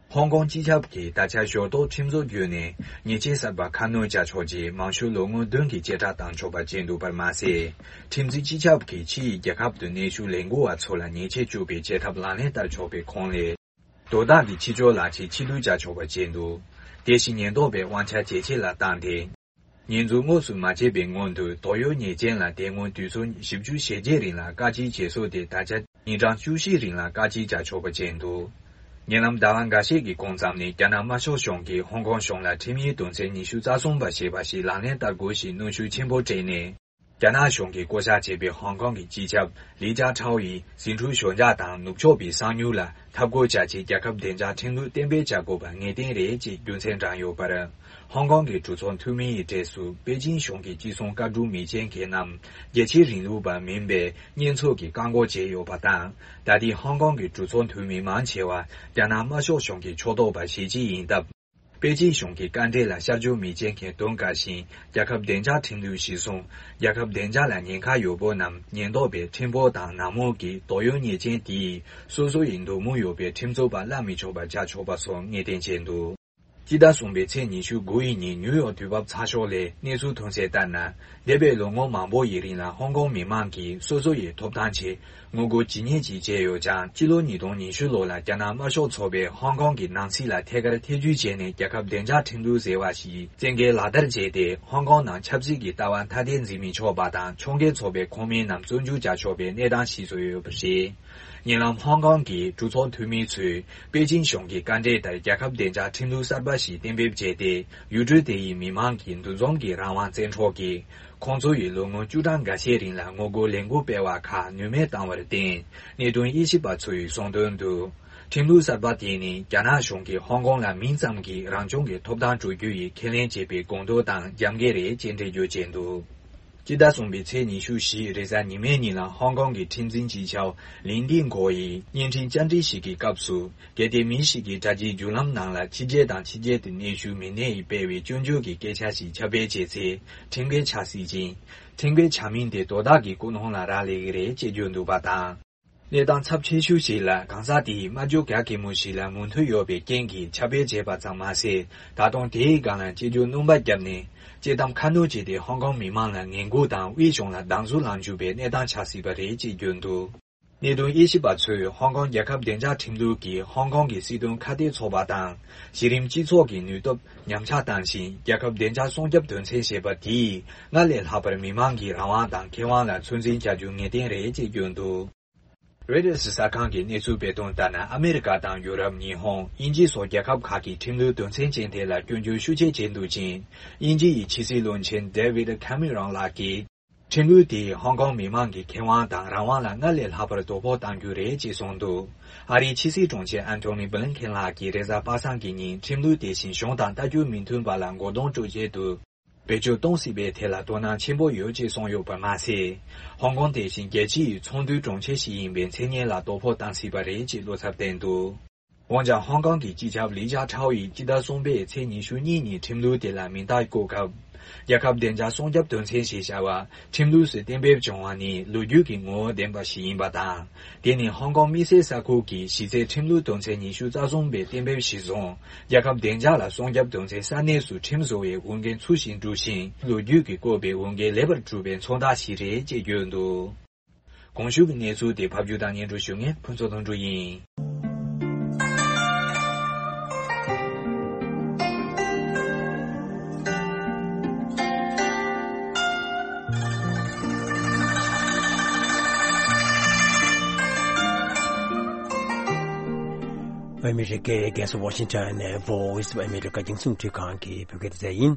ཧོང་ཀོང་སྤྱི་ཁྱབ་ཀྱིས་ད་ཆ་ཞོར་གཏོགས་ཁྲིམས་བཟོ་བརྒྱུད་ནས་ཉེས་ཆད་གསར་པ་ཁ་སྣོན་བྱ་ཆོག་ཅེས་མང་ཤོས་ལོ་ངོ་བདུན་གྱི་བཅད་ཁྲ་བཏང་ཆོག་པ་བྱས་འདུག་པར་མ་ཟད། ཁྲིམས་འཛིན་སྤྱི་ཁྱབ་ཀྱིས་ཕྱི་ཡི་རྒྱལ་ཁབ་ཏུ་གནས་བཞུགས་ལས་འགུལ་བ་ཚོ་ལ་ཉེས་ཆད་གཅོད་པའི་བྱེད་ཐབས་ལག་ལེན་བསྟར་ཆོག་པའི་ཁོངས་ལས། དོ་བདག་གི་ཕྱི་ཕྱོགས་ལག་ཁྱེར་ཕྱིར་བསྡུ་བྱ་ཆོག་པ་བྱས་འདུག་དེ་བཞིན་ཉེན་རྟོག་པའི་དབང་ཆ་ཇེ་ཆེ་ལ་བཏང་སྟེ། ཉེས་འཛུགས་དངོས་སུ་མ་བྱས་པའི་སྔོན་དུ་དོགས་ཡོད་ཉེས་ཅན་ལ་དེ་སྔོན་དུས་ཚོད་བཞི་བཅུ་ཞེ་བརྒྱད་རིང་ལ་བཀག་སྐྱིལ་བྱེད་སྲོལ་དེ་ད་ཆ་ཉིན་གྲངས་བཅུ་བཞི་རིང་ལ་བཀག་སྐྱིལ་བྱ་ཆོག་པ་བྱས་འདུག་ཉེ་ལམ་ཟླ་བ་འགའ་ཤས་ཀྱི་གོང་ཙམ་ནས་རྒྱ་ནག་དམར་ཤོག་གཞུང་གིས་ཧོང་ཀོང་གཞུང་ལ་ཁྲིམས་ཡིག་དོན་ཚན་ཉི་ཤུ་རྩ་གསུམ་པ་ཞེས་པ་ཞིག་ལག་ལེན་བསྟར་དགོས་ཞེས་གནོན་ཤུགས་ཆེན་པོ་སྤྲད་ནས། རྒྱ་ནག་གཞུང་གིས་བསྐོ་བཞག་བྱས་པའི་ཧོང་ཀོང་གི་སྤྱི་ཁྱབ་ལི་ཅཱ་ཁྲའོ་ཡིས་ཟིང་འཁྲུག་ཞོད་འཇགས་དང་ནུབ་ཕྱོགས་པའི་གསང་ཉུལ་ལ་འཐབ་རྒོལ་བྱ་ཆེད་རྒྱལ་ཁབ་བདེ་འཇགས་ཁྲིམས་ལུགས་གཏན་འབེབས་བྱ་དགོས་པ་ངེས་གཏན་རེད་ཅེས་རྒྱུ་མཚན་བགྲངས་ཡོད་པར། ཧོང་ཀོང་གི་གྲོས་ཚོགས་འཐུས་མི་ཡི་གྲས་སུ་པེ་ཅིན་གཞུང་གི་ཅི་སོང་བཀའ་སྒྲུབ་མི་བྱེད་མཁན་རྣམས་རྒྱལ་སྤྱིའི་རིང་ལུགས་པ་མིན་པའི་བསྙོན་འཛུགས་ཀྱིས་བཀག་འགོག་བྱས་ཡོད་པ་དང་། ད་ལྟའི་ཧོང་ཀོང་གི་གྲོས་ཚོགས་འཐུས་མི་མང་ཆེ་བ་རྒྱ་ནག་དམར་ཤོག་གཞུང་གི་ཕྱོགས་གཏོགས་པ་གཞིས་བྱེས་ཡིན་སྟབས། པེ་ཅིན་གཞུང་གི་བཀའ་འབྲེལ་ལ་ཤར་བསྐྱོད་མི་བྱེད་མཁན་དོན་དགའ་ཞིང་རྒྱལ་ཁབ་བདེ་འཇགས་ཁྲིམས་ལུགས་གཞིར་བཟུང་རྒྱལ་ཁབ་བདེ་འཇགས་ལ་ཉེན་ཁ་ཡོད་པོ་རྣམས་ཉེན་རྟོག་པའི་ཁྲིམས་དཔོན་དང་ནག་མོ་གིས་དོགས་ཡོད་ཉེས་ཅན་དེས་སོ་སོ་ཡི་འདོད་མོས་ཡོད་པའི་ཁྲིམས་རྩོད་པ་བརླག་མི་ཆོག་པ་བྱ་ཆོག་པ་སོགས་ངེས་གཏན་བྱས་འདུག་སྤྱི་ཟླ་གསུམ་པའི་ཚེས་ཉི་ཤུ་དགུ་ཡི་ཉིན་ནིའུ་ཡོག་དུས་བབ་ཚགས་ཤོག་ལས་གནས་ཚུལ་ཐོན་གསལ་ལྟར་ན། འདས་པའི་ལོ་ངོ་མང་པོ་ཡི་རིང་ལ་ཧོང་ཀོང་མི་མང་གིས་སོ་སོ་ཡི་ཐོབ་ཐང་ཆེད། ངོ་རྒོལ་ཇི་སྙེད་ཅིག་བྱས་ཡོད་ཀྱང་། སྤྱི་ལོ་ཉིས་སྟོང་ཉི་ཤུ་ལོ་ལ་རྒྱ་ནག་དམར་ཤོག་ཚོགས་པས་ཧོང་ཀོང་གི་ནང་སྲིད་ལ་ཐད་ཀར་ཐེ་ཇུས་བྱས་ནས། རྒྱལ་ཁབ་བདེ་འཇགས་ཁྲིམས་ལུགས་ཟེར་བ་ཞིག་བཙན་འགེལ་ལག་བསྟར་བྱས་ཏེ། ཧོང་ཀོང་ནང་ཆབ་སྲིད་ཀྱི་ལྟ་བ་ཐ་དད་འཛིན་མི་ཆོག་པ་དང་། ཕྱོགས་འགལ་ཚོགས་པའི་ཁོངས་མི་རྣམས་བཙོན་འཇུག་བྱ་ཆོག་པའི་གནས་སྟངས་ཤིག་བཟོས་ཡོད་པ་རེད། ཉེ་ལམ་ཧོང་ཀོང་གི་གྲོས་ཚོགས་འཐུས་མི་ཚོས་པེ་ཅིན་གཞུང་གི་བཀའ་འབྲེལ་ལྟར། རྒྱལ་ཁབ་བདེ་འཇགས་ཁྲིམས་ལུགས་གསར་པ་ཞིག་གཏན་འབེབས་བྱས་ཏེ། ཡུལ་གྲུ་དེ་ཡི་མི་མང་གི་འདུ་འཛོམས་ཀྱི་རང་དབང་བཙན་འཕྲོག་གིས། ཁོང་ཚོ་ཡིས་ལོ་ངོ་བཅུ་གྲངས་འགའ་ཤས་རིང་ལ་ངོ་རྒོལ་ལས་འགུལ་སྤེལ་བ་ཁག་ནུས་མེད་བཏང་བར་བརྟེན། གནད་དོན་དབྱེ་ཞིབ་པ་ཚོ་ཡིས་གསུངས་དོན་དུ། ཁྲིམས་ལུགས་གསར་པ་དེ་ནི་རྒྱ་ནག་གཞུང་གིས་ཧོང་ཀོང་ལ་མིང་ཙམ་གྱིས་རང་སྐྱོང་གི་ཐོབ་ཐང་སྤྲོད་རྒྱུ་ཡི་ཁས་ལེན་བྱས་པའི་དགོངས་དོན་དང་རྒྱབ་འགལ་རེད་ཅེས་འགྲེལ་བརྗོད་བྱས་འདུག་སྤྱི་ཟླ་གསུམ་པའི་ཚེས་ཉི་ཤུ་བཞི་རེས་གཟའ་ཉི་མའི་ཉིན་ལ་ཧོང་ཀོང་གི་ཁྲིམས་འཛིན་སྤྱི་ཁྱབ་ལིན་ཏིན་གོ་ཡིས་བརྙན་འཕྲིན་བཅར་འདྲི་ཞིག་གི་སྐབས་སུ། གལ་ཏེ་མི་ཞིག་གིས་དྲ་རྒྱའི་བརྒྱུད་ལམ་ནང་ལ་ཕྱི་རྒྱལ་དང་ཕྱི་རྒྱལ་དུ་གནས་བཞུགས་མི་སྣ་ཡིས་སྤེལ་བའི་སྐྱོན་བརྗོད་ཀྱི་སྐད་ཆ་ཞིག་ཁྱབ་སྤེལ་བྱས་ཚེ་ཁྲིམས་འགལ་ཆགས་སྲིད་ཅིང་། ཁྲིམས་འགལ་ཆ་མིན་དེ་དོ་བདག་གི་ཀུན་སློང་ལ་རག་ལས་ཀྱི་རེད་ཅེས་བརྗོད་འདུག་པ་དང་། གནས་སྟངས་ཚབས་ཆེ་ཤོས་ཤིག་ལ་གང་ཟག་དེ་ཡིས་སྨྲ་བརྗོད་ག་གེ་མོ་ཞིག་ལ་མོས་མཐུན་ཡོད་པའི་རྐྱེན་གྱིས་ཁྱབ་སྤེལ་བྱས་པ་ཙམ་མ་ཟད། ད་དུང་དེའི་སྒང་ལ་དཔྱད་བརྗོད་སྣོན་པ་བརྒྱབ་ནས་དཔྱད་གཏམ་ཁ་སྣོན་བྱས་ཏེ་ཧོང་ཀོང་མི་མང་ལ་ངན་སྐུལ་དང་དབུས་གཞུང་ལ་སྡང་ཟུག་ལངས་བཅུག་པའི་གནས་སྟངས་ཆགས་སྲིད་པ་རེད་ཅེས་བརྗོད་འདུག་གནད་དོན་དབྱེ་ཞིབ་པ་ཚོས་ཧོང་ཀོང་རྒྱལ་ཁབ་བདེ་འཇགས་ཁྲིམས་ལུགས་ཀྱིས་ཧོང་ཀོང་གི་སྲིད་དོན་ཁ་གཏད་ཚོགས་པ་དང་གཞི་རིམ་སྤྱི་ཚོགས་ཀྱི་ནུས་སྟོབས་ཉམས་ཆག་བཏང་ཞིང་། རྒྱལ་ཁབ་བདེ་འཇགས་སྲུང་སྐྱོབ་དོན་ཚན་ཞེས་པ་དེས་སྔར་ལས་ལྷག་པར་མི་མང་གི་རང་དབང་དང་ཁེ་དབང་ལ་ཚོད་འཛིན་བྱ་རྒྱུ་ངེས་གཏན་རེད་ཅེས་བརྗོད་འདུག་རོའི་ཊར་གསར་ཁང་གིས་གནས་ཚུལ་སྤེལ་དོན་ལྟར་ན། ཨ་མེ་རི་ཀ་དང་ཡུ་རོབ། ཉི་ཧོང་། དབྱིན་ཇི་སོགས་རྒྱལ་ཁབ་ཁག་གི་ཁྲིམས་ལུགས་དོན་ཚན་ཅན་དེ་ལ་སྐྱོན་བརྗོད་ཤུགས་ཆེ་བྱས་འདུག་ཅིང་། དབྱིན་ཇི་ཡི་ཕྱི་སྲིད་བློན་ཆེན་ཌེ་ཝིད་ཁ་མེ་རོན་ལགས་ཀྱིས། ཁྲིམས་ལུགས་དེས་ཧོང་ཀོང་མི་མང་གི་ཁེ་དབང་དང་རང་དབང་ལ་སྔར་ལས་ལྷག་པར་དོ་ཕོག་གཏང་རྒྱུ་རེད་ཅེས་གསུངས་འདུག་ཨ་རིའི་ཕྱི་སྲིད་དྲུང་ཆེ་ཨན་ཐོ་ནི་བྷི་ལིན་ཁེན་ལགས་ཀྱིས་རེས་གཟའ་པ་སངས་ཀྱི་ཉིན། ཁྲིམས་ལུགས་དེ་བཞིན་གཞུང་དང་ལྟ་རྒྱུ་མི་མཐུན་པ་ལ་མགོ་རྡུང་སྤྲོད་ཆེད་དུ་བེད་སྤྱོད་གཏོང་སྲིད་པའི་ཐད་ལ་དོ་སྣང་ཆེན་པོ་ཡོད་ཅེས་གསུངས་ཡོད་པར་མ་ཟད། ཧོང་ཀོང་དེ་བཞིན་རྒྱལ་སྤྱི་ཡི་ཚོགས་འདུའི་དྲུང་ཆེ་ཞིག་ཡིན་པའི་མཚན་སྙན་ལ་དོ་ཕོག་གཏང་སྲིད་པ་རེད་ཅེས་བློ་འཚབ་བསྟན་འདུག་འོན་ཀྱང་། ཧོང་ཀོང་གི་སྤྱི་ཁྱབ་ལི་ཅཱ་ཁྲའོ་ཡིས་སྤྱི་ཟླ་གསུམ་པའི་ཚེས་ཉི་ཤུ་གཉིས་ཉིན་ཁྲིམས་ལུགས་དེ་ལ་མིང་རྟགས་བཀོད་སྐབས། རྒྱལ་ཁབ་བདེ་འཇགས་སྲུང་སྐྱོབ་དོན་ཚན་ཞེས་བྱ་བ་ཁྲིམས་ལུགས་སུ་གཏན་འབེབས་བྱུང་བ་ནི་ལོ་རྒྱུས་ཀྱི་ངོ་བོ་ལྡན་པ་ཞིག་ཡིན་པ་དང་། དེ་ནི་ཧོང་ཀོང་དམིགས་བསལ་ས་ཁུལ་གྱི་གཞི་རྩའི་ཁྲིམས་ལུགས་དོན་ཚན་ཉི་ཤུ་རྩ་གསུམ་པའི་གཏན་འབེབས་གཞིར་བཟུང་། རྒྱལ་ཁབ་བདེ་འཇགས་ལ་སྲུང་སྐྱོབ་དོན་ཚན་ས་གནས་སུ་ཁྲིམས་བཟོ་བའི་འོས་འགན་ཚུལ་བཞིན་བསྒྲུབས་ཤིང་། ལོ་རྒྱུས་ཀྱིས་བཀོད་པའི་འོས་འགན་ལེགས་པར་བསྒྲུབས་པའི་མཚོན་རྟགས་ཤིག་རེད་ཅེས་བརྗོད་འདུག་གོང་ཞུས་ཀྱི་གནས་ཚུལ་དེ་ཕབ་སྒྱུར་དང་སྙན་སྒྲོན་ཞུ་མཁན་ཕུན་ཚོགས་དོན་གྲུབ་ཡིན། ཨ་མི་རི་ཀའི་རྒྱལ་ས་ཝ་ཤིང་ཊོན་ནས་Voice of America རྒྱང་སྲིང་རླུང་འཕྲིན་ཁང་གི་བོད་སྐད་སྡེ་ཚན་ཡིན།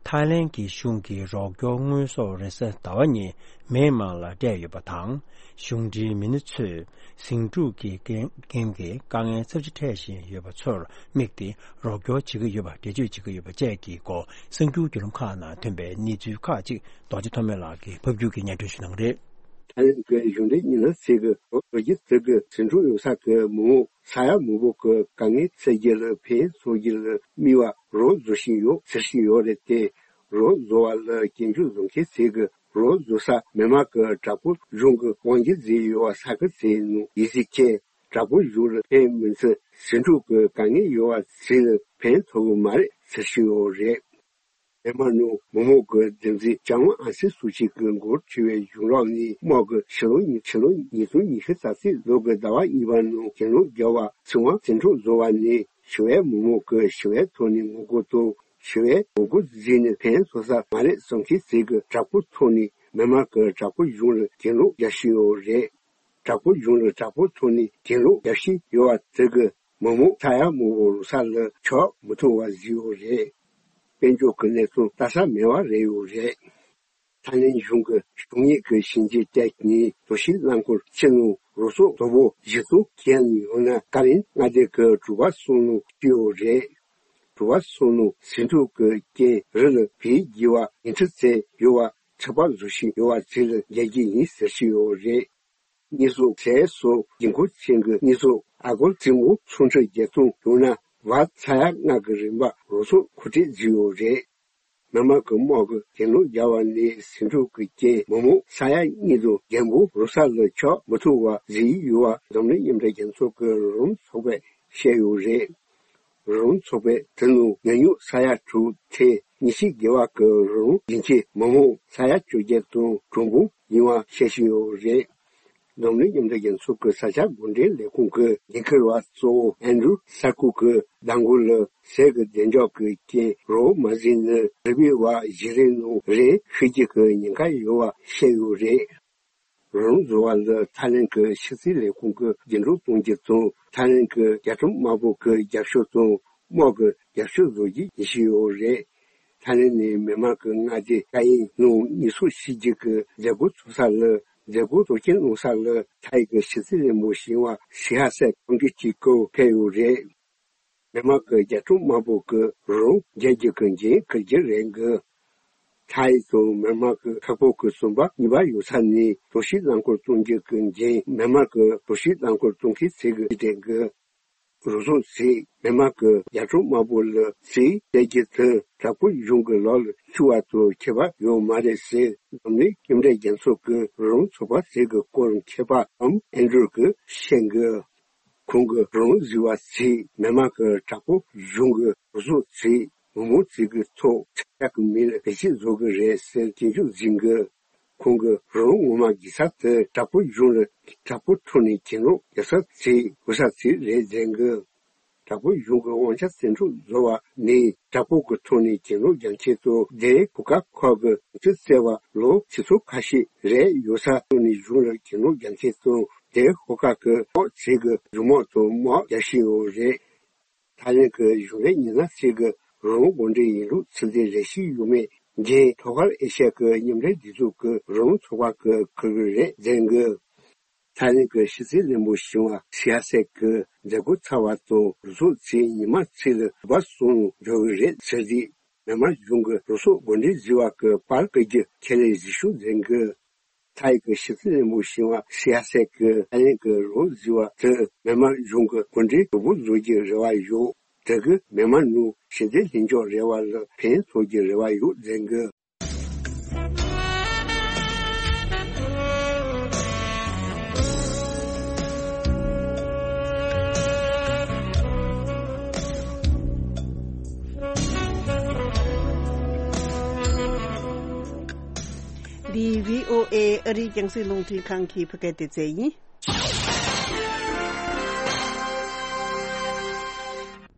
ཐའི་ལན་གྱི་གཞུང་གིས་རོགས་སྐྱོར་དངོས་ཟོག་རེས་གཟའ་ཟླ་བ་ཉིན་མེན་མར་ལ་སྤྲད་ཡོད་པ་དང་། གཞུང་འབྲེལ་མི་སྣ་ཚོས་ཟིང་འཁྲུག་གི་རྐྱེན་རྐྱེན་གྱིས་དཀའ་ངལ་ཚབས་ཆེ་འཕྲད་བཞིན་ཡོད་པ་ཚོར་དམིགས་ཏེ་རོགས་སྐྱོར་བྱེད་ཀྱི་ཡོད་པ་འགྲེལ་བརྗོད་བྱེད་ཀྱི་ཡོད་པ་བཅས་ཀྱི་སྐོར་གསར་འགྱུར་བརྒྱུད་ལམ་ཁག་ནང་ཐོན་པའི་གནས་ཚུལ་ཁག་ཅིག་རྡོ་རྗེ་ཐོགས་མེད་ལགས་ཀྱིས་ཕབ་སྒྱུར་གྱིས་སྙན་སྒྲོན་ཞུ་གནང་གི་རེད། ཐའི་ལན་གྱི་གཞུང་འབྲེལ་མི་སྣ་ཚོས་ལོ་རྒྱུས་དེ་གའི་ཟིང་འཁྲུག་ཡོད་ས་གི་མི་མང་ས་ཡ་མང་པོ་གི་དཀའ་ངལ་སེལ་རྒྱུ་ལ་ཕན་ཐོགས་རྒྱུ་ལ་དམིགས་པ་རོགས་བཟོ་བཞིན་ཡོད་ཟེར་བཞིན་ཡོད་རེད་དེ། རོགས་བཟོ་བ་ལ་སྐྱོན་བརྗོད་བཟོ་མཁན་ཚོས་གི་རོགས་བཟོ་ས་མེན་མར་གི་དྲག་པོ་གཞུང་གི་དབང་སྒྱུར་བཟོས་ཡོད་པ་ས་ཁུལ་ཚོའི་ནང་ཡིན་ཟེར་མཁན། དྲག་པོ་གཞུང་ལ་ཕན་མི་ཚུལ་ཟིང་འཁྲུག་གི་དཀའ་ངལ་ཡོད་པ་ཚོ་ལ་ཕན་ཐོགས་གི་མ་རེད་ཟེར་བཞིན་ཡོད་རེད། མེན་མར་ནང་མི་མང་གི་སྡེ་མཛུབ་ལྕམ་ཨང་སན་སུའུ་ཅི་གི་འགོ་ཁྲིད་པའི་གཞུང་ལམ་ནས་དམག་གིས་ཕྱི་ལོ་ཉིས་ཕྱི་ལོ་ཉིས་སྟོང་ཉི་ཤུ་རྩ་གཅིག་ལོ་གི་ཟླ་བ་གཉིས་པ་ནང་གྱེན་ལོག་བརྒྱབ་པ་ཚེ་དབང་ཟིང་འཁྲུག་བཟོ་བ་ནས་ཞི་བའི་མི་མང་གིས་ཞི་བའི་ཐོག་ནས་ངོ་རྒོལ་དང་ཞི་བའི་ངོ་རྒོལ་བཟོས་ནས་ཕན་ཐོགས་ས་མ་རེད་བསམ་མཁན་ཚོས་གི་དྲག་པོའི་ཐོག་ནས་མེན་མར་གི་དྲག་པོའི་གཞུང་ལ་གྱེན་ལོག་རྒྱག་བཞིན་ཡོད་རེད། དྲག་པོའི་གཞུང་ལ་དྲག་པོའི་ཐོག་ནས་གྱེན་ལོག་རྒྱག་བཞིན་ཡོད་པ་དེ་གིས་མི་མང་ས་ཡ་མང་པོ་རོགས་ས་ལ་ཆགས་མི་ཐུབ་པ་བཟོས་ཡོད་རེད། དཔལ་འབྱོར་གྱི་གནས་ཚུལ་ལྟ་ས་མེད་པ་རེད་ཡོད་རེད། ཐའི་ལན་གཞུང་གི་གཞུང་གཉེར་གྱི་ཞིང་ཆེན་བཅས་ཀྱི་དོ་ཤིང་རླངས་འཁོར་ཕྱི་ནང་རོགས་ཚོགས་དོ་པོ་གཞི་བཙུགས་བྱས་ནས་ཡོང་ན་ཀ་རན་མངའ་སྡེ་གི་གྲུ་པ་གསུམ་ནང་བསྐྱོད་ཡོད་རེད། གྲུ་པ་གསུམ་ནང་ཟིང་འཁྲུག་གི་རྐྱེན་རི་ལ་བལ་རྒྱས་པ་ཉིང་ཁྲི་ཚད་ཡོད་པ་ཚོད་དཔག་བཟོ་བཞིན་ཡོད་པ་ཚོ་ལ་རྒྱག་གི་ཡིན་ཟེར་བཞིན་ཡོད་རེད། དངོས་ཟོག་ཟས་སོགས་ཀྱི་མཁོ་ཆེན་གྱི་དངོས་ཟོག་ཨ་སྒོར་བཙུན་པོ་ཚོང་ཁྲི་བརྒྱད་སྟོང་ཡོང་ན་བར་ས་ཡ་ལྔ་གི་རིན་པ་རོགས་ཚོགས་མཁོ་སྤྲོད་བཟོས་ཡོད་རེད། མེན་མར་གྱི་དམག་གིས་གྱེན་ལོག་བརྒྱབ་པ་ནས་ཟིང་འཁྲུག་གི་རྐྱེན་མི་མང་ས་ཡ་གཉིས་དང་ལྷག་པོ་རོགས་ས་ལ་ཆགས་མི་ཐུབ་པ་བཟོས་ཡོད་པ་འཛམ་གླིང་མཉམ་འབྲེལ་རྒྱལ་ཚོགས་ཀྱི་རོགས་རམ་ཚོགས་པས་བཤད་ཡོད་རེད། རོགས་རམ་ཚོགས་པས་དེ་ནང་ཉེན་ཉོག་ས་ཡ་དྲུག་ཐེར་ཉི་ཤུ་བརྒལ་བ་གི་རོགས་རམ་རྒྱུན་ཆད་མི་མང་ས་ཡ་བཅོ་བརྒྱད་དང་གྲངས་འབོར་ཡིན་པ་བཤད་བཞིན་ཡོད་རེད། འཛམ་གླིང་མཉམ་འབྲེལ་རྒྱལ་ཚོགས་ཀྱི་ས་ཆ་འགོ་འདྲེན་ལས་ཁུངས་ཀྱི་འགན་འཁུར་བ་གཙོ་བོ་ཨན་ཌྲུ་སར་ཀུ་གིས་མདང་དགོང་ལ་ཟས་ཀྱི་བདེ་འཇགས་ཀྱི་རྐྱེན་རོགས་མ་བཟོས་ན་རི་པའི་བ་བཞི་རེའི་ནང་རས་ཤི་རྒྱུ་གི་ཉེན་ཁ་ཡོད་པ་བཤད་ཡོད་རེད། རོགས་རམ་བཟོ་བ་ལ་ཐའི་ལན་གྱི་ཕྱི་སྲིད་ལས་ཁུངས་ཀྱིས་རྒྱུན་སྒྲོག་གཏོང་རྒྱུ་དང་ཐའི་ལན་གྱི་རྒྱལ་ཁྲིམས་དམར་པོ་གི་རྒྱབ་སྐྱོར་དང་དམག་གི་རྒྱབ་སྐྱོར་བཟོ་རྒྱུ་ཡིན་བཞིན་ཡོད་རེད། ཐའི་ལན་ནས་མེན་མར་གྱི་མངའ་སྡེ་ཀ་ཡིན་ནང་ཉེན་ཟོག་ཕྱི་རྒྱུ་གི་མཛད་སྒོ་ཚོགས་ས་ལ་མཛད་སྒོ་གཙོ་སྐྱོང་གནང་ས་ལ་ཐའི་གི་ཕྱི་སྲིད་བློན་པོ་ཞི་ཡ་སེ་གོང་འདྲིས་ཀྱི་སྐུ་ཕེབས་ཡོད་རེད། མེན་མར་གྱི་རྒྱལ་ཁྲིམས་དམར་པོ་གི་རོགས་རྒྱག་རྒྱུ་གི་འགན་འཁུར་རྒྱུ་རེད་གི། ཐའི་དང་མེན་མར་གྱི་ཁག་པོ་གི་ཟམ་པ་གཉིས་པ་ཡོད་ས་ནས་གྲོ་ཞིབ་རླངས་འཁོར་གཏོང་རྒྱུ་གི་འགན་མེན་མར་གྱི་གྲོ་ཞིབ་རླངས་འཁོར་གཏོང་མཁན་ཚོས་གི་སྤྲད་གི། རོགས་ཚོགས་ཚོས་མེན་མར་གྱི་རྒྱལ་ཁྲིམས་དམར་པོ་ལ་རྩིས་སྤྲད་རྒྱུ་དེ་དྲག་པོའི་གཞུང་གི་ལག་ལ་ཤོར་བ་དང་ཁྱད་པར་ཡོད་མ་རེད་ཟེར་འཛམ་གླིང་མཉམ་འབྲེལ་རྒྱལ་ཚོགས་ཀྱི་རོགས་རམ་ཚོགས་པ་ཚོས་གི་སྐོར་མཁས་པ་ཨམ་ཨན་ཌྲུ་གིས་བཤད་གི། ཁོང་གི་རང་བཟི་བ་ཚོས་མི་དམངས་ཀྱི་དྲག་པོ་གཞུང་གི་རུ་ཟོག་ཚོས་མི་མང་ཚོས་ཀྱི་ཐོག་ཆ་ཀ་གི་མི་ལ་བེད་སྤྱོད་བཟོ་གི་རེད་ཟེར་སྐྱོན་བརྗོད་འཛིན་གི། ཁོང་གི་རང་ངོ་མ་གི་ས་དེ་དྲག་པོ་གཞུང་ལ་དྲག་པོ་ཐོག་ནས་གྱེན་ལོག་རྒྱག་ས་ཚོས་གོ་ས་ཚོས་རེད་འཛིན་གི། དྲག་པོ་གཞུང་གི་དབང་ཆ་བཙན་འཕྲོག་བཟོ་བ་ནི་དྲག་པོ་གི་ཐོག་ནས་གྱེན་ལོག་རྒྱག་ཆེད་དུ་དེ་གོ་ཀ་ཁོ་གི་ཆུ་བཙལ་བ་ལོ་ཆུ་ཚོད་ཁ་ཤས་རེད་ཡོད་ས་ཐོག་ནས་གཞུང་ལ་གྱེན་ལོག་རྒྱག་ཆེད་དུ་དེ་གོ་ཀ་གི་ཨོ་ཚིག་གི་རི་མོ་དང་མོ་རྒྱག་བཞིན་ཡོད་རེད། ཐའི་ལེན་གྱི་གཞུང་ལས་ཉི་ན་ཚིག་གི་རོང་དགོན་སྡེ་ཡིན་ལུགས་ཚུལ་དེ་རེ་ཞིག་ཡོད་མེད་འགན་ཐོག་ཁར་ཨེ་ཤ་ཡ་གི་མཉམ་འབྲེལ་སྒྲིག་འཛུགས་ཀྱི་རོང་ཚོགས་པ་གི་ཁུར་གི་རེད་འཛིན་གི། ཐའི་ལེན་གྱི་ཕྱི་སྲིད་བློན་པོ་ཞི་ཡ་སེ་གིས་མཛད་སྒོ་ཚར་བ་དང་རུ་ཚོགས་ཚོས་ཉི་མ་ཚིག་ལ་བ་སོང་འགྲོ་གི་རེད་ཟེར་དུས། མི་དམངས་གཞུང་གི་རུ་ཚོགས་འགོ་འདྲེན་བཟོས་པ་གི་པར་བཀོད་རྒྱུ་ཁས་ལེན་བྱེད་ཤོག་འཛིན་གི། ཐའི་གི་ཕྱི་སྲིད་བློན་པོ་ཞི་ཡ་སེ་གིས་ཐའི་ལེན་གྱི་རུ་བཟོས་པ་དེ་མི་དམངས་གཞུང་གི་འགོ་འདྲེན་གྲུ་བུ་བཟོ་རྒྱུའི་རེ་བ་ཡོད། དེ་གིས་མི་དམངས་ནང་ཞི་བདེ་ལྷིང་འཇགས་རེ་བ་ལ་ཕན་ཐོགས་རྒྱུའི་རེ་བ་ཡོད་འཛིན་གི། འདི་བྷི་ཨོ་ཨེ་ཨ་རིའི་རྒྱང་སྲིང་རླུང་འཕྲིན་ཁང་གི་བོད་སྐད་སྡེ་ཚན་ཡིན།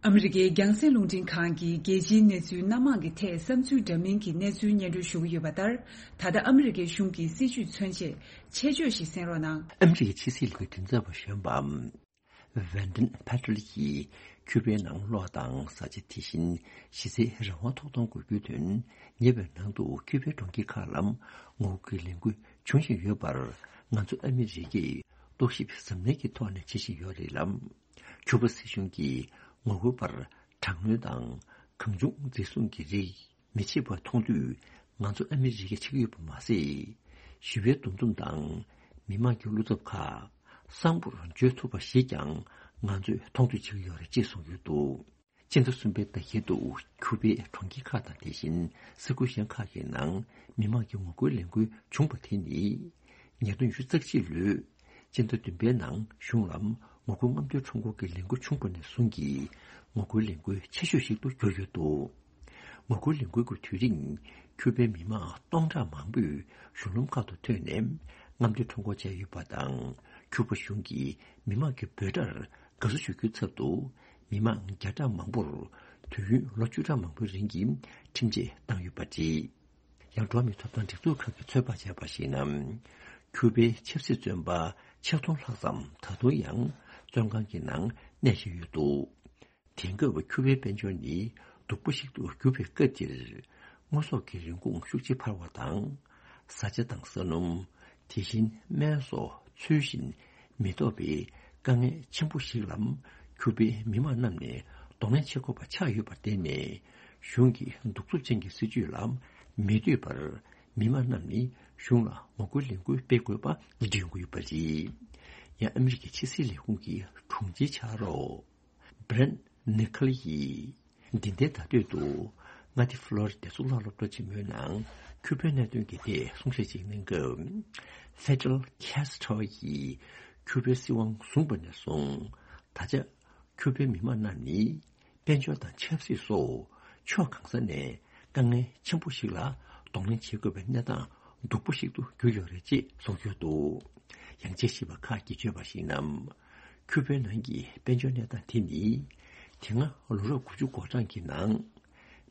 ཨ་མི་རི་ཀའི་རྒྱང་སྲིང་རླུང་འཕྲིན་ཁང་གིས་རྒྱལ་སྤྱིའི་གནས་ཚུལ་སྣ་མང་གི་ཐད་བསམ་ཚུལ་འདྲ་མིན་གྱི་གནས་ཚུལ་སྙན་སྒྲོན་ཞུ་གི་ཡོད་པ་ལྟར། ད་ལྟ་ཨ་མི་རི་ཀའི་གཞུང་གི་སྲིད་བྱུས་མཚོན་ཆེད་ཆེད་བརྗོད་ཞིག་གསན་རོགས་གནང་། ཨ་མི་རི་ཀའི་ཕྱི་སྲིད་ལས་ཁུངས་མགྲིན་ཚབ་པ་གཞོན་པ། ཝན་ཏན་ཕེ་ཏྲལ་གྱིས་ཁྱུ་པའི་ནང་གློག་དང་བཟའ་བཅའ། དེ་བཞིན་གཞི་རྩའི་རང་དབང་ཐོབ་ཐང་དགོས་རྒྱུ་དོན། ཉེ་བའི་ནང་དུ་ཁྱུ་པའི་གྲོང་ཁྱེར་ཁག་ལ་ངོ་རྒོལ་ལས་འགུལ་འབྱུང་བཞིན་ཡོད་པར། ང་ཚོ་ཨ་མི་རི་ཀས་རྟོག་ཞིབ་གཟབ་ནན་གྱི་ཐོག་ནས་བྱེད་བཞིན་ཡོད་རེད་ལ། ཁྱུ་པ་སྲིད་གཞུང་གིས་ངོ་རྒོལ་པར་དྲག་གནོན་དང་གང་བྱུང་འཛིན་བཟུང་གི་རིགས་མི་བྱེད་པ་མཐོང་དུས། ང་ཚོ་ཨ་མི་རི་ཀས་བྱེད་ཀྱི་ཡོད་པ་མ་ཟད། ཞི་བའི་འདུ་འཛོམས་དང་མི་མང་གི་བློ་འཚབ་ཁག་གསང་པོར་བརྗོད་ཐུབ་པ་ཞིག་ཀྱང་ང་ཚོས་མཐོང་ཐོས་བྱེད་ཀྱི་ཡོད་རེད་ཅེས་གསུངས་ཡོད་འདུག་སྤྱི་ཟླ་གསུམ་པའི་ཟླ་ཤེལ་དུ་ཁྱུ་པའི་གྲོང་ཁྱེར་ཁག་དང་། དེ་བཞིན་ས་ཁུལ་གཞན་ཁག་གི་ནང་མི་མང་གི་ངོ་རྒོལ་ལས་འགུལ་བྱུང་བ་དེ་ནི། ཉིས་སྟོང་ཉི་ཤུ་རྩ་གཅིག་ལོའི་སྤྱི་ཟླ་བདུན་པའི་ནང་གཞུང་ལ་ངོ་རྒོལ་རྔམ་སྟོན་ཁྲོམ་སྐོར་གྱི་ལས་འགུལ་བྱུང་བ་ནས་བཟུང་གི་ངོ་རྒོལ་ལས་འགུལ་ཆེ་ཤོས་ཤིག་ཏུ་གྱུར་ཡོད་འདུག་ངོ་རྒོལ་ལས་འགུལ་གྱི་དུས་རིང་། ཁྱུ་པའི་མི་མང་སྟོང་ཕྲག་མང་པོས་གཞུང་ལམ་ཁག་ཏུ་ཐོན་ནས་རྔམ་སྟོན་ཁྲོམ་སྐོར་བྱས་ཡོད་པ་དང་། ཁྱུ་པ་གཞུང་གིས་མི་མང་གི་འབོད་སྒྲར་དགའ་བསུ་ཞུ་རྒྱུའི་ཚབ་ཏུ། མི་མང་བརྒྱ་ཕྲག་མང་པོར་དུས་ཡུན་ལོ་བཅུ་ཕྲག་མང་པོའི་རིང་གི་ཁྲིམས་ཆད་བཏང་ཡོད་པ་རེད། ཡང་། འགྲོ་བ་མིའི་ཐོབ་ཐང་སྒྲིག་འཛུགས་ཁག་གིས་ཚོད་དཔག་བྱས་པར་གཞིགས་ན། ཁྱུ་པའི་ཆབ་སྲིད་བཙོན་པ་ཆིག་སྟོང་ལྷག་ཙམ་ད་དུང་ཡང་བཙོན་ཁང་གི་ནང་གནས་བཞིན་ཡོད་འདུག་དེང་སྐབས་ཁྱུ་པའི་དཔལ་འབྱོར་ནི་སྡུག་པོ་ཞིག་ཏུ་གྱུར་པའི་སྐབས་འདིར། དངོས་ཟོག་གི་རིན་གོང་ཤུགས་ཆེ་འཕར་བ་དང་། བཟའ་བཅའ་དང་ས་སྣུམ། དེ་བཞིན་སྨན་སོགས་ཚུལ་བཞིན་མི་ཐོབ་པའི་དཀའ་ངལ་ཆེན་པོ་ཞིག་ལ་ཁྱུ་པའི་མི་མང་རྣམས་ནས་གདོང་ལེན་བྱེད་དགོས་པ་ཆགས་ཡོད་པར་བརྟེན་ནས། གཞུང་གི་གདུག་རྩུབ་ཅན་གྱི་སྲིད་བྱུས་ལ་མི་འདོད་པར། མི་མང་རྣམས་ནི་གཞུང་ལ་ངོ་རྒོལ་ལས་འགུལ་སྤེལ་དགོས་པ་འདྲི་ཡོང་གི་ཡོད་པ་རེད། ཡང་། ཨ་མི་རི་ཀའི་ཕྱི་སྲིད་ལས་ཁུངས་ཀྱི་དྲུང་ཆེའི་ཕྱག་རོགས་བྷི་རེན་ནི་ཁལ་ཡིས། འདི་ཟླའི་ཟླ་སྟོད་དུ་མངའ་སྡེ་ཧྥ་ལོ་རི་ཌའི་གཙུག་ལག་སློབ་གྲྭ་ཆེན་མོའི་ནང་ཁྱུ་པའི་གནད་དོན་གྱི་ཐད་གསུང་བཤད་ཅིག་གནང་སྐབས། ཧྥེ་ཌེལ་ཁེ་སི་ཊོ་ཡིས་ཁྱུ་པའི་སྲིད་དབང་བཟུང་བ་ནས་བཟུང་། ད་ཆ་ཁྱུ་པའི་མི་མང་རྣམས་ནི། དཔལ་འབྱོར་དང་ཆབ་སྲིད་སོགས་ཕྱོགས་གང་ས་ནས་དཀའ་ངལ་ཆེན་པོ་ཞིག་ལ་གདོང་ལེན་བྱེད་དགོས་པའི་གནས་སྟངས་སྡུག་པོ་ཞིག་ཏུ་གྱུར་ཡོད་རེད་ཅེས་གསུངས་ཡོད་འདུག་ཡང་། དཔྱད་ཞིབ་པ་ཁག་གིས་བརྗོད་པར་གཞིགས་ན། ཁྱུ་པའི་ནང་གི་དཔལ་འབྱོར་གནས་སྟངས་དེ་ནི། དེ་སྔ་ལོ་རབས་དགུ་བཅུ་གོ་གྲངས་ཀྱི་ནང་།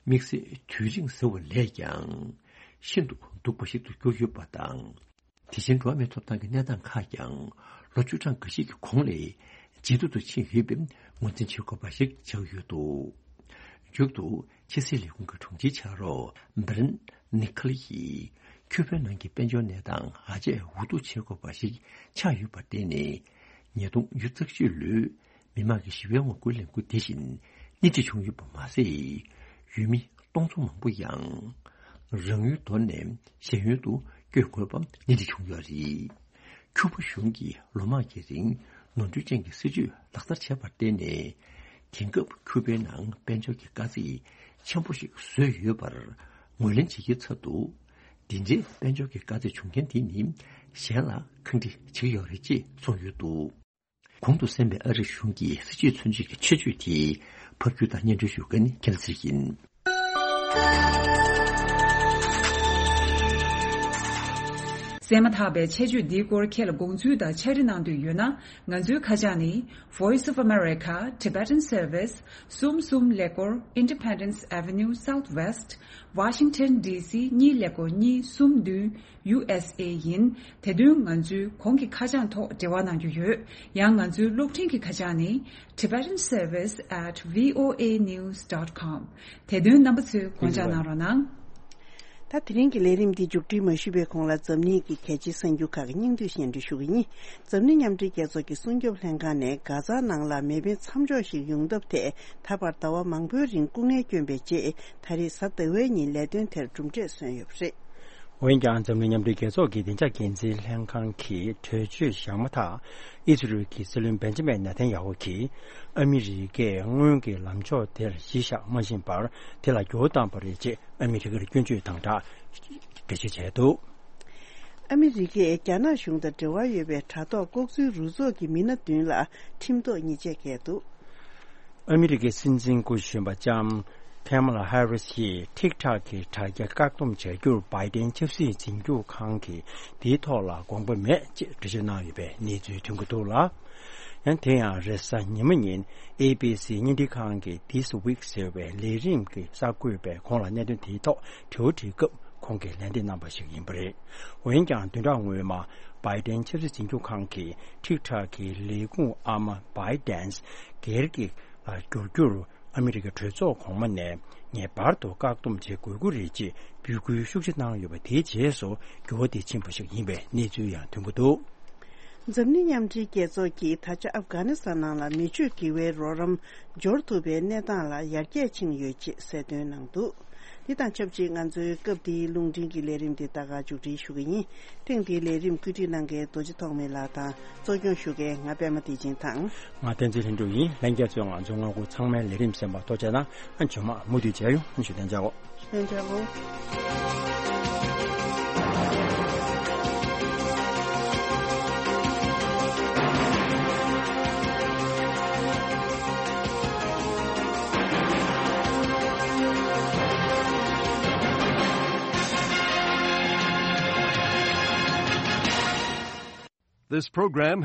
དམིགས་བསལ་དུས་རིང་ཟེར་བ་ལས་ཀྱང་ཤིན་ཏུ་སྡུག་པ་ཞིག་ཏུ་གྱུར་ཡོད་པ་དང་། དེ་བཞིན་འགྲོ་བ་མིའི་ཐོབ་ཐང་གི་གནས་སྟངས་ཁག་ཀྱང་ལོ་བཅུ་གྲངས་འགའ་ཞིག་གི་གོང་ལས་ཇེ་སྡུག་ཏུ་ཕྱིན་ཡོད་པའི་ངོས་འཛིན་བྱེད་དགོས་པ་ཞིག་ཆགས་ཡོད་འདུག་མཇུག་ཏུ་ཕྱི་སྲིད་ལས་ཁུངས་ཀྱི་དྲུང་ཆེའི་ཕྱག་རོགས་བྷི་རེན་ནི་ཁལ་ཡིས། ཁྱུ་པའི་ནང་གི་དཔལ་འབྱོར་གནས་སྟངས་ཧ་ཅང་འུ་སྡུག་བྱེད་དགོས་པ་ཞིག་ཆགས་ཡོད་པར་བརྟེན་ནས། ཉིས་སྟོང་ཉི་ཤུ་རྩ་བཞི་ལོའི་མི་མང་གི་ཞི་བའི་ངོ་རྒོལ་ལས་འགུལ་དེ་བཞིན་སྣེ་ཁྲིད་བྱུང་ཡོད་པ་མ་ཟད། ཡུལ་མི་སྟོང་ཚོ་མང་པོ་ཡང་རང་ཡུལ་དོར་ནས་གཞན་ཡུལ་དུ་བསྐྱོད་དགོས་པ་སྣེ་ཁྲིད་བྱུང་ཡོད་རེད། ཁྱུ་པ་གཞུང་གིས་ལོ་མང་གི་རིང་ནོར་འཁྲུལ་ཅན་གྱི་སྲིད་བྱུས་ལག་བསྟར་བྱས་པར་བརྟེན་ནས། དེང་སྐབས་ཁྱུ་པའི་ནང་དཔལ་འབྱོར་གྱི་དཀའ་ཚེགས་ཆེན་པོ་ཞིག་བཟོས་ཡོད་པར་ངོས་ལེན་བྱེད་ཀྱི་ཚབ་ཏུ། འདི་འདྲའི་དཔལ་འབྱོར་གྱི་དཀའ་ཚེགས་བྱུང་མཁན་དེ་ནི་གཞན་ལ་ཁག་དཀྲི་བྱེད་ཀྱི་ཡོད་རེད་ཅེས་གསུངས་ཡོད་འདུག་གོང་དུ་གསན་པའི་ཨ་རིའི་གཞུང་གི་སྲིད་བྱུས་མཚོན་བྱེད་ཀྱི་ཆེད་བརྗོད་དེ་ཕབ་སྒྱུར་དང་སྙན་སྒྲོན་ཞུ་མཁན་ཁྱེད་ཚེ་ཡིན། གསན་མ་ཐག་པའི་ཆེད་བརྗོད་འདིའི་སྐོར་ཁྱེད་ལ་དགོངས་ཚུལ་དང་ཕྱག་བྲིས་གནང་འདོད་ཡོད་ན། ང་ཚོའི་ཁ་བྱང་ནི། Voice of America, Tibetan Service, གསུམ་གསུམ་ཀླད་ཀོར། Independence Avenue Southwest, Washington D C གཉིས་ཀླད་ཀོར་གཉིས་གསུམ་བདུན། ཡུ་ཨེས་ཨེ་ཡིན། དེ་དོན་ང་ཚོའི་གོང་གི་ཁ་བྱང་ཐོག་འབྲེལ་བ་གནང་རྒྱུ་ཡོད། ཡང་ང་ཚོའི་གློག་འཕྲིན་གྱི་ཁ་བྱང་ནི། Tibetan Service at V O A news dot com། དེ་དོན་རྣམ་པ་ཚོས་དགོངས་འཇགས་གནང་རོགས་གནང་། ད་དེ་རིང་གི་ལས་རིམ་འདི་མཇུག་སྒྲིལ་མ་ཞུས་པའི་གོང་ལ། འཛམ་གླིང་གི་གལ་ཆེའི་གསར་འགྱུར་ཁག་གི་སྙིང་བསྡུས་སྙན་སྒྲོན་ཞུ་གི་ཡིན། འཛམ་གླིང་མཉམ་འབྲེལ་རྒྱལ་ཚོགས་ཀྱི་སྲུང་སྐྱོབ་ལྷན་ཁང་ནས་གྷ་ཛ་ནང་ལ་མེ་འཕེན་མཚམས་འཇོག་ཞིག་ཡོང་ཐབས་ཐད། ད་བར་ཟླ་བ་མང་པོའི་རིང་སྐུ་ངལ་བསྐྱོན་པའི་རྗེས། ད་རེས་གཟའ་ཟླ་བའི་ཉིན་ལས་དོན་དེར་གྲུབ་འབྲས་སོན་ཡོད་པ་རེད། འོན་ཀྱང་། འཛམ་གླིང་མཉམ་འབྲེལ་རྒྱལ་ཚོགས་ཀྱི་བདེ་འཇགས་འགན་འཛིན་ལྷན་ཁང་གིས་གྲོས་ཆོད་བཞག་མ་ཐག་ཨི་ཟི་རེལ་གྱི་སྲིད་བློན་བེན་ཇ་མིན་ནེ་ཐན་ཡ་ཧུ་གྱིས། ཨ་མི་རི་ཀས་སྔོན་གྱི་ལངས་ཕྱོགས་དེར་གཞི་བཞག་མ་བཞིན་པར། དེ་ལ་འགྱུར་བ་བཏང་པ་རེད་ཅེས་ཨ་མི་རི་ཀར་སྐྱོན་བརྗོད་དང་སྦྲགས་འགྲེལ་བརྗོད་བྱས་འདུག་ཨ་མི་རི་ཀས་རྒྱ་ནག་གཞུང་དང་འབྲེལ་བ་ཡོད་པའི་དྲ་ཐོག་ལྐོག་འཛུལ་རུ་ཚོགས་ཀྱི་མི་སྣ་བདུན་ལ་ཁྲིམས་ཐོག་ཉེས་ཆད་བཀལ་འདུག་ཨ་མི་རི་ཀའི་སྲིད་འཛིན་སྐུ་གཞོན་པ་ལྕམ་ཁེ་མ་ལ་ཧེ་རི་སི་ཡིས་ཐིག་ཐག་གི་དྲ་རྒྱ་བཀག་སྡོམ་བྱ་རྒྱུར་བྷའི་ཏན་ཆབ་སྲིད་འཛིན་སྐྱོང་ཁང་གིས་དེའི་ཐོག་ལ་དགོངས་པ་མེད་ཅེས་འགྲེལ་བརྗོད་གནང་ཡོད་པའི་གནས་ཚུལ་ཐོན་གྱི་འདུག་ལ། ཡང་དེ་ཡང་རེས་གཟའ་ཉི་མ་ཉིན་ཨེ་བི་སི་བརྙན་འཕྲིན་ཁང་གི་This Week ཟེར་བའི་ལས་རིམ་གྱི་གསར་འགོད་པས་ཁོང་ལ་གནད་དོན་དེའི་ཐོག་དྲི་བ་དྲིས་སྐབས། ཁོང་གིས་ལན་འདེབས་གནང་པ་ཞིག་ཡིན་པ་རེད། འོན་ཀྱང་བདུན་ཕྲག་སྔོན་མ་བྷའི་ཏན་ཆབ་སྲིད་འཛིན་སྐྱོང་ཁང་གིས་ཊིག་ཊོག་གི་ལས་ཁུངས་ཨ་མ་བྷའི་ཏན་སྒེར་གྱི་ལ་བསྒྱུར་རྒྱུར་ཨ་མི་རི་ཀའི་གྲོས་ཚོགས་གོང་མ་ནས་ངེས་པར་དུ་བཀག་སྡོམ་བྱེད་དགོས་ཀྱི་རེད་ཅེས་འབོད་སྐུལ་ཤུགས་ཆེ་གནང་ཡོད་པ། དེའི་རྗེས་སུ་འགྱུར་བ་དེ་ཕྱིན་པ་ཞིག་ཡིན་པའི་གནས་ཚུལ་ཡང་ཐོན་གྱི་འདུག། འཛམ་གླིང་མཉམ་འབྲེལ་རྒྱལ་ཚོགས་ཀྱིས་ད་ཆ་ཨབ་གྷ་ནི་སི་ཐན་ནང་ལ་མི་སྤྱོད་དགེ་བའི་རོགས་རམ་འབྱོར་ཐུབ་པའི་གནས་སྟངས་ལ་ཡར་རྒྱས་ཕྱིན་ཡོད་ཅེས་གསལ་སྟོན་གནང་འདུག། འདི་དང་ཆབས་ཅིག་ང་ཚོའི་སྐབས་འདིའི་རླུང་འཕྲིན་གྱི་ལས་རིམ་འདི་ད་ག་མཇུག་སྒྲིལ་ཞུ་གི་ཡིན། ཐེངས་འདིའི་ལས་རིམ་བཀོད་སྒྲིག་གནང་མཁན་རྡོ་རྗེ་ཐོགས་མེད་ལགས་དང་གཙོ་སྐྱོང་ཞུ་མཁན་ང་པད་མ་བདེ་ཆེན་དང་། ང་བསྟན་འཛིན་ལྷུན་གྲུབ་ཡིན། ལྷན་རྒྱས་ཚོས་ང་ཚོའི་སྔ་འགོ་ཚང་མའི་ལས་རིམ་གསན་པར་ཐུགས་རྗེ་ཆེ་གནང་། ཨ་མཇུག་མ་མུ་མཐུད་མཇལ་ཡོང་། ཨ་ཞུ་དན་ཅག་གོ། ལྷན་རྒྱས་གོ། This program